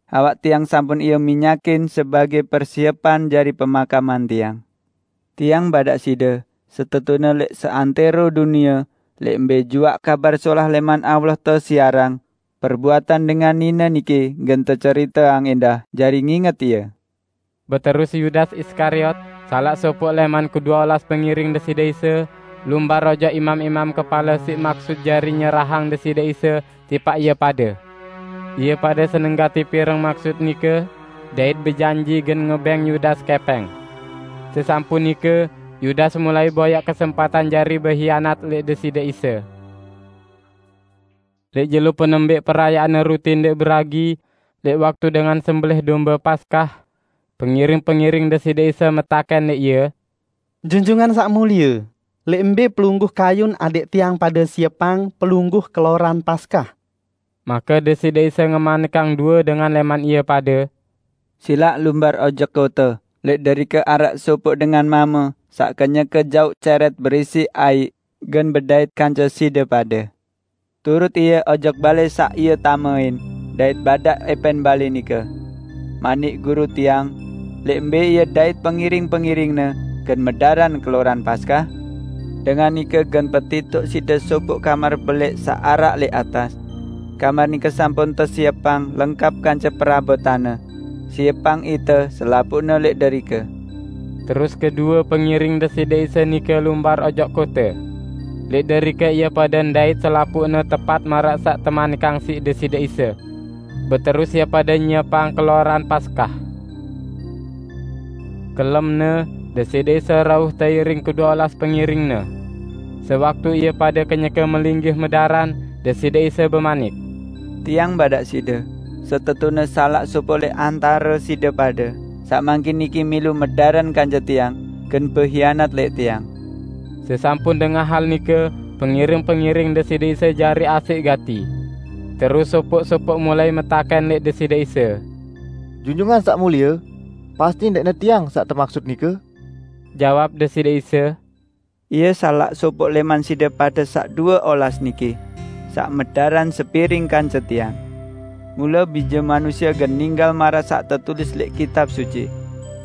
Awak Tiang sampun ie minyakin sebage persiepan jari pemakaman Tiang. Tiang badaq side, setetune leq seantero dunie, leq mbe juaq Kabar Solah lẽman Allah tesiarang, perbuatan dengan nine niki gen teceriteang endah jari nginget ie." Beterus Yudas Iskariot, salaq sopoq lẽman kedue olas pengiring Deside Isa, lumbar ojok imam-imam kepale siq maksut jari nyerahang Deside Isa tipaq ie pade. Ie pade seneng gati pireng maksut nike, dait bejanji gen ngebẽng Yudas kepeng. Sesampun nike, Yudas mulai boyaq kesempatan jari behianat leq Deside Isa. Lek jelo penembek perayaan ruti ndek beragi, lek waktu dengan sembelih domba Paskah, pengiring-pengiring Deside Isa metaken lek Ia, "Junjungan sak mulia, lek mbe pelungguh kayun adek tiang pada siepang pelungguh keloran Paskah?" Maka Deside Isa ngemanikang dua dengan leman Ia pada, "Silak lumbar ojok kota, lek derike arak sopok dengan mama sak kenyeke jauq ceret berisi aiq gen bedait kance side pada. Turut ie ojok bale sak ie tamain, dait badak epen bale nike, 'Manik Guru tiang, lek mbe ie dait pengiring-pengiringne gen medaran keloran Paskah?' Dengan nike gen petitoq side sopok kamar belek sak arak lek atas. Kamar nike sampun tesiepang lengkap kance perabotanne. Siepang ite selapuqne lek derike." Terus kedua pengiring Deside Isa nike lumbar ojok kote. Lek derike ia pada ndait selapuqne tepat maraq saq temanikang siq Deside Isa. Beterus ia pada nyiepang keloran Paskah. Kelemne, Deside Isa rauh teiring kedue olas pengiring-Ne. Sewaktu ia pada kenyeke melinggih medaran, Deside Isa bemanik, "Tiang badak side, setetune salaq sopoq leq antare side pade, saq mangkin niki milu medaran kance Tiang, gen behianat leq Tiang." Sesampun dengah hal nike, pengiring-pengiring Deside Isa jari asik gati. Terus sopoq-sopoq mulai metaken leq Deside Isa, "Junjungan Saq Mulie, pasti ndeqne tiang saq temaksud nike?" Jawab Deside Isa, "Ie salaq sopoq leman side pade saq due olas niki, saq medaran sepiring kance Tiang. Mule Bije Manusie gen ninggal maraq saq tetulis leq Kitab Suci,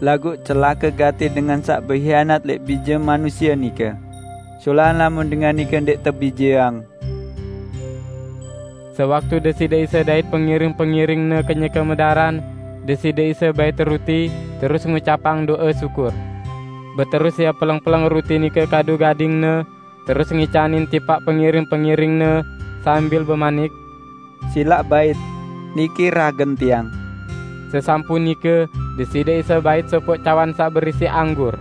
laguq celake gati dengan saq behianat leq Bije Manusie nike! Solah lamun dengan nike ndeq tebijeang!" Sewaktu Deside Isa dait pengiring-pengiring-Ne kenyeke medaran, Deside Isa bait ruti, terus ngucapang do'e syukur. Beterus Ia peleng-peleng ruti nike kadu gading-Ne, terus ngicanin tipaq pengiring-pengiring-Ne sambil bemanik, "Silaq bait, niki ragen Tiang." Sesampun nike, Deside Isa bait sopoq cawan saq berisi anggur.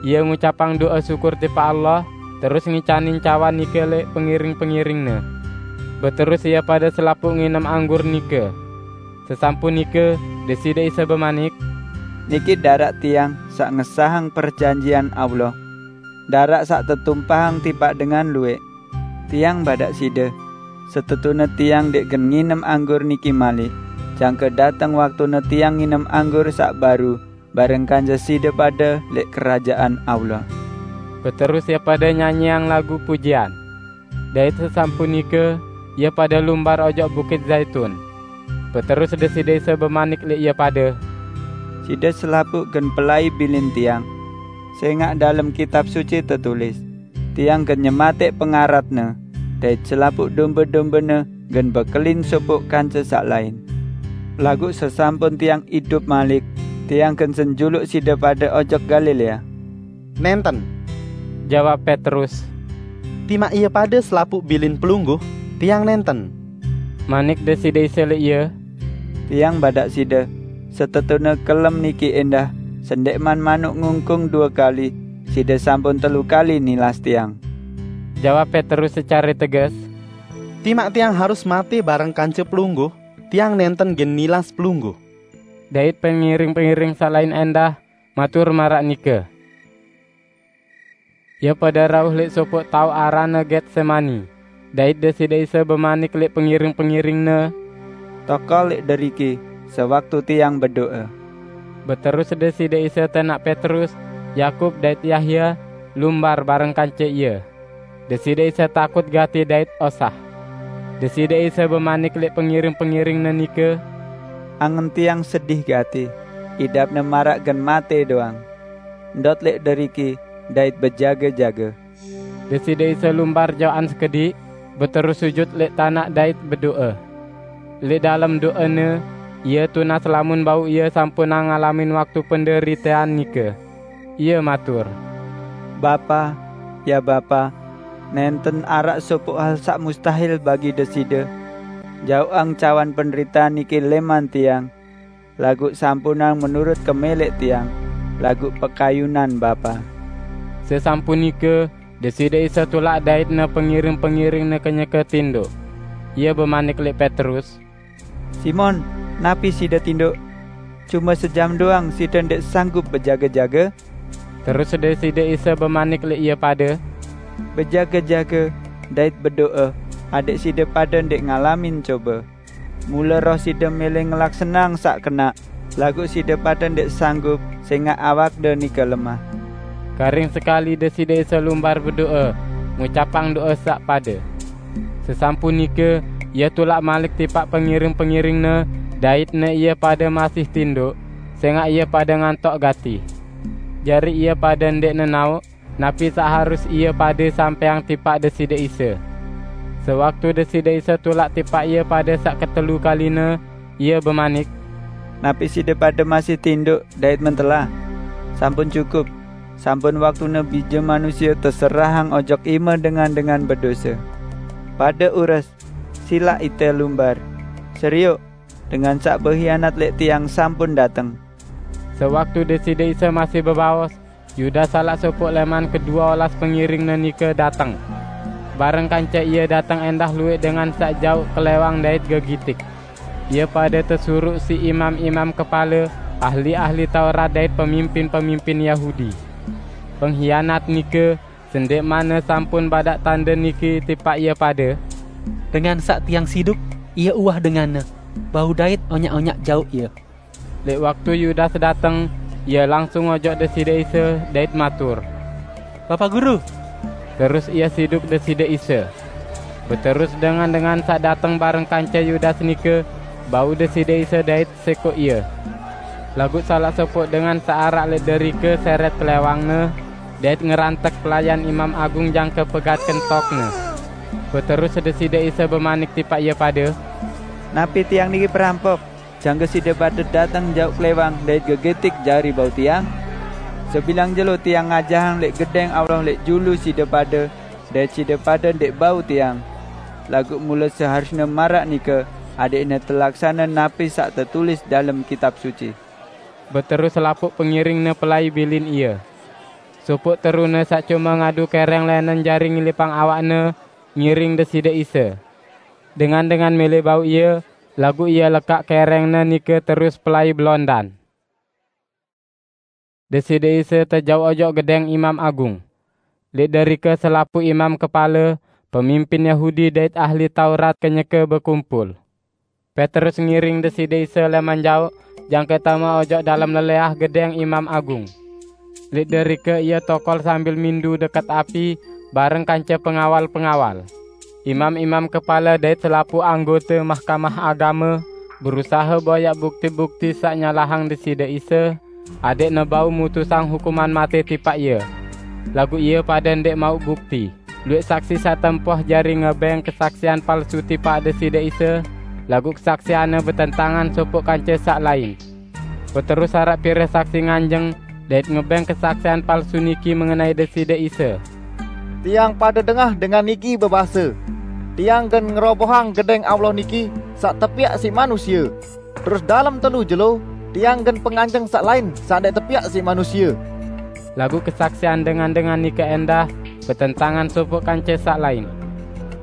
Ia ngucapang do'e syukur tipaq Allah, terus ngicanin cawan nike leq pengiring-pengiring-Ne. Beterus ie pade selapuq nginem anggur nike. Sesampun nike, Deside Isa bemanik, "Niki daraq Tiang saq ngesahang perjanjian Allah, daraq saq tetumpahang tipaq dengan lueq. Tiang badak side, setetune Tiang ndeq gen nginem anggur niki malik, jangke dateng waktune Tiang nginem anggur saq baru bareng kance side pade leq Kerajaan Allah." Beterus ie pade nyanyiang lagu pujian. Dait sesampun nike, ie pade lumbar ojok Bukit Zaitun. Beterus Deside Isa bemanik leq ie pade, "Side selapuq gen pelai bilin Tiang, sengaq dalem Kitab Suci tetulis, 'Tiang gen nyemateq pengaratne, dait selapuq dombe-dombene gen bekelin sopoq kance saq lain.' Laguq sesampun Tiang idup malik, Tiang gen senjuluq side pade ojok Galilea." "Nenten," jawab Petrus, "timaq ie pade selapuq bilin Pelungguh, tiang nenten." Manik Deside Isa leq ie, "Tiang badak side, setetune kelem niki endah, sendeqman manuk ngungkung due kali, side sampun telu kali nilas Tiang." Jawab Petrus secare teges, "Timaq tiang harus mate bareng kance Pelungguh, tiang nenten gen nilas Pelungguh." Dait pengiring-pengiring saq lain endah matur maraq nike. Ie pade rauh leq sopoq taoq aranne Getsemani, dait Deside Isa bemanik leq pengiring-pengiring-Ne, "Tokol leq deriki, sewaktu Tiang bedo'e." Beterus Deside Isa tenaq Petrus, Yakub dait Yahya lumbar bareng kance Ie. Deside Isa takut gati dait osah. Deside Isa bemanik leq pengiring-pengiring-Ne nike, "Angen Tiang sedih gati, idapne maraq gen mate doang. Ndot leq deriki dait bejage-jage." Deside Isa lumbar jaoqan sekediq, beterus sujut leq tanaq dait bedo'e. Leq dalem do'e-Ne, Ie tunas lamun bau Ie sampunang ngalamin waktu penderitean nike. Ie matur, "Bapa, ya Bapa, nenten araq sopoq hal saq mustahil bagi Deside. Jaoqang cawan penderitean niki leman Tiang, laguq sampunang menurut kemeleq Tiang, laguq pekayunan Bapa." Sesampun nike, Deside Isa tulak dait-Ne pengiring-pengiring-Ne kenyeke tindoq. Ia bemanik lek Petrus, "Simon, napi side tinduk? Cuma sejam doang side ndek sanggup bejaga-jaga?" Terus Deside Isa bemanik lek ia pade, "Bejaga-jaga dait bedoa, adek side pade ndek ngalamin coba. Mula roh side mele ngelaksanang sak kena, laguq side pade ndek sanggup, sengaq awakde nike lemah." Karing sekali Deside Isa lumbar bedoa, ngucapang doa sak pade. Sesampun nike, Ia tulak malik tipaq pengiring-pengiring-Ne, dait ne ie pade masih tinduk, sengaq ie pade ngantok gati. Jari ie pade ndek nenaoq napi saq harus ie pade sampeang tipaq Deside Isa. Sewaktu Deside Isa tulak tipaq ie pade saq ketelu kaline, Ia bemanik, "Napi side pade masih tinduk dait mentelah? Sampun cukup! Sampun waktune Bije Manusie teserahang ojok ime dengan-dengan bedose. Pade ures, silaq ite lumbar. Serioq, dengan saq behianat lek Tiang sampun dateng." Sewaktu Deside Isa masih bebaos, Yudas, salaq sopoq leman kedue olas pengiring-Ne nike, dateng. Bareng kance ie dateng endah lueq dengan saq jauq kelewang dait gegitik. Ie pade tesuruq siq imam-imam kepale, ahli-ahli Taurat dait pemimpin-pemimpin Yahudi. Penghianat nike, sendikmanne sampun badaq tande niki tipaq ie pade, "Dengan saq tiang siduk, ie uwah denganne, bau dait onyaq-onyaq jauq ie." Lek waktu Yudas dateng, ie langsung ojok Deside Isa dait matur, "Bapa Guru!" Terus ie siduk Deside Isa. Beterus dengan-dengan saq dateng bareng kance Yudas nike bau Deside Isa dait sekoq Ie. Laguq salaq sopoq dengan saq araq lek derike seret kelewang-Ne dait ngerantek pelayan imam agung jangke pegat kentokne. Beterus Deside Isa bemanik tipaq ie pade, "Napi Tiang niki perampok, jangke side pade dateng jauq klewang dait gegetik jari bau Tiang? Sebilang jelo Tiang ngajahang lek Gedeng Allah lek julu side pade, dait side pade ndek bau Tiang. Laguq mule seharusne maraq nike, adekne telaksane napi saq tetulis dalem Kitab Suci." Beterus selapuq pengiring-Ne pelai bilin Ie. Sopoq terune saq cume ngadu kereng lenen jari ngilipang awakne ngiring Deside Isa. Dengan-dengan mele bau Ie, laguq Ie lekaq kerengne nike terus pelai belondan. Deside Isa tejauq ojok gedeng Imam Agung. Leq derike selapuq imam kepale, pemimpin Yahudi dait ahli Taurat kenyeke bekumpul. Petrus ngiring Deside Isa leman jaoq jangke tame ojok dalem leleah gedeng Imam Agung. Leq derike ie tokol sambil mindu deket api bareng kance pengawal-pengawal. Imam-imam kepale dait selapuq anggote Mahkamah Agame berusahe boyaq bukti-bukti saq nyalahang Deside Isa, adekne bau mutusang hukuman mate tipaq Ie. Laguq ie pade ndeq mauq bukti. Lueq saksi saq tempoh jari ngebeng kesaksian palsu tipaq Deside Isa, laguq kesaksianne betentangan sopoq kance saq lain. Beterus araq pire saksi nganjeng dait ngebeng kesaksian palsu niki mengenai Deside Isa. "Tiang pade dengah dengan niki bebase, 'Tiang gen ngerobohang gedeng Allah niki saq tepiaq siq manusie. Terus dalem telu jelo, Tiang gen penganjeng saq lain saq ndeq tepiaq siq manusie.'" Laguq kesaksian dengan-dengan nike endah betentangan sopoq kance saq lain.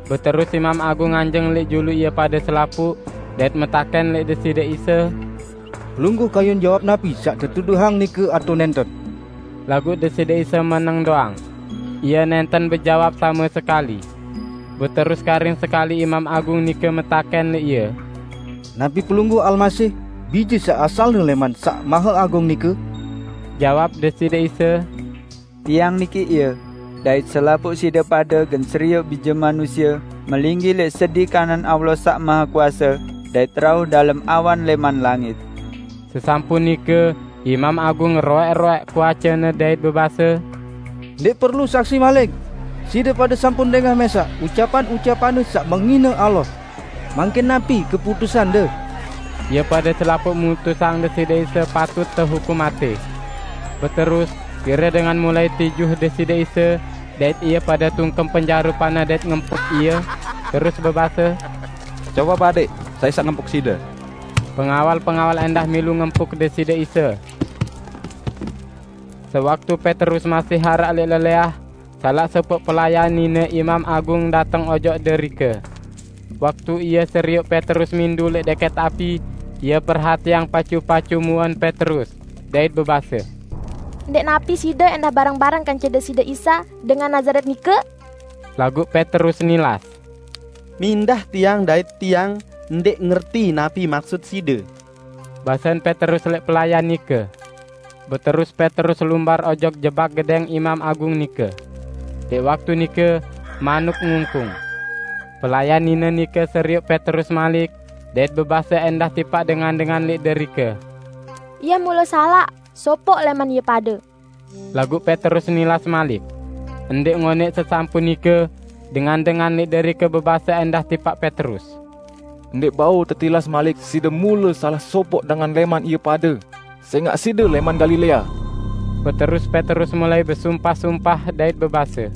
Beterus Imam Agung nganjeng leq julu ie pade selapuq dait metaken leq Deside Isa, "Pelungguh kayun jawab napi saq tetuduhang nike atao nenten?" Laguq Deside Isa meneng doang. Ie nenten bejawab same sekali. Beterus karing sekali Imam Agung nike metaken leq Ie, "Napi Pelungguh Almasih, Bije saq asalne leman Saq Mahe Agung nike?" Jawab Deside Isa, "Tiang niki Ie, dait selapuq side pade gen serioq Bije Manusie melinggih leq sedi kanan Allah Saq Mahe Kuase dait rauh dalem awan leman langit." Sesampun nike, Imam Agung ngeroeq-roeq kuacene dait bebase, "Ndeq perlu saksi malik! Side pade sampun dengah mesaq ucapan-ucapanne saq menghine Allah. Mangkin napi keputusande?" Ie pade selapuq mutusang Deside Isa patut tehukum mate. Beterus, pire dengan mulai tijuh Deside Isa, dait ie pade tungkem penjarupanne dait ngempuk Ie, terus bebase, "Coba badiq, sai saq ngempuk Side?" Pengawal-pengawal endah milu ngempuk Deside Isa. Sewaktu Petrus masih araq leq leleah, salaq sopoq pelayan nine Imam Agung dateng ojok derike. Waktu ia seriuk Petrus mindu lek deket api, ia perhatiang pacu-pacu muan Petrus, dait bebase, "Ndek napi side endah bareng-bareng kance Deside Isa dengan Nazaret nike?" Laguq Petrus nilas, "Mindah tiang dait tiang ndek ngerti napi maksud side." Basen Petrus lek pelayan nike. Beterus Petrus lumbar ojok jebak gedeng imam agung nike. Dek waktu nike, manuk ngungkung. Pelayan nine nike seriuk Petrus malik, dait bebase endah tipaq dengan-dengan lek derike, "Ia mule salaq, sopoq leman ie pade." Laguq Petrus nilas malik. Ndek ngoneq sesampun nike, dengan-dengan lek derike bebase endah tipaq Petrus, "Ndek bau tetilas malik side mule salah sopoq dengan leman ie pade, sengaq side leman Galilea." Beterus Petrus mulai besumpah-sumpah dait bebase,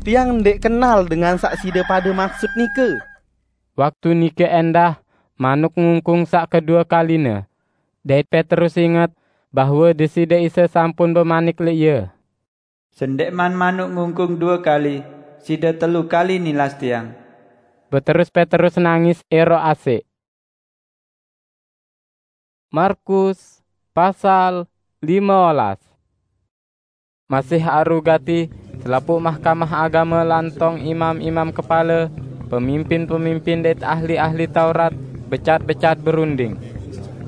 "Tiang ndek kenal dengan saq side pade maksud nike." Waktu nike endah, manuk ngungkung saq kedue kaline, dait Petrus inget bahwe Deside Isa sampun bemanik lek ie, "Sendeqman manuk ngungkung due kali, side telu kali nilas tiang." Beterus Petrus nangis ero asik. Markus pasal lime olas. Masih aru gati, selapuq Mahkamah Agame lantong imam-imam kepale, pemimpin-pemimpin dait ahli-ahli Taurat becat-becat berunding.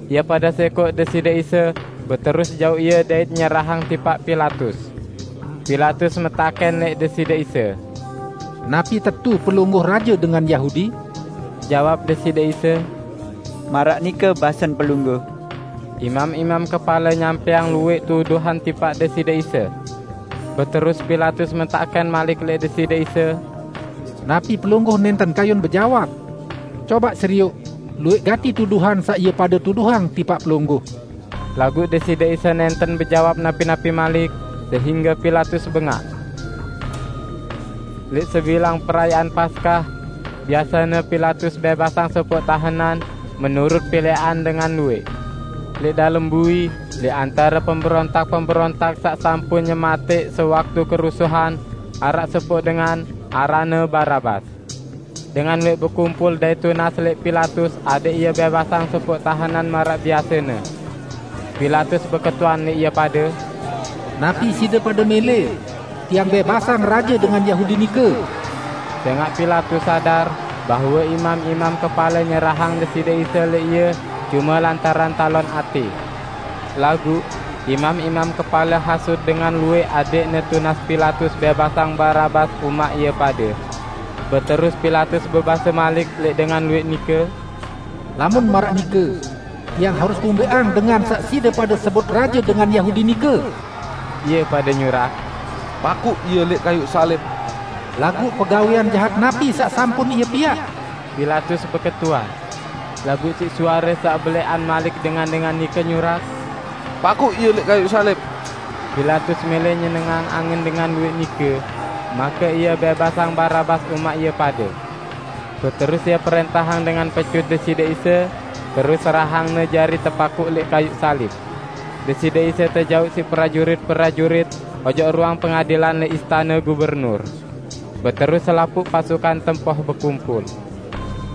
Ie pade sekoq Deside Isa, beterus jauq Ie dait nyerahang tipaq Pilatus. Pilatus metaken leq Deside Isa, "Napi tetu Pelungguh Raje dengan Yahudi?" Jawab Deside Isa, "Maraq nike basen Pelungguh." Imam-imam kepale nyampeang lueq tuduhan tipaq Deside Isa. Beterus Pilatus metaken malik leq Deside Isa, "Napi Pelungguh nenten kayun bejawab? Cobaq serioq, lueq gati tuduhan saq ie pade tuduhang tipaq Pelungguh." Laguq Deside Isa nenten bejawab napi-napi malik, sehingge Pilatus bengaq. Leq sebilang perayaan Paskah, biasene Pilatus bebasang sopoq tahenan menurut pileqan dengan lueq. Leq dalem bui, leq antare pemberontak-pemberontak saq sampun nyemateq sewaktu kerusuhan, araq sopoq dengan, aranne Barabas. Dengan lueq bekumpul dait tunas leq Pilatus adaq ie bebasang sopoq tahenan maraq biasene. Pilatus beketuan leq ie pade, "Napi side pade mele, tiang bebasang raje dengan Yahudi nike?" Sengaq Pilatus sadar bahwe imam-imam kepale nyerahang Deside Isa leq ie cume lantaran talon ate. Laguq, imam-imam kepale hasut dengan lueq adeqne tunas Pilatus bebasang Barabas umaq ie pade. Beterus Pilatus bebase malik leq dengan lueq nike, "Lamun maraq nike, tiang harus ngumbeqang dengan saq side pade sebut raje dengan Yahudi nike?" Ie pade nyurak, "Pakuq Ie leq kayuq salib!" "Laguq pegawean jahat napi saq sampun Ie piaq?" Pilatus beketuan. Laguq siq suare saq beleqan malik dengan-dengan nike nyurak, "Pakuq Ie leq kayuq salib!" Pilatus mele nyenengang angen dengan lueq nike, make ie bebasang Barabas umaq ie pade. Beterus ie perentahang dengan pecut Deside Isa, terus serahangne jari tepakuq leq kayuq salib. Deside Isa tejauq siq prajurit-prajurit ojok ruang pengadilan leq istane gubernur. Beterus selapuq pasukan tempoh bekumpul.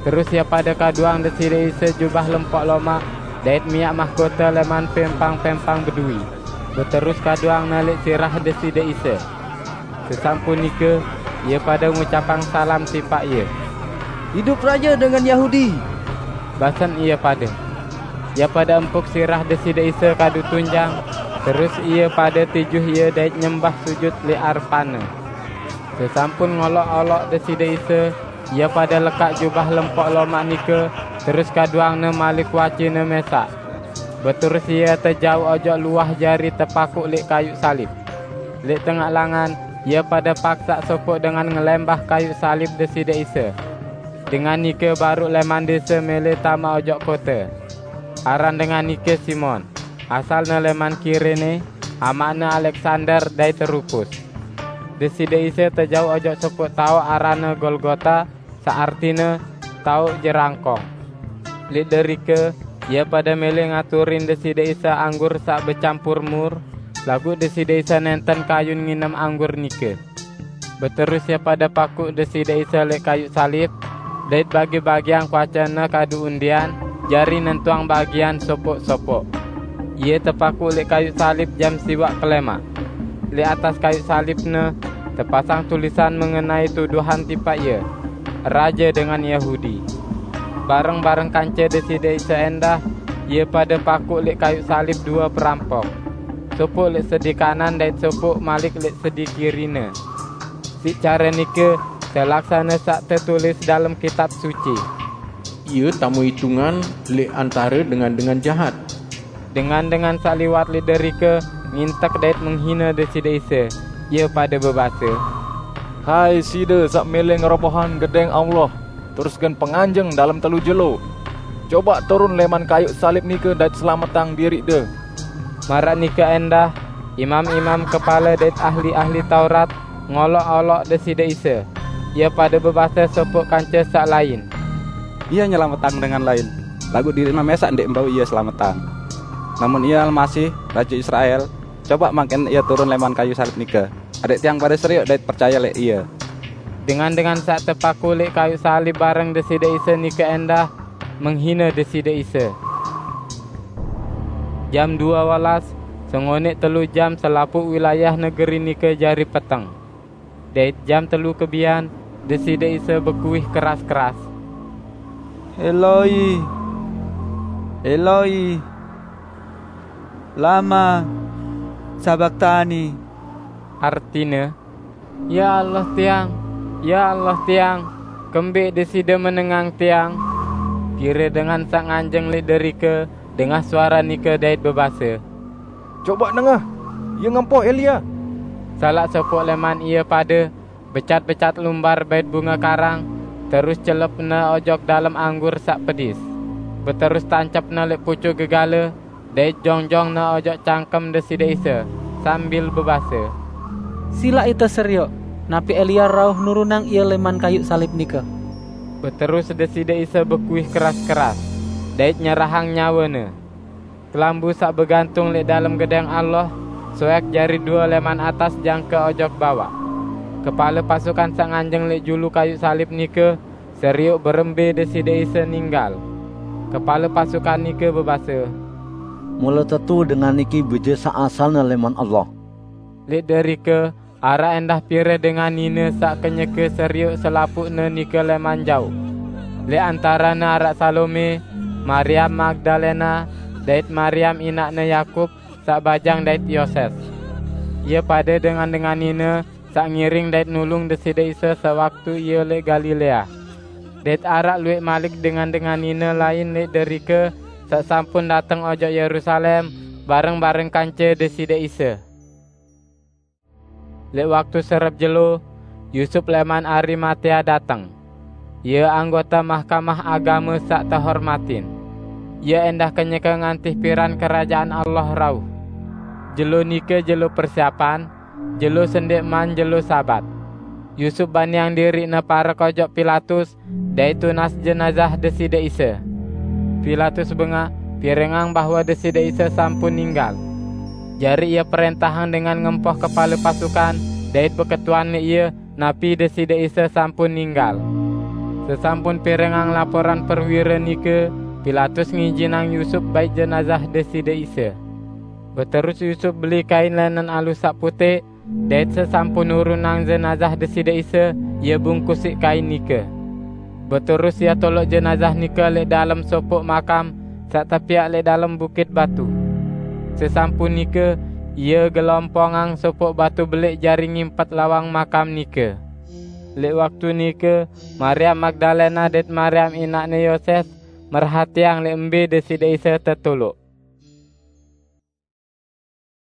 Terus ie pade kaduang Deside Isa jubah lempok lomaq dait miaq mahkota leman pempang-pempang beduwi. Beterus kaduangne leq sirah Deside Isa. Sesampun nike, ie pade ngucapang salam tipaq Ie. "Idup Raje dengan Yahudi!" basen ie pade. Ie pade empuk sirah Deside Isa kadu tunjang, terus ie pade tijuh Ie dait nyembah sujut leq arepan-Ne. Sesampun ngoloq-oloq Deside Isa, ie pade lekaq jubah lempok lomaq nike, terus kaduangne malik wacine mesaq. Beterus Ie tejauq ojok luah jari tepakuq leq kayuq salib. Leq tengaq langan, ie pade paksaq sopoq dengan ngelembah kayuq salib Deside Isa. Dengan nike baruq leman dese mele tame ojok kote. Aran dengan nike Simon, asalne leman Kirene, amaqne Aleksander dait Rupus. Deside Isa tejauq ojok sopoq taoq aranne Golgota, saq artine, "Taoq Jerangkong". Leq derike, ie pade mele ngaturin Deside Isa anggur saq becampur mur, laguq Deside Isa nenten kayun nginem anggur nike. Beterus ie pade pakuq Deside Isa leq kayuq salib, Dait bagi-bagiang kuacene kadu undian, jari nentuang bagian sopok-sopok. Ie tepakuk leq kayuq salib jam siwaq kelemaq. Leq atas kayuq salibne tepasang tulisan mengenai tuduhan tipaq Ie, "Raje dengan Yahudi." Bareng-bareng kance Deside Isa endah, ie pade pakuk leq kayuq salib due perampok, sopok leq sedi kanan dait sopok malik leq sedi kirine. Siq care nike telaksane saq tetulis dalem Kitab Suci, "Ie tame itungan leq antare dengan-dengan jahat." Dengan-dengan saq liwat leq derike ngintek dait menghine Deside Isa. Ie pade bebase, "Hai Side saq mele ngerobohang Gedeng Allah, terus gen penganjeng dalem telu jelo! Cobaq turun leman kayuq salib nike dait selametang diriqde!" Maraq nike endah, imam-imam kepale dait ahli-ahli Taurat ngolok-olok Deside Isa. Ie pade bebase sopok kance saq lain, "Ie nyelametang dengan lain, laguq diriqne mesaq ndeq bau Ie selametang. Lamun Ie Almasih, Raje Israel, cobaq mangkin Ie turun leman kayuq salib nike, adaq tiang pade serioq dait percaye leq Ie." Dengan-dengan saq tepakuk leq kayuq salib bareng Deside Isa nike endah menghine Deside Isa. Jam due welas, sengoneq telu jam, selapuq wilayah negeri nike jari peteng. Dait jam telu kebian, Deside Isa bekuih keras-keras, "Eloi, Eloi, lama sabaktani?" Artine, "Ya Allah tiang, ya Allah tiang, kembeq Deside menengang tiang?" Pire dengan saq nganjeng leq derike dengah suare nike dait bebase, "Cobaq nengah, Ie ngempoh Elia!" Salaq sopoq leman ie pade becat-becat lumbar bait bunge karang, terus celepne ojok dalem anggur saq pedis. Beterus tancepne leq pucuk gegale, dait jongjong-Ne ojok cangkem Deside Isa, sambil bebase, "Silaq ite serioq, napi Elia rauh nurunang Ie leman kayuq salib nike." Beterus Deside Isa bekuih keras-keras, dait nyerahang nyawe-Ne. Kelambu saq begantung leq dalem Gedeng Allah soeq jari due leman atas jangke ojok bawaq. Kepale pasukan saq nganjeng leq julu kayuq salib nike serioq berembe Deside Isa ninggal. Kepale pasukan nike bebase, "Mule tetu dengan niki Bije saq asalne leman Allah." Leq derike araq endah pire dengan nine saq kenyeke serioq selapuqne nike leman jaoq. Leq antarene araq Salome, Mariam Magdalena, dait Mariam inaqne Yakub saq bajang dait Yoses. Ie pade dengan-dengan nine saq ngiring dait nulung Deside Isa sewaktu Ie leq Galilea. Dait araq lueq malik dengan-dengan nine lain leq derike saq sampun dateng ojok Yerusalem bareng-bareng kance Deside Isa. Leq waktu serep jelo, Yusup leman Arimatea dateng. Ie anggota Mahkamah Agame saq tehormatin. Ie endah kenyeke ngantih piran Kerajaan Allah rauh. Jelo nike jelo persiapan, jelo sendeqman jelo Sabat. Yusup baniang diriqne parek ojok Pilatus dait tunas jenazah Deside Isa. Pilatus bengaq pirengang bahwe Deside Isa sampun ninggal. Jari ie perentahang dengan ngempoh kepale pasukan dait beketuan leq ie napi Deside Isa sampun ninggal. Sesampun pirengang laporan perwire nike, Pilatus ngijinang Yusup bait jenazah Deside Isa. Beterus Yusup beli kain linen alus saq puteq, dait sesampun nurunang jenazah Deside Isa, ie bungkus siq kain nike. Beterus ie toloq jenazah nike leq dalem sopoq makam saq tepiaq leq dalem bukit batu. Sesampun nike, ie gelompongang sopoq batu beleq jari ngimpet lawang makam nike. Leq waktu nike, Mariam Magdalena dait Mariam inaqne Yoses merhatiang leq mbe Deside Isa tetoloq.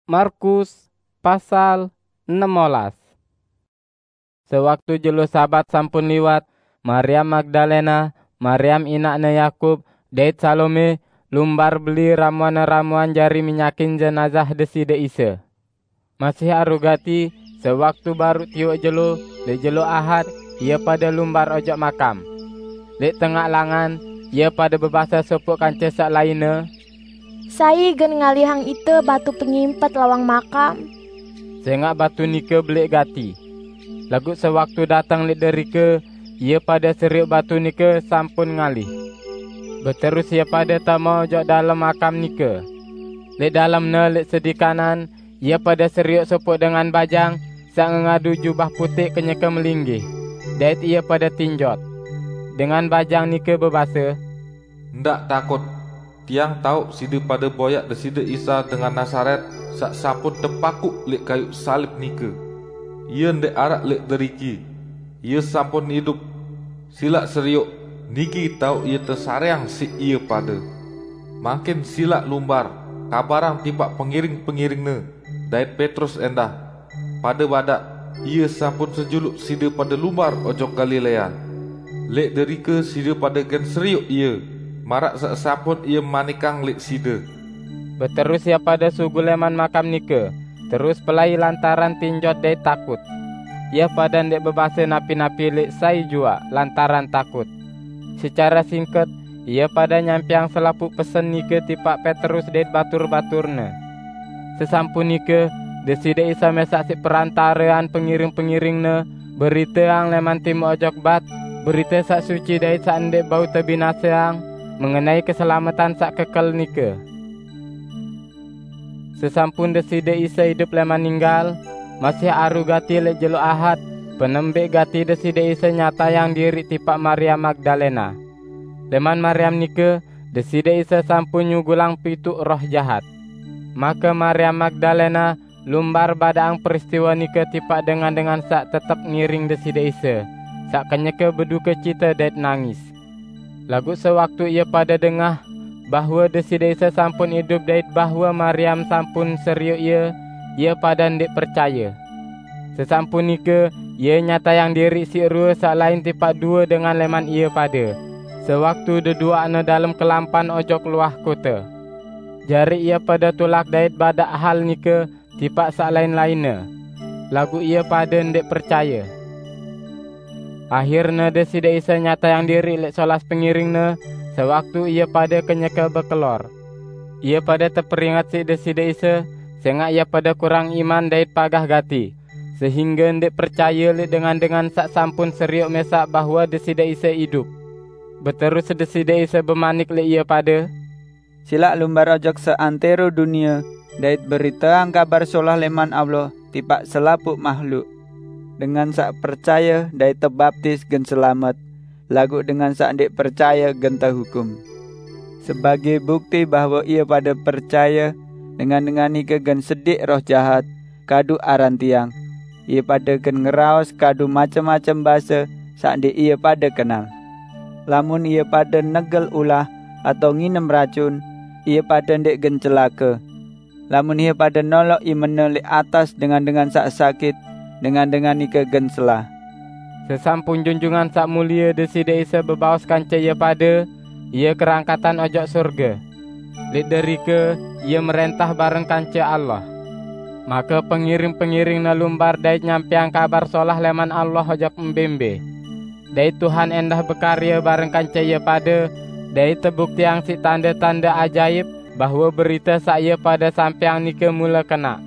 Markus pasal enem olas. Sewaktu jelo Sabat sampun liwat, Mariam Magdalena, Mariam inaqne Yakub, dait Salome lumbar beli ramuan-ramuan jari minyakin jenazah Deside Isa. Masih aru gati, sewaktu baruq tiwoq jelo, leq jelo Ahad, ie pade lumbar ojok makam. Leq tengaq langan, ie pade bebase sopoq kance saq lainne, "Sai gen ngalihang ite batu pengimpet lawang makam?" Sengaq batu nike beleq gati. Laguq sewaktu dateng leq derike, Ie pade serioq batu nike sampun ngalih. Beterus ie pade tame ojok dalem makam nike. Leq dalemne leq sedi kanan, ie pade serioq sopoq dengan bajang saq ngengadu jubah puteq kenyeke melinggih, dait ie pade tinjot. Dengan bajang nike bebase, "Ndaq takut! Tiang taoq side pade boyaq Deside Isa dengan Nazaret, saq sampun tepakuq leq kayuq salib nike. Ie ndeq araq leq deriki. Ie sampun idup. Silaq serioq, niki taoq Ie tesareang siq ie pade. Mangkin silaq lumbar, kabarang tipaq pengiring-pengiringne, dait Petrus endah, pade badaq, 'Ie sampun sejuluq side pade lumbar ojok Galilea. Leq derike side pade gen serioq Ie, maraq saq sampun Ie manikang leq side.'" Beterus ie pade sugul leman makam nike, terus pelai lantaran tinjot dait takut. Ie pade ndeq bebase napi-napi leq sai juaq lantaran takut. Secare singket, ie pade nyampeang selapuq pesen nike tipaq Petrus dait batur-baturne. Sesampun nike, Deside Isa mesaq siq perantarean pengiring-pengiring-Ne beriteang leman timuq ojok bat, berite saq suci dait saq ndeq bau tebinaseang mengenai keselametan saq kekel nike. Sesampun Deside Isa idup leman ninggal, masih aru gati leq jelo Ahad, penembik gati Deside Isa nyatayang diriq tipaq Maria Magdalena. Leman Mariam nike, Deside Isa sampun nyugulang pituq roh jahat. Make Mariam Magdalena lumbar badaqang peristiwe nike tipaq dengan-dengan saq tetep ngiring Deside Isa, saq kenyeke beduke cite dait nangis. Laguq sewaktu ie pade dengah bahwe Deside Isa sampun idup dait bahwe Mariam sampun serioq Ie, ie pade ndeq percaye. Sesampun nike, Ie nyatayang diriq siq rue saq lain tipaq due dengan leman ie pade, sewaktu deduaqne dalem kelampan ojok luah kote. Jari ie pade tulak dait badaq hal nike tipaq saq lain-lainne, laguq ie pade ndeq percaye. Ahirne Deside Isa nyatayang diriq leq solas pengiring-Ne, sewaktu ie pade kenyeke bekelor. Ie pade teperinget siq Deside Isa, sengaq ie pade kurang iman dait pagah gati, sehingge ndeq percaye leq dengan-dengan saq sampun serioq mesaq bahwe Deside Isa idup. Beterus Deside Isa bemanik leq ie pade, "Silaq lumbar ojok seantero dunie dait beriteang Kabar Solah leman Allah tipaq selapuq mahluk. Dengan saq percaye dait tebaptis gen selamet, laguq dengan saq ndeq percaye gen tehukum. Sebagee bukti bahwe ie pade percaye, dengan-dengan nike gen sediq roh jahat kadu aran Tiang. Ie pade gen ngeraos kadu macem-macem base saq ndeq ie pade kenal. Lamun ie pade negel ulah atao nginem racun, ie pade ndeq gen celake. Lamun ie pade noloq imene leq atas dengan-dengan saq sakit, dengan-dengan nike gen selah." Sesampun Junjungan Saq Mulie Deside Isa bebaos kance ie pade, Ie kerangkatan ojok sorge. Leq derike Ie merentah bareng kance Allah. Make pengiring-pengiring-Ne lumbar dait nyampeang Kabar Solah leman Allah ojok mbe-mbe. Dait Tuhan endah bekarye bareng kance ie pade, dait tebuktiang siq tande-tande ajaip bahwe berite saq ie pade sampeang nike mule kenaq.